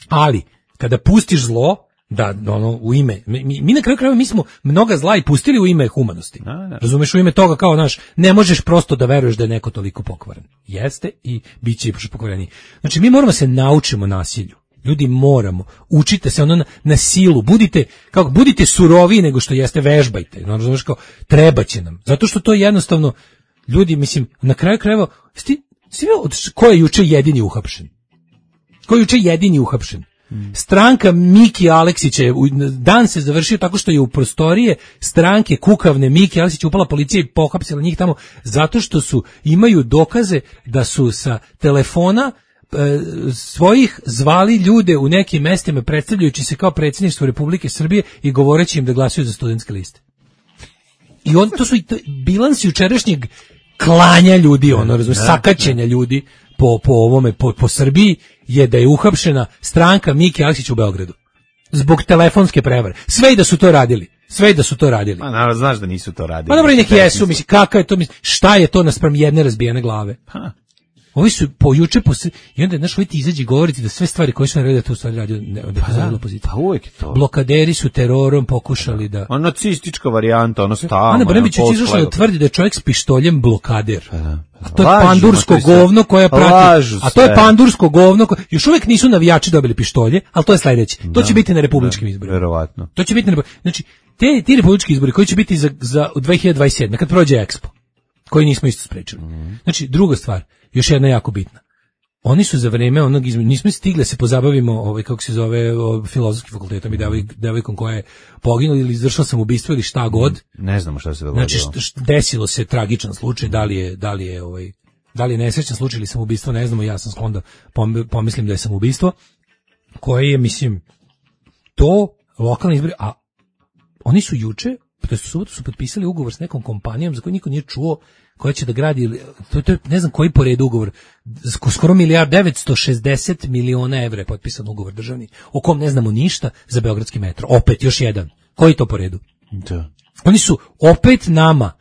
Ali, kada pustiš zlo, da, ono, u ime, mi, mi na kraju krajeva mi smo mnoga zla i pustili u ime humanosti. Da, da. Razumeš, u ime toga kao naš, ne možeš prosto da veruješ da je neko toliko pokvaren. Jeste i bit će i pokvareniji. Znači, mi moramo se naučimo nasilju. Ljudi, moramo, učite se ono na, na silu, budite, kako, budite suroviji nego što jeste, vežbajte, no, razumiješ, kao, treba će nam, zato što to je jednostavno, ljudi, mislim, na kraju krajeva, sti, sti, ko je juče jedini uhapšen? Ko je juče jedini uhapšen? Hmm. Stranka Miki Aleksića, dan se završio tako što je u prostorije stranke kukavne Miki Aleksića upala policija i pohapsila njih tamo, zato što su, imaju dokaze da su sa telefona svojih zvali ljude u nekim mestima predstavljajući se kao predsjedništvo Republike Srbije i govoreći im da glasuju za studentske liste. I on, to su i to, bilans jučerašnjeg klanja ljudi, ono, razumiješ, sakaćenja ljudi po, po ovome, po, po Srbiji je da je uhapšena stranka Miki Aleksića u Beogradu. Zbog telefonske prevare. Sve i da su to radili. Sve i da su to radili. Ma naravno, znaš da nisu to radili. Pa dobro, i neki jesu, misli, kakav je to, misli, šta je to naspram jedne razbijene glave? Ha. Ovi su po juče po i onda znaš, ovi ti izađi govoriti da sve stvari koje su naredili to u stvari radio ne, da pa, da, pa uvijek je to. Blokaderi su terorom pokušali da... Ona nacistička varijanta, ono stalno. Ana Brnabić je izašla da tvrdi da je čovjek s pištoljem blokader. Pa da. A to je lažu, pandursko to je govno koje prati. A to je pandursko govno koje... Još uvijek nisu navijači dobili pištolje, ali to je sledeće. To da, će biti na republičkim da, izborima. Verovatno. To će biti na znači te ti republički izbori koji će biti za za dve hiljade dvadeset sedme kad prođe Expo, koji nismo isto sprečili. Mm. Znači druga stvar, još jedna jako bitna. Oni su za vreme onog izme, nismo stigli se pozabavimo ovaj kako se zove filozofskim fakultetom i devojkom koja je poginula ili izvršila samoubistvo ili šta god. Ne znamo šta se dogodilo. Znači št, desilo se tragičan slučaj, da li je da li je ovaj da li je nesrećan slučaj ili samoubistvo, ne znamo, ja sam sklon da pomislim da je samoubistvo, koje je, mislim, to lokalni izbori, a oni su juče, to su subotu su potpisali ugovor s nekom kompanijom za koju niko nije čuo, koja će da gradi, to, to je ne znam koji po redu ugovor, skoro milijard, devetsto šezdeset miliona evra je potpisan ugovor državni, o kom ne znamo ništa, za beogradski metro. Opet, još jedan. Koji to po redu? Da. Oni su opet nama,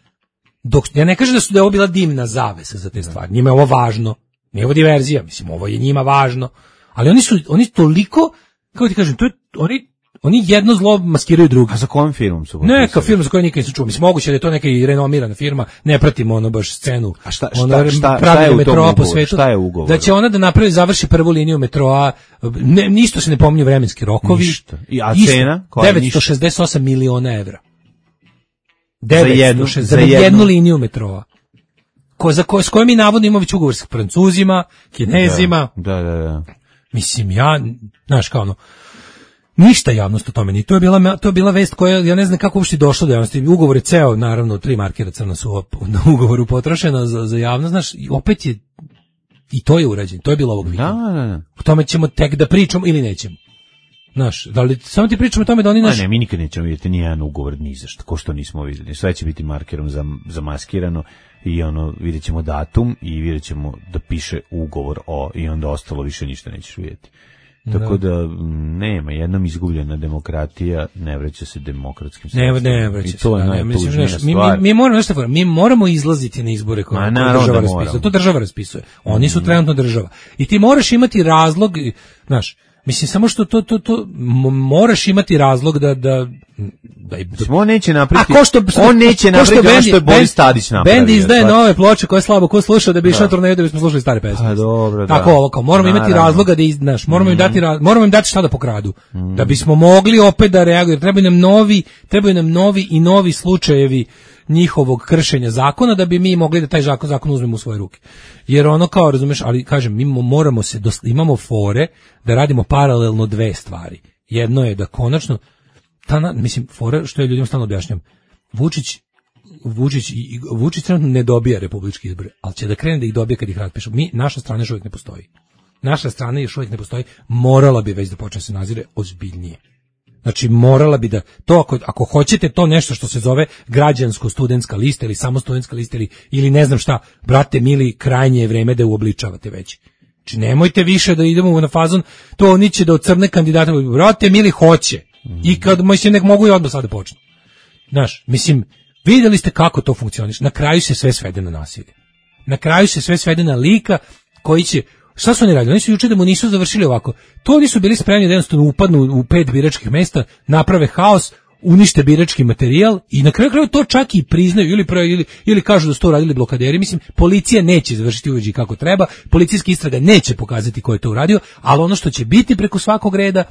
dok, ja ne kažem da su da je ovo bila dimna zavesa za te stvari, njima je ovo važno, nije ovo diverzija, mislim, ovo je njima važno, ali oni su, oni toliko, kako ti kažem, to je, oni Oni jedno zlo maskiraju drugo. A za kojom firmom su? Neka firma za koju nikad nisam čuo. Mislim, moguće da je to neka i renomirana firma, ne pratimo ono baš scenu. A šta, šta, ona, šta, šta je u tom ugovoru? Šta je ugovor? Da će ona da napravi, završi prvu liniju metroa, ne, ništa se ne pominju vremenski rokovi. Ništa. I, a cena? devetsto šezdeset osam miliona evra. Za jednu, za, za jednu, jednu liniju metroa. Ko, za ko, s kojom mi navodno imamo već ugovor s Francuzima, Kinezima. Da, da, da. Mislim, ja, znaš kao ono, Ništa javnost o tome ni. To je bila to je bila vest koja ja ne znam kako uopšte došlo do javnosti. Ugovor je ceo, naravno, tri markera crna su na ugovoru potrošena za za javnost, znaš, i opet je i to je urađeno. To je bilo ovog vikenda. Da, da, da. O tome ćemo tek da pričamo ili nećemo. Znaš, da li samo ti pričamo o tome da oni naš... A ne, mi nikad nećemo vidjeti ni jedan ugovor ni za što, ko što nismo vidjeli. Sve će biti markerom za, zamaskirano i ono, vidjet ćemo datum i vidjet ćemo da piše ugovor o, i onda ostalo više ništa nećeš vidjeti. Tako da, da nema, jednom izgubljena demokratija ne vraća se demokratskim sredstvima. Ne, ne vraća se. I to je da, najtužnija stvar. Mi, mi, mi, moramo, nešto, mi moramo izlaziti na izbore koje, koje država da raspisuje. To država raspisuje. Oni mm. su trenutno država. I ti moraš imati razlog, znaš, mislim, samo što to, to, to, moraš imati razlog da, da, da, da on neće napraviti, što, on neće napraviti ono što je Boris Tadić napravio. Bend izdaje pa. nove ploče koje slabo ko sluša da bi išao turneju da bismo slušali stare pesme. Pa dobro, da. Tako ovo, kao, moramo Naravno. imati razloga da znaš, moramo mm. im dati, moramo im dati šta da pokradu. Mm. Da bismo mogli opet da reagujemo. Trebaju nam novi, trebaju nam novi i novi slučajevi njihovog kršenja zakona da bi mi mogli da taj zakon, zakon uzmemo u svoje ruke. Jer ono kao, razumeš, ali kažem, mi moramo se, imamo fore da radimo paralelno dve stvari. Jedno je da konačno, ta, mislim, fora što je ljudima stalno objašnjam, Vučić, Vučić, Vučić trenutno ne dobija republički izbore, ali će da krene da ih dobije kad ih raspišu. Mi, naša strana još uvijek ne postoji. Naša strana još uvijek ne postoji, morala bi već da počne se nazire ozbiljnije. Znači, morala bi da, to ako, ako hoćete to nešto što se zove građansko-studentska lista ili samo studentska lista ili, ili ne znam šta, brate mili, krajnje je vreme da uobličavate već. Znači, nemojte više da idemo na fazon, to oni će da od crne kandidata, brate mili, hoće. I kad, mislim, nek mogu i odmah sada počnu. Znaš, mislim, vidjeli ste kako to funkcioniše. Na kraju se sve svede na nasilje. Na kraju se sve svede na lika koji će... Šta su oni radili? Oni su juče da mu nisu završili ovako. To oni su bili spremni da jednostavno upadnu u pet biračkih mesta, naprave haos, unište birački materijal i na kraju kraju to čak i priznaju ili, ili, ili kažu da su to radili blokaderi. Mislim, policija neće završiti uveđi kako treba, policijska istraga neće pokazati ko je to uradio, ali ono što će biti preko svakog reda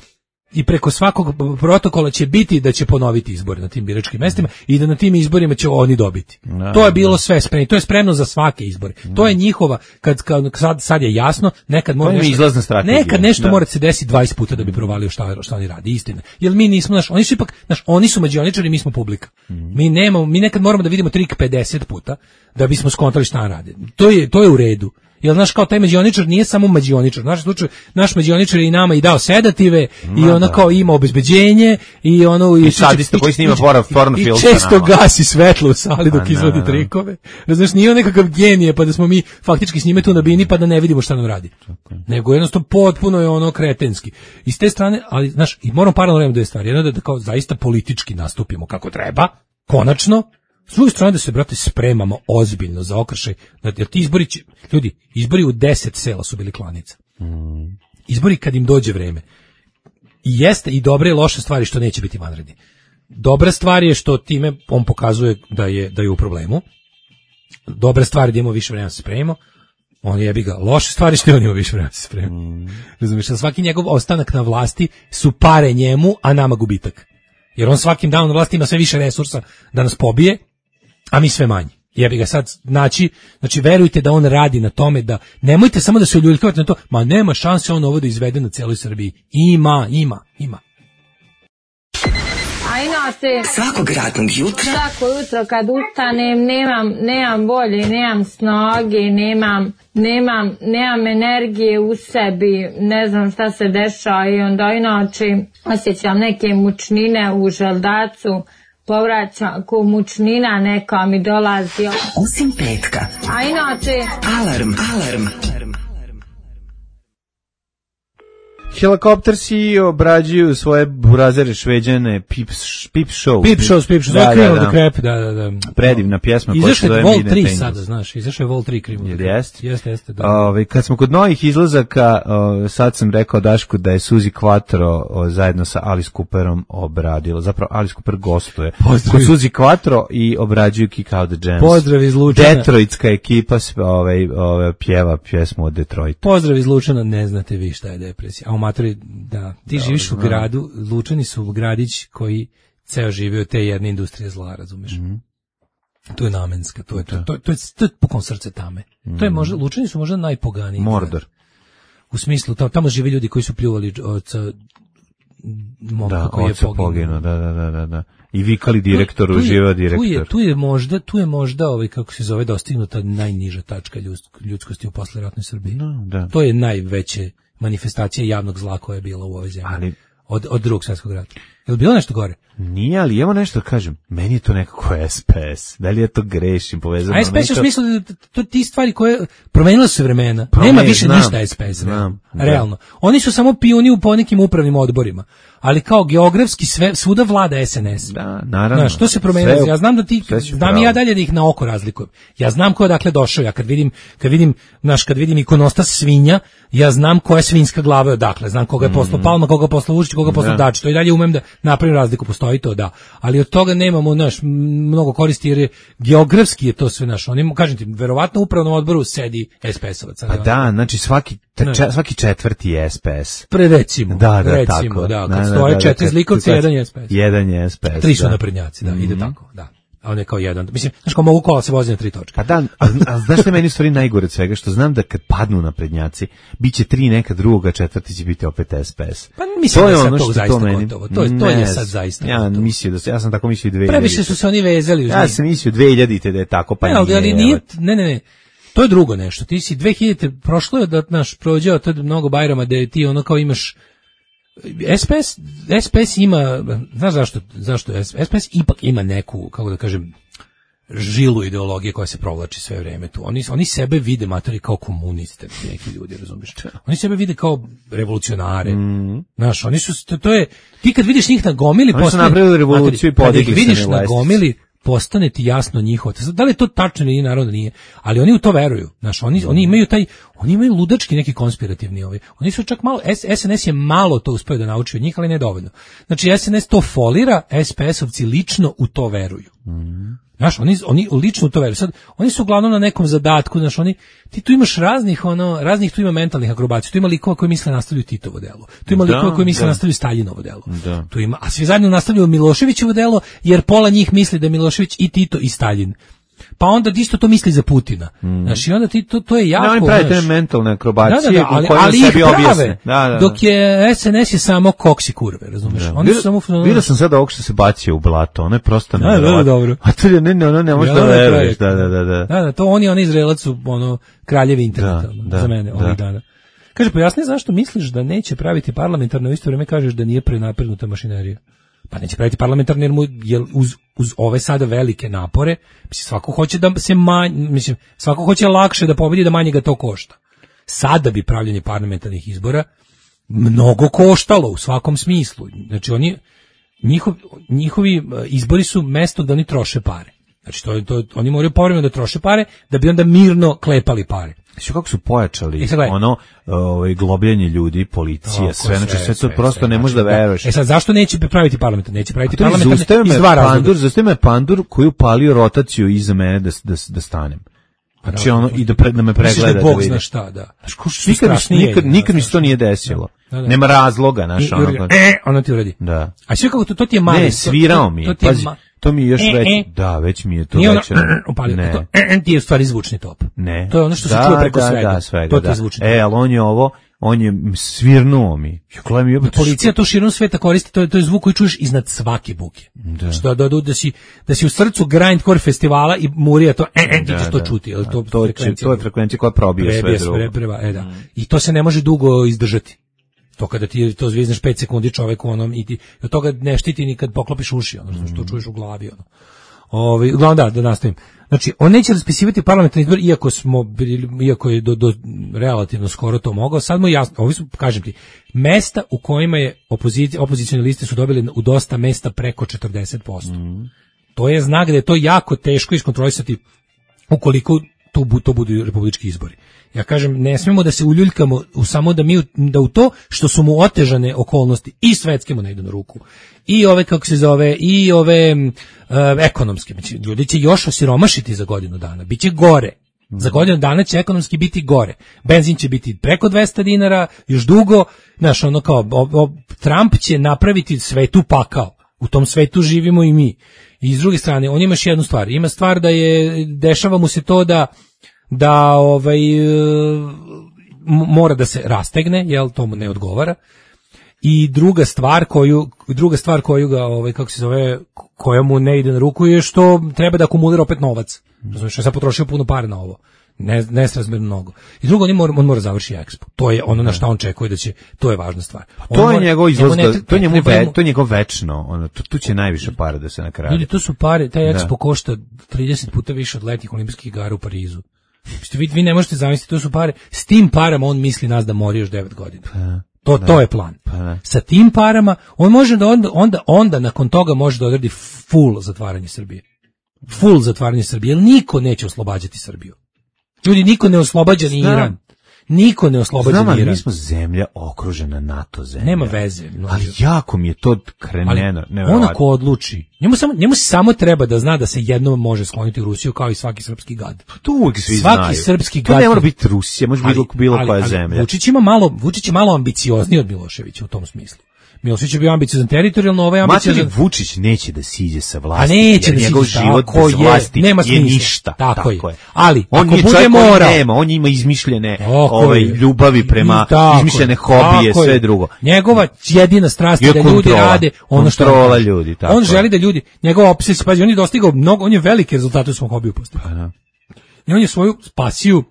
i preko svakog protokola će biti da će ponoviti izbore na tim biračkim mestima i da na tim izborima će oni dobiti. No, to je bilo no. sve spremno. To je spremno za svake izbore. No. To je njihova, kad, kad sad, sad je jasno, nekad mora nešto, nekad nešto da. mora se desiti dvadeset puta da bi provalio šta, šta oni radi, istina. Jer mi nismo, naš, oni su ipak, naš, oni su mađioničari, mi smo publika. Mm. Mi nemamo, mi nekad moramo da vidimo trik pedeset puta da bismo skontali šta rade. To je, to je u redu. Jer znaš kao taj mađioničar nije samo mađioničar, naš slučaj, naš mađioničar je i nama i dao sedative i ona da. kao ima obezbeđenje i ono i sadista koji snima porno film i često gasi svetlo u sali dok izvodi trikove. Znaš, nije on nekakav genije pa da smo mi faktički s njime tu na bini pa da ne vidimo šta nam radi. Okay. Nego jednostavno potpuno je ono kretenski. I s te strane, ali znaš, i moram paralelno raditi dve stvari. Jedno da, da kao zaista politički nastupimo kako treba, konačno. S druge strane da se, brate, spremamo ozbiljno za okršaj, jer ti izbori će, ljudi, izbori u deset sela su bili klanica. Mm. Izbori kad im dođe vreme. I jeste i dobre i loše stvari što neće biti vanredni. Dobra stvar je što time on pokazuje da je, da je u problemu. Dobra stvar je da imamo više vremena da se spremimo. On jebi ga. Loše stvari što on ima više vremena da se spremimo. Mm. Razumiješ, svaki njegov ostanak na vlasti su pare njemu, a nama gubitak. Jer on svakim danom na vlasti ima sve više resursa da nas pobije, a mi sve manje. Jebi ga sad, znači, znači verujte da on radi na tome da, nemojte samo da se uljuljkavate na to, ma nema šanse on ovo da izvede na celoj Srbiji. Ima, ima, ima. A inače, svakog radnog jutra, svako jutro kad ustanem, nemam, nemam volje, nemam snage, nemam, nemam, nemam energije u sebi, ne znam šta se dešava i onda inače osjećam neke mučnine u želdacu, povraćam, ko mučnina neka mi dolazi. Osim petka. A inače... Alarm, alarm. Helikoptersi obrađuju svoje burazere šveđane Pip, Pip Show. Pip Show, Pip Show. Da, da, da. Krep, da, da, da. Predivna pjesma. Izašao je Vol tri sada, znaš. Izašao je Vol tri Krim. Jeste? Jeste, jeste. Da. Ove, kad smo kod novih izlazaka, o, sad sam rekao Dašku da je Suzi Quattro o, zajedno sa Alice Cooperom obradila. Zapravo Alice Cooper gostuje. Kod Suzi Quattro i obrađuju Kick Out the Jams. Pozdrav iz Lučana. Detroitska ekipa ovaj, ovaj, pjeva pjesmu od Detroita. Pozdrav iz Lučana, ne znate vi šta je depresija. A matori, da, ti da, živiš u gradu, Lučani su gradić koji ceo živi od te jedne industrije zla, razumeš? Mm. To je namenska, to je to, to, to je to je pukon srce tame. Mm. To je možda, Lučani su možda najpoganiji. Mordor. U smislu, tamo, tamo žive ljudi koji su pljuvali od momka da, koji je poginuo. Da, da, da, da, da. I vikali direktoru, tu, tu živa direktor. Tu je, tu je možda, tu je možda ovaj, kako se zove, dostignuta najniža tačka ljudskosti u posleratnoj Srbiji. No, da. To je najveće manifestacija javnog zla koja je bila u ovoj zemlji. Ali od od drugog svjetskog rata. Je li bilo nešto gore? Nije, ali evo nešto da kažem. Meni je to nekako S P S. Da li je to grešim povezano? A S P S je u smislu da to ti stvari koje promenila su vremena. Promeni, Nema više znam, ništa S P S. Znam, realno. Da. Oni su samo pioni u ponekim upravnim odborima. Ali kao geografski sve svuda vlada S N S. Da, naravno. Znaš, to se promenilo. Ja znam da ti znam i ja dalje da ih na oko razlikujem. Ja znam ko je dakle došao. Ja kad vidim kad vidim naš kad vidim ikonostas svinja, ja znam koja je svinjska glava odakle. Znam koga je poslao Palma, koga je poslao Vučić, koga je poslao Dačić. To i dalje umem da napravim razliku, postoji to, da. Ali od toga nemamo naš mnogo koristi jer je geografski je to sve naš. Oni kažem ti, verovatno u upravnom odboru sedi S P S-ovac. A da, znači svaki če, svaki četvrti je S P S. Pre recimo. Da, da, recimo, tako. Da, kad da, stoje da, četiri zlikovci, jedan je S P S. Jedan je S P S. Tri su naprednjaci, da, mm-hmm. ide tako, da. A on je kao jedan. Mislim, znaš kao mogu kola se vozi na tri točke. Pa da, a, a znaš što je meni u stvari najgore od svega? Što znam da kad padnu naprednjaci, bit će tri neka druga, četvrti će biti opet S P S. Pa mislim to je da je sad to zaista meni, gotovo. To, je, to je sad zaista ja gotovo. Mislio da se, ja sam tako mislio dve hiljadite. Previše su se oni vezali uz njih. Ja sam mislio dve hiljadite da je tako, pa ne, nije. Ali nije, ne, ne, ne. To je drugo nešto. Ti si dve hiljadite prošlo je da naš prođeo tad mnogo Bajrama da ti ono kao imaš S P S, S P S ima, znaš zašto, zašto S P S ipak ima neku, kako da kažem, žilu ideologije koja se provlači sve vreme tu. Oni, oni sebe vide matori kao komuniste, neki ljudi, razumiješ? Oni sebe vide kao revolucionare. Mm. Znaš, oni su, to, to je, ti kad vidiš njih na gomili, oni postane, su napravili revoluciju matori, i podigli se. Kad ih vidiš na gomili, postane ti jasno njihovo. Da li je to tačno ili naravno nije, ali oni u to veruju. Znaš, oni oni imaju taj oni imaju ludački neki konspirativni ovaj. Oni su čak malo S N S je malo to uspeo da nauči od njih, ali ne dovoljno. Znači S N S to folira, S P S-ovci lično u to veruju. Mm. Znaš, oni, oni lično u to veruju. Sad, oni su uglavnom na nekom zadatku, znaš, oni, ti tu imaš raznih, ono, raznih tu ima mentalnih akrobacija, tu ima likova koji misle nastavljaju Titovo delo, tu ima da, likova koji misle da. nastavljaju Staljinovo delo, da. Tu ima, a svi zajedno nastavljaju Miloševićevo delo, jer pola njih misli da je Milošević i Tito i Staljin. Pa onda isto to misli za Putina. Mm. Znaš, i onda ti to, to je jako... Ne, oni pravi te mentalne akrobacije, da, da, da, ali, ali ih prave, da, da, da. Dok je S N S je samo koks i kurve, razumiješ? Da. Oni su samo... Vidio sam sada ovog što se bacio u blato, ono je prosto... Da, da, da, dobro. A to je, ne, ne, ono ne možeš da veruješ, da, da, da, da. Da, da, to oni, oni Izraelac su, ono, kraljevi interneta, da, da, za mene, da. Ovih dana. Kaže, pojasni zašto misliš da neće praviti parlamentarno, u isto vrijeme kažeš da nije prenapregnuta mašinerija. Pa neće praviti parlamentarni jer, mu, jer uz, uz ove sada velike napore, mislim, svako hoće da se manje, mislim, svako hoće lakše da pobedi da manje ga to košta. Sada bi pravljanje parlamentarnih izbora mnogo koštalo u svakom smislu. Znači oni, njihov, njihovi izbori su mesto da oni troše pare. Znači to, to, oni moraju povremeno da troše pare da bi onda mirno klepali pare. Znači kako su pojačali e ono ovaj globljenje ljudi, policija, sve, znači sve, sve to sve, prosto sve, ne možeš da veruješ. E sad zašto neće praviti parlament? Neće praviti parlament iz dva razloga. Zašto me pandur koji upalio rotaciju iza mene da da da stanem. Znači ono i da pred da me pregleda da, da Bog zna šta, da. Znači nikad nikad nikad mi se to nije desilo. Da, da. Nema razloga, naš ono. E, ono ti uradi. Da. A sve kako to, to ti je mali. Ne, svirao mi. Pazi. To mi je još e, već, e. da, već mi je to već. Ne. To, e, ti je u stvari zvučni top. Ne. To je ono što da, se čuje preko da, svega. Da, svega. To ti da. je zvučni top. E, ali on je ovo, on je svirnuo mi. Ja, mi je, policija to širom sveta koristi, to je, to je zvuk koji čuješ iznad svake buke. Da. Što da, da, da, si, da si u srcu grindcore festivala i murija to, e, e, ti ćeš to čuti. To, to, to, to je frekvencija koja probije sve drugo. Pre, preba, e, da. Mm. I to se ne može dugo izdržati. To kada ti to zvizneš pet sekundi čoveku onom i ti od toga ne štiti ni kad poklopiš uši, ono što, što čuješ u glavi, ono. Ovaj, uglavnom da, da nastavim. Znači, on neće raspisivati parlamentarni izbor, iako smo bili, iako je do, do relativno skoro to mogao, sad mu jasno, ovi su, kažem ti, mesta u kojima je opozicija, opozicione liste su dobili u dosta mesta preko četrdeset posto. Mm. To je znak da je to jako teško iskontrolisati ukoliko to, to budu republički izbori. Ja kažem, ne smemo da se uljuljkamo u samo da mi da u to što su mu otežane okolnosti i svetske mu ne idu na ruku. I ove kako se zove i ove uh, ekonomske, znači ljudi će još osiromašiti za godinu dana, biće gore. Za godinu dana će ekonomski biti gore. Benzin će biti preko dvesta dinara, još dugo, znaš, ono kao o, o, Trump će napraviti svetu pakao. U tom svetu živimo i mi. I s druge strane, on ima još jednu stvar. Ima stvar da je dešava mu se to da da ovaj mora da se rastegne, jel to mu ne odgovara. I druga stvar koju druga stvar koju ga ovaj kako se zove koja mu ne ide na ruku je što treba da akumulira opet novac. Razumeš, sad potrošio puno para na ovo. Ne nesrazmjerno mnogo. I drugo, on mora on mora završiti Expo. To je ono na šta on čekuje da će, to je važna stvar. On to je njegov izlaz, to je njemu ve, to je njegov večno, ono tu, tu će najviše para da se nakrade. Ljudi, tu su pare, taj Expo da. košta trideset puta više od letnjih olimpijskih igara u Parizu. Vi, vi ne možete zamisliti, to su pare. S tim parama on misli nas da mori još devet godina. Pa. To, to je plan. Pa, sa tim parama on može da onda, onda, onda nakon toga može da odredi full zatvaranje Srbije. Full zatvaranje Srbije, jer niko neće oslobađati Srbiju. Ljudi, niko ne oslobađa ni Iran. Niko ne oslobađa ni Iran. Mi smo zemlja okružena NATO zemlja. Nema veze. Ali jako mi je to kreneno. On ako odluči, njemu samo, njemu samo treba da zna da se jednom može skloniti u Rusiju kao i svaki srpski gad. Pa to uvijek svi svaki znaju. Srpski to gad. Ne mora biti Rusija, može biti bilo koja ali, zemlja. Vučić ima malo, Vučić je malo ambiciozniji od Miloševića u tom smislu. Milošević je bio ambiciozan teritorijalno, ovaj ambiciozan. Materi Vučić neće da siđe sa vlasti. A neće da njegov siđe, život bez vlasti nema je ništa. Tako, tako je. je. Ali on ako bude morao, nema, on ima izmišljene ovaj ljubavi prema izmišljene hobije, sve drugo. Njegova jedina strast je da ljudi kontrola, rade ono što kontrola ljudi, tako. On želi da ljudi, njegova obsesija, pazi, on je dostigao mnogo, on je velike rezultate u svom hobiju postigao. Pa, i on je svoju pasiju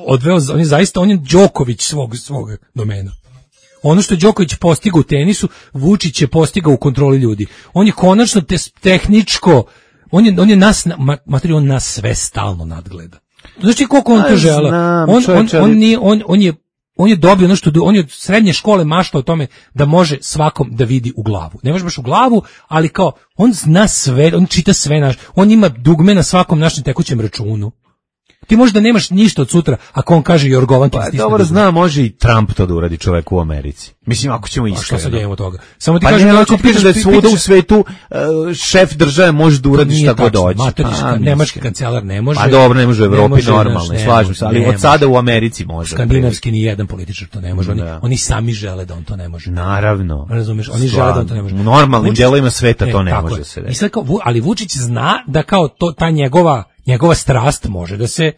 odveo, on je zaista, on je Đoković svog svog domena. Ono što je Đoković postigao u tenisu, Vučić je postigao u kontroli ljudi. On je konačno te, tehničko, on je, on je nas, materi, on nas sve stalno nadgleda. Znači koliko on to žele. On, on, on, nije, on, on, je, on je dobio ono što, on je od srednje škole maštao o tome da može svakom da vidi u glavu. Ne može baš u glavu, ali kao, on zna sve, on čita sve naš, on ima dugme na svakom našem tekućem računu. Ti možda nemaš ništa od sutra, ako on kaže Jorgovan ti pa, dobro zna, može i Trump to da uradi čovek u Americi. Mislim, ako ćemo iskreno. A što sad imamo toga? Samo ti pa kažem, ne, ako pitaš da je svuda u svetu uh, šef države može da uradi šta god hoće. Pa, nemački kancelar ne može. Pa dobro, ne može u Evropi normalno, slažem se, ali od sada u Americi može. Skandinavski ni jedan političar to ne može. Oni, oni sami žele da on to ne može. Naravno. Razumeš, oni žele da on to ne može. U normalnim delovima sveta to ne može se. I sad kao, ali Vučić zna da kao to ta njegova njegova strast može da se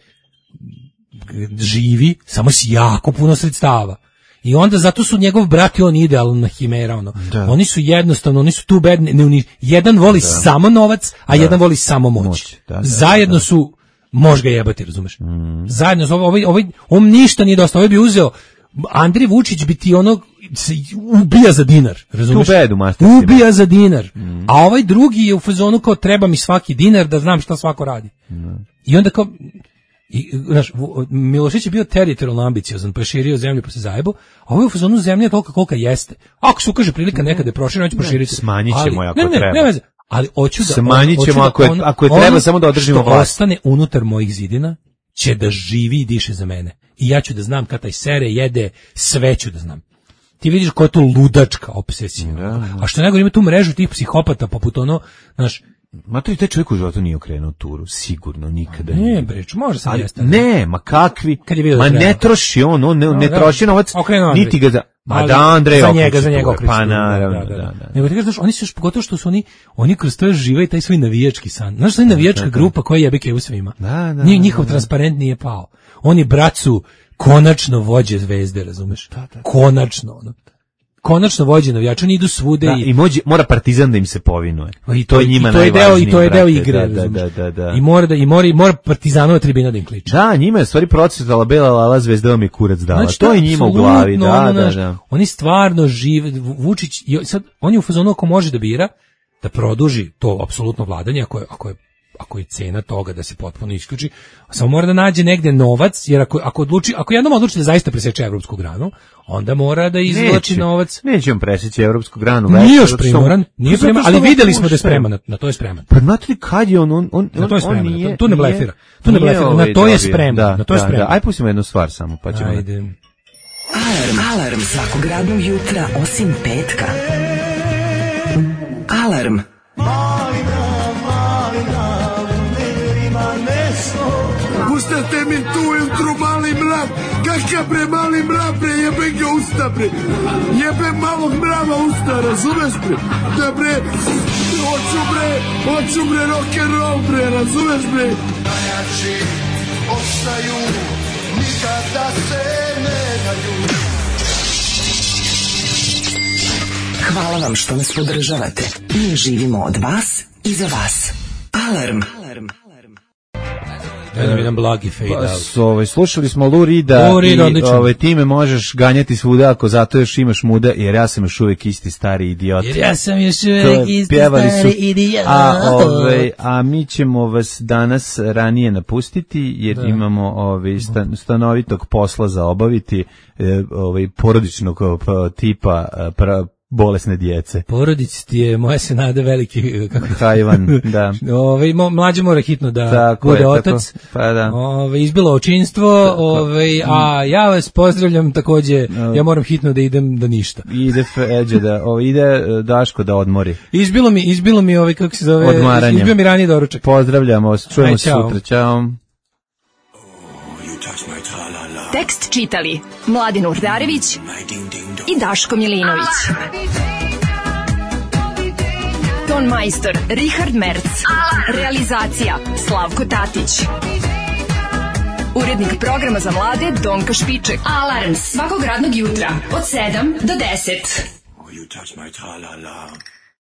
živi samo s jako puno sredstava. I onda zato su njegov brat i on idealna himera, ono. Da. Oni su jednostavno, oni su tu bedni, ne, ne, jedan voli da. samo novac, a da. jedan voli samo moć. moć. Da, da, Zajedno da. su, može ga jebati, razumeš? Mm. Zajedno su, ovaj, ovaj, on ništa nije dosta, ovaj bi uzeo, Andrej Vučić bi ti ono, ubija za dinar, razumeš? Bedu, ubija za dinar. Mm. A ovaj drugi je u fazonu kao treba mi svaki dinar da znam šta svako radi. Mm. I onda kao, i, znaš, Milošević je bio teritorijalno ambiciozan, pa je širio zemlju pa se zajebo, a ovo je u fazonu zemlje tolika kolika jeste. Ako se ukaže prilika nekada je proširena, hoće proširiti. Smanjit ćemo ako ne, ne, treba. Ne, ne, ali hoću da... Smanjit ćemo ako je, ako je treba ono samo da održimo vlast. Ostane unutar mojih zidina, će da živi i diše za mene. I ja ću da znam kad taj sere, jede, sve ću da znam. Ti vidiš koja je to ludačka obsesija. Da. A što nego ima tu mrežu tih psihopata poput ono, znaš, ma to i taj čovjek u životu nije okrenuo turu, sigurno, nikada ne, nije. Ne, breč, može se jeste. Ne, ma kakvi, je ma ne troši on, on ne, no, ne da, troši novac, niti ga za... Ma da, Andrej, za njega, za njega okreći. Pa naravno, da, da, da. da. Nego ti kažeš, oni su još pogotovo što su oni, oni kroz to žive i taj svoj navijački san. Znaš, svoj navijačka grupa koja jebike u svima. Da, da, Nije njihov da, transparent nije pao. Oni bracu konačno vođe zvezde, razumeš? Da, da. Konačno, ono. Konačno vođe navijači, oni idu svude da, i i mođe, mora Partizan da im se povinuje. I to je njima najvažnije. I to je deo igre, da, da, da, da. I mora da i mora i mora Partizanova tribina da im kliče. Da, njima je stvari procvetala bela lala, zvezda vam je kurac dala. Znači, to je njima u glavi, da, ono, da, da. Oni stvarno žive, Vučić, sad on je u fazonu ako može da bira da produži to apsolutno vladanje, ako je, ako je ako je cena toga da se potpuno isključi, samo mora da nađe negde novac, jer ako, ako odluči, ako jednom odluči da zaista preseče evropsku granu, onda mora da izvlači novac. Neće on preseći evropsku granu. Nije još primoran, nije primoran, ali videli smo da je spreman, na, na to je spreman. Pa znate li kad je on, on, on, na to je spreman, on nije, tu ne blefira, tu ne blefira, na to je spreman, da, na to je da, spreman. Da, aj pustimo jednu stvar samo, pa ćemo. Ajde. Alarm, alarm svakog radnog jutra, osim petka. Alarm. Pustate mi tu ujutru mali mrav, kakav bre mali mrav bre, jebe ga usta bre, jebe malog mrava usta, razumeš bre, da bre, hoću bre, hoću bre rock'n'roll bre, razumeš bre. Najjači ostaju, nikada se ne daju. Hvala vam što nas podržavate. Mi živimo od vas i za vas. Alarm. Alarm. Jedan jedan blagi fade out. Ovaj, slušali smo Lou Reeda i ovaj, time možeš ganjati svuda ako zato još imaš muda, jer ja sam još uvijek isti stari idiot. Jer ja sam još uvijek isti stari idiot. A, ovaj, a mi ćemo vas danas ranije napustiti, jer da. imamo ovaj, stan, stanovitog posla za obaviti, ovaj, porodičnog tipa pra, bolesne djece. Porodić ti je, moja se nada veliki kako hajvan, da. Ovaj mlađe mora hitno da tako bude je, otac. Tako, pa da. Ovaj izbilo očinstvo, ovaj a ja vas pozdravljam takođe. Ja moram hitno da idem da ništa. Ide Feđe da, ovaj ide Daško da odmori. Izbilo mi, izbilo mi ovaj kako se zove, odmaranje. Izbio mi raniji doručak. Pozdravljamo vas, čujemo se sutra. Ćao. Tekst čitali Mladin Urdarević i Daško Milinović. Ton majstor Richard Merc. Realizacija Slavko Tatić. Urednik programa za mlade Donka Špiček. Alarms svakog radnog jutra od sedam do deset. Oh, you touch my tra-la-la.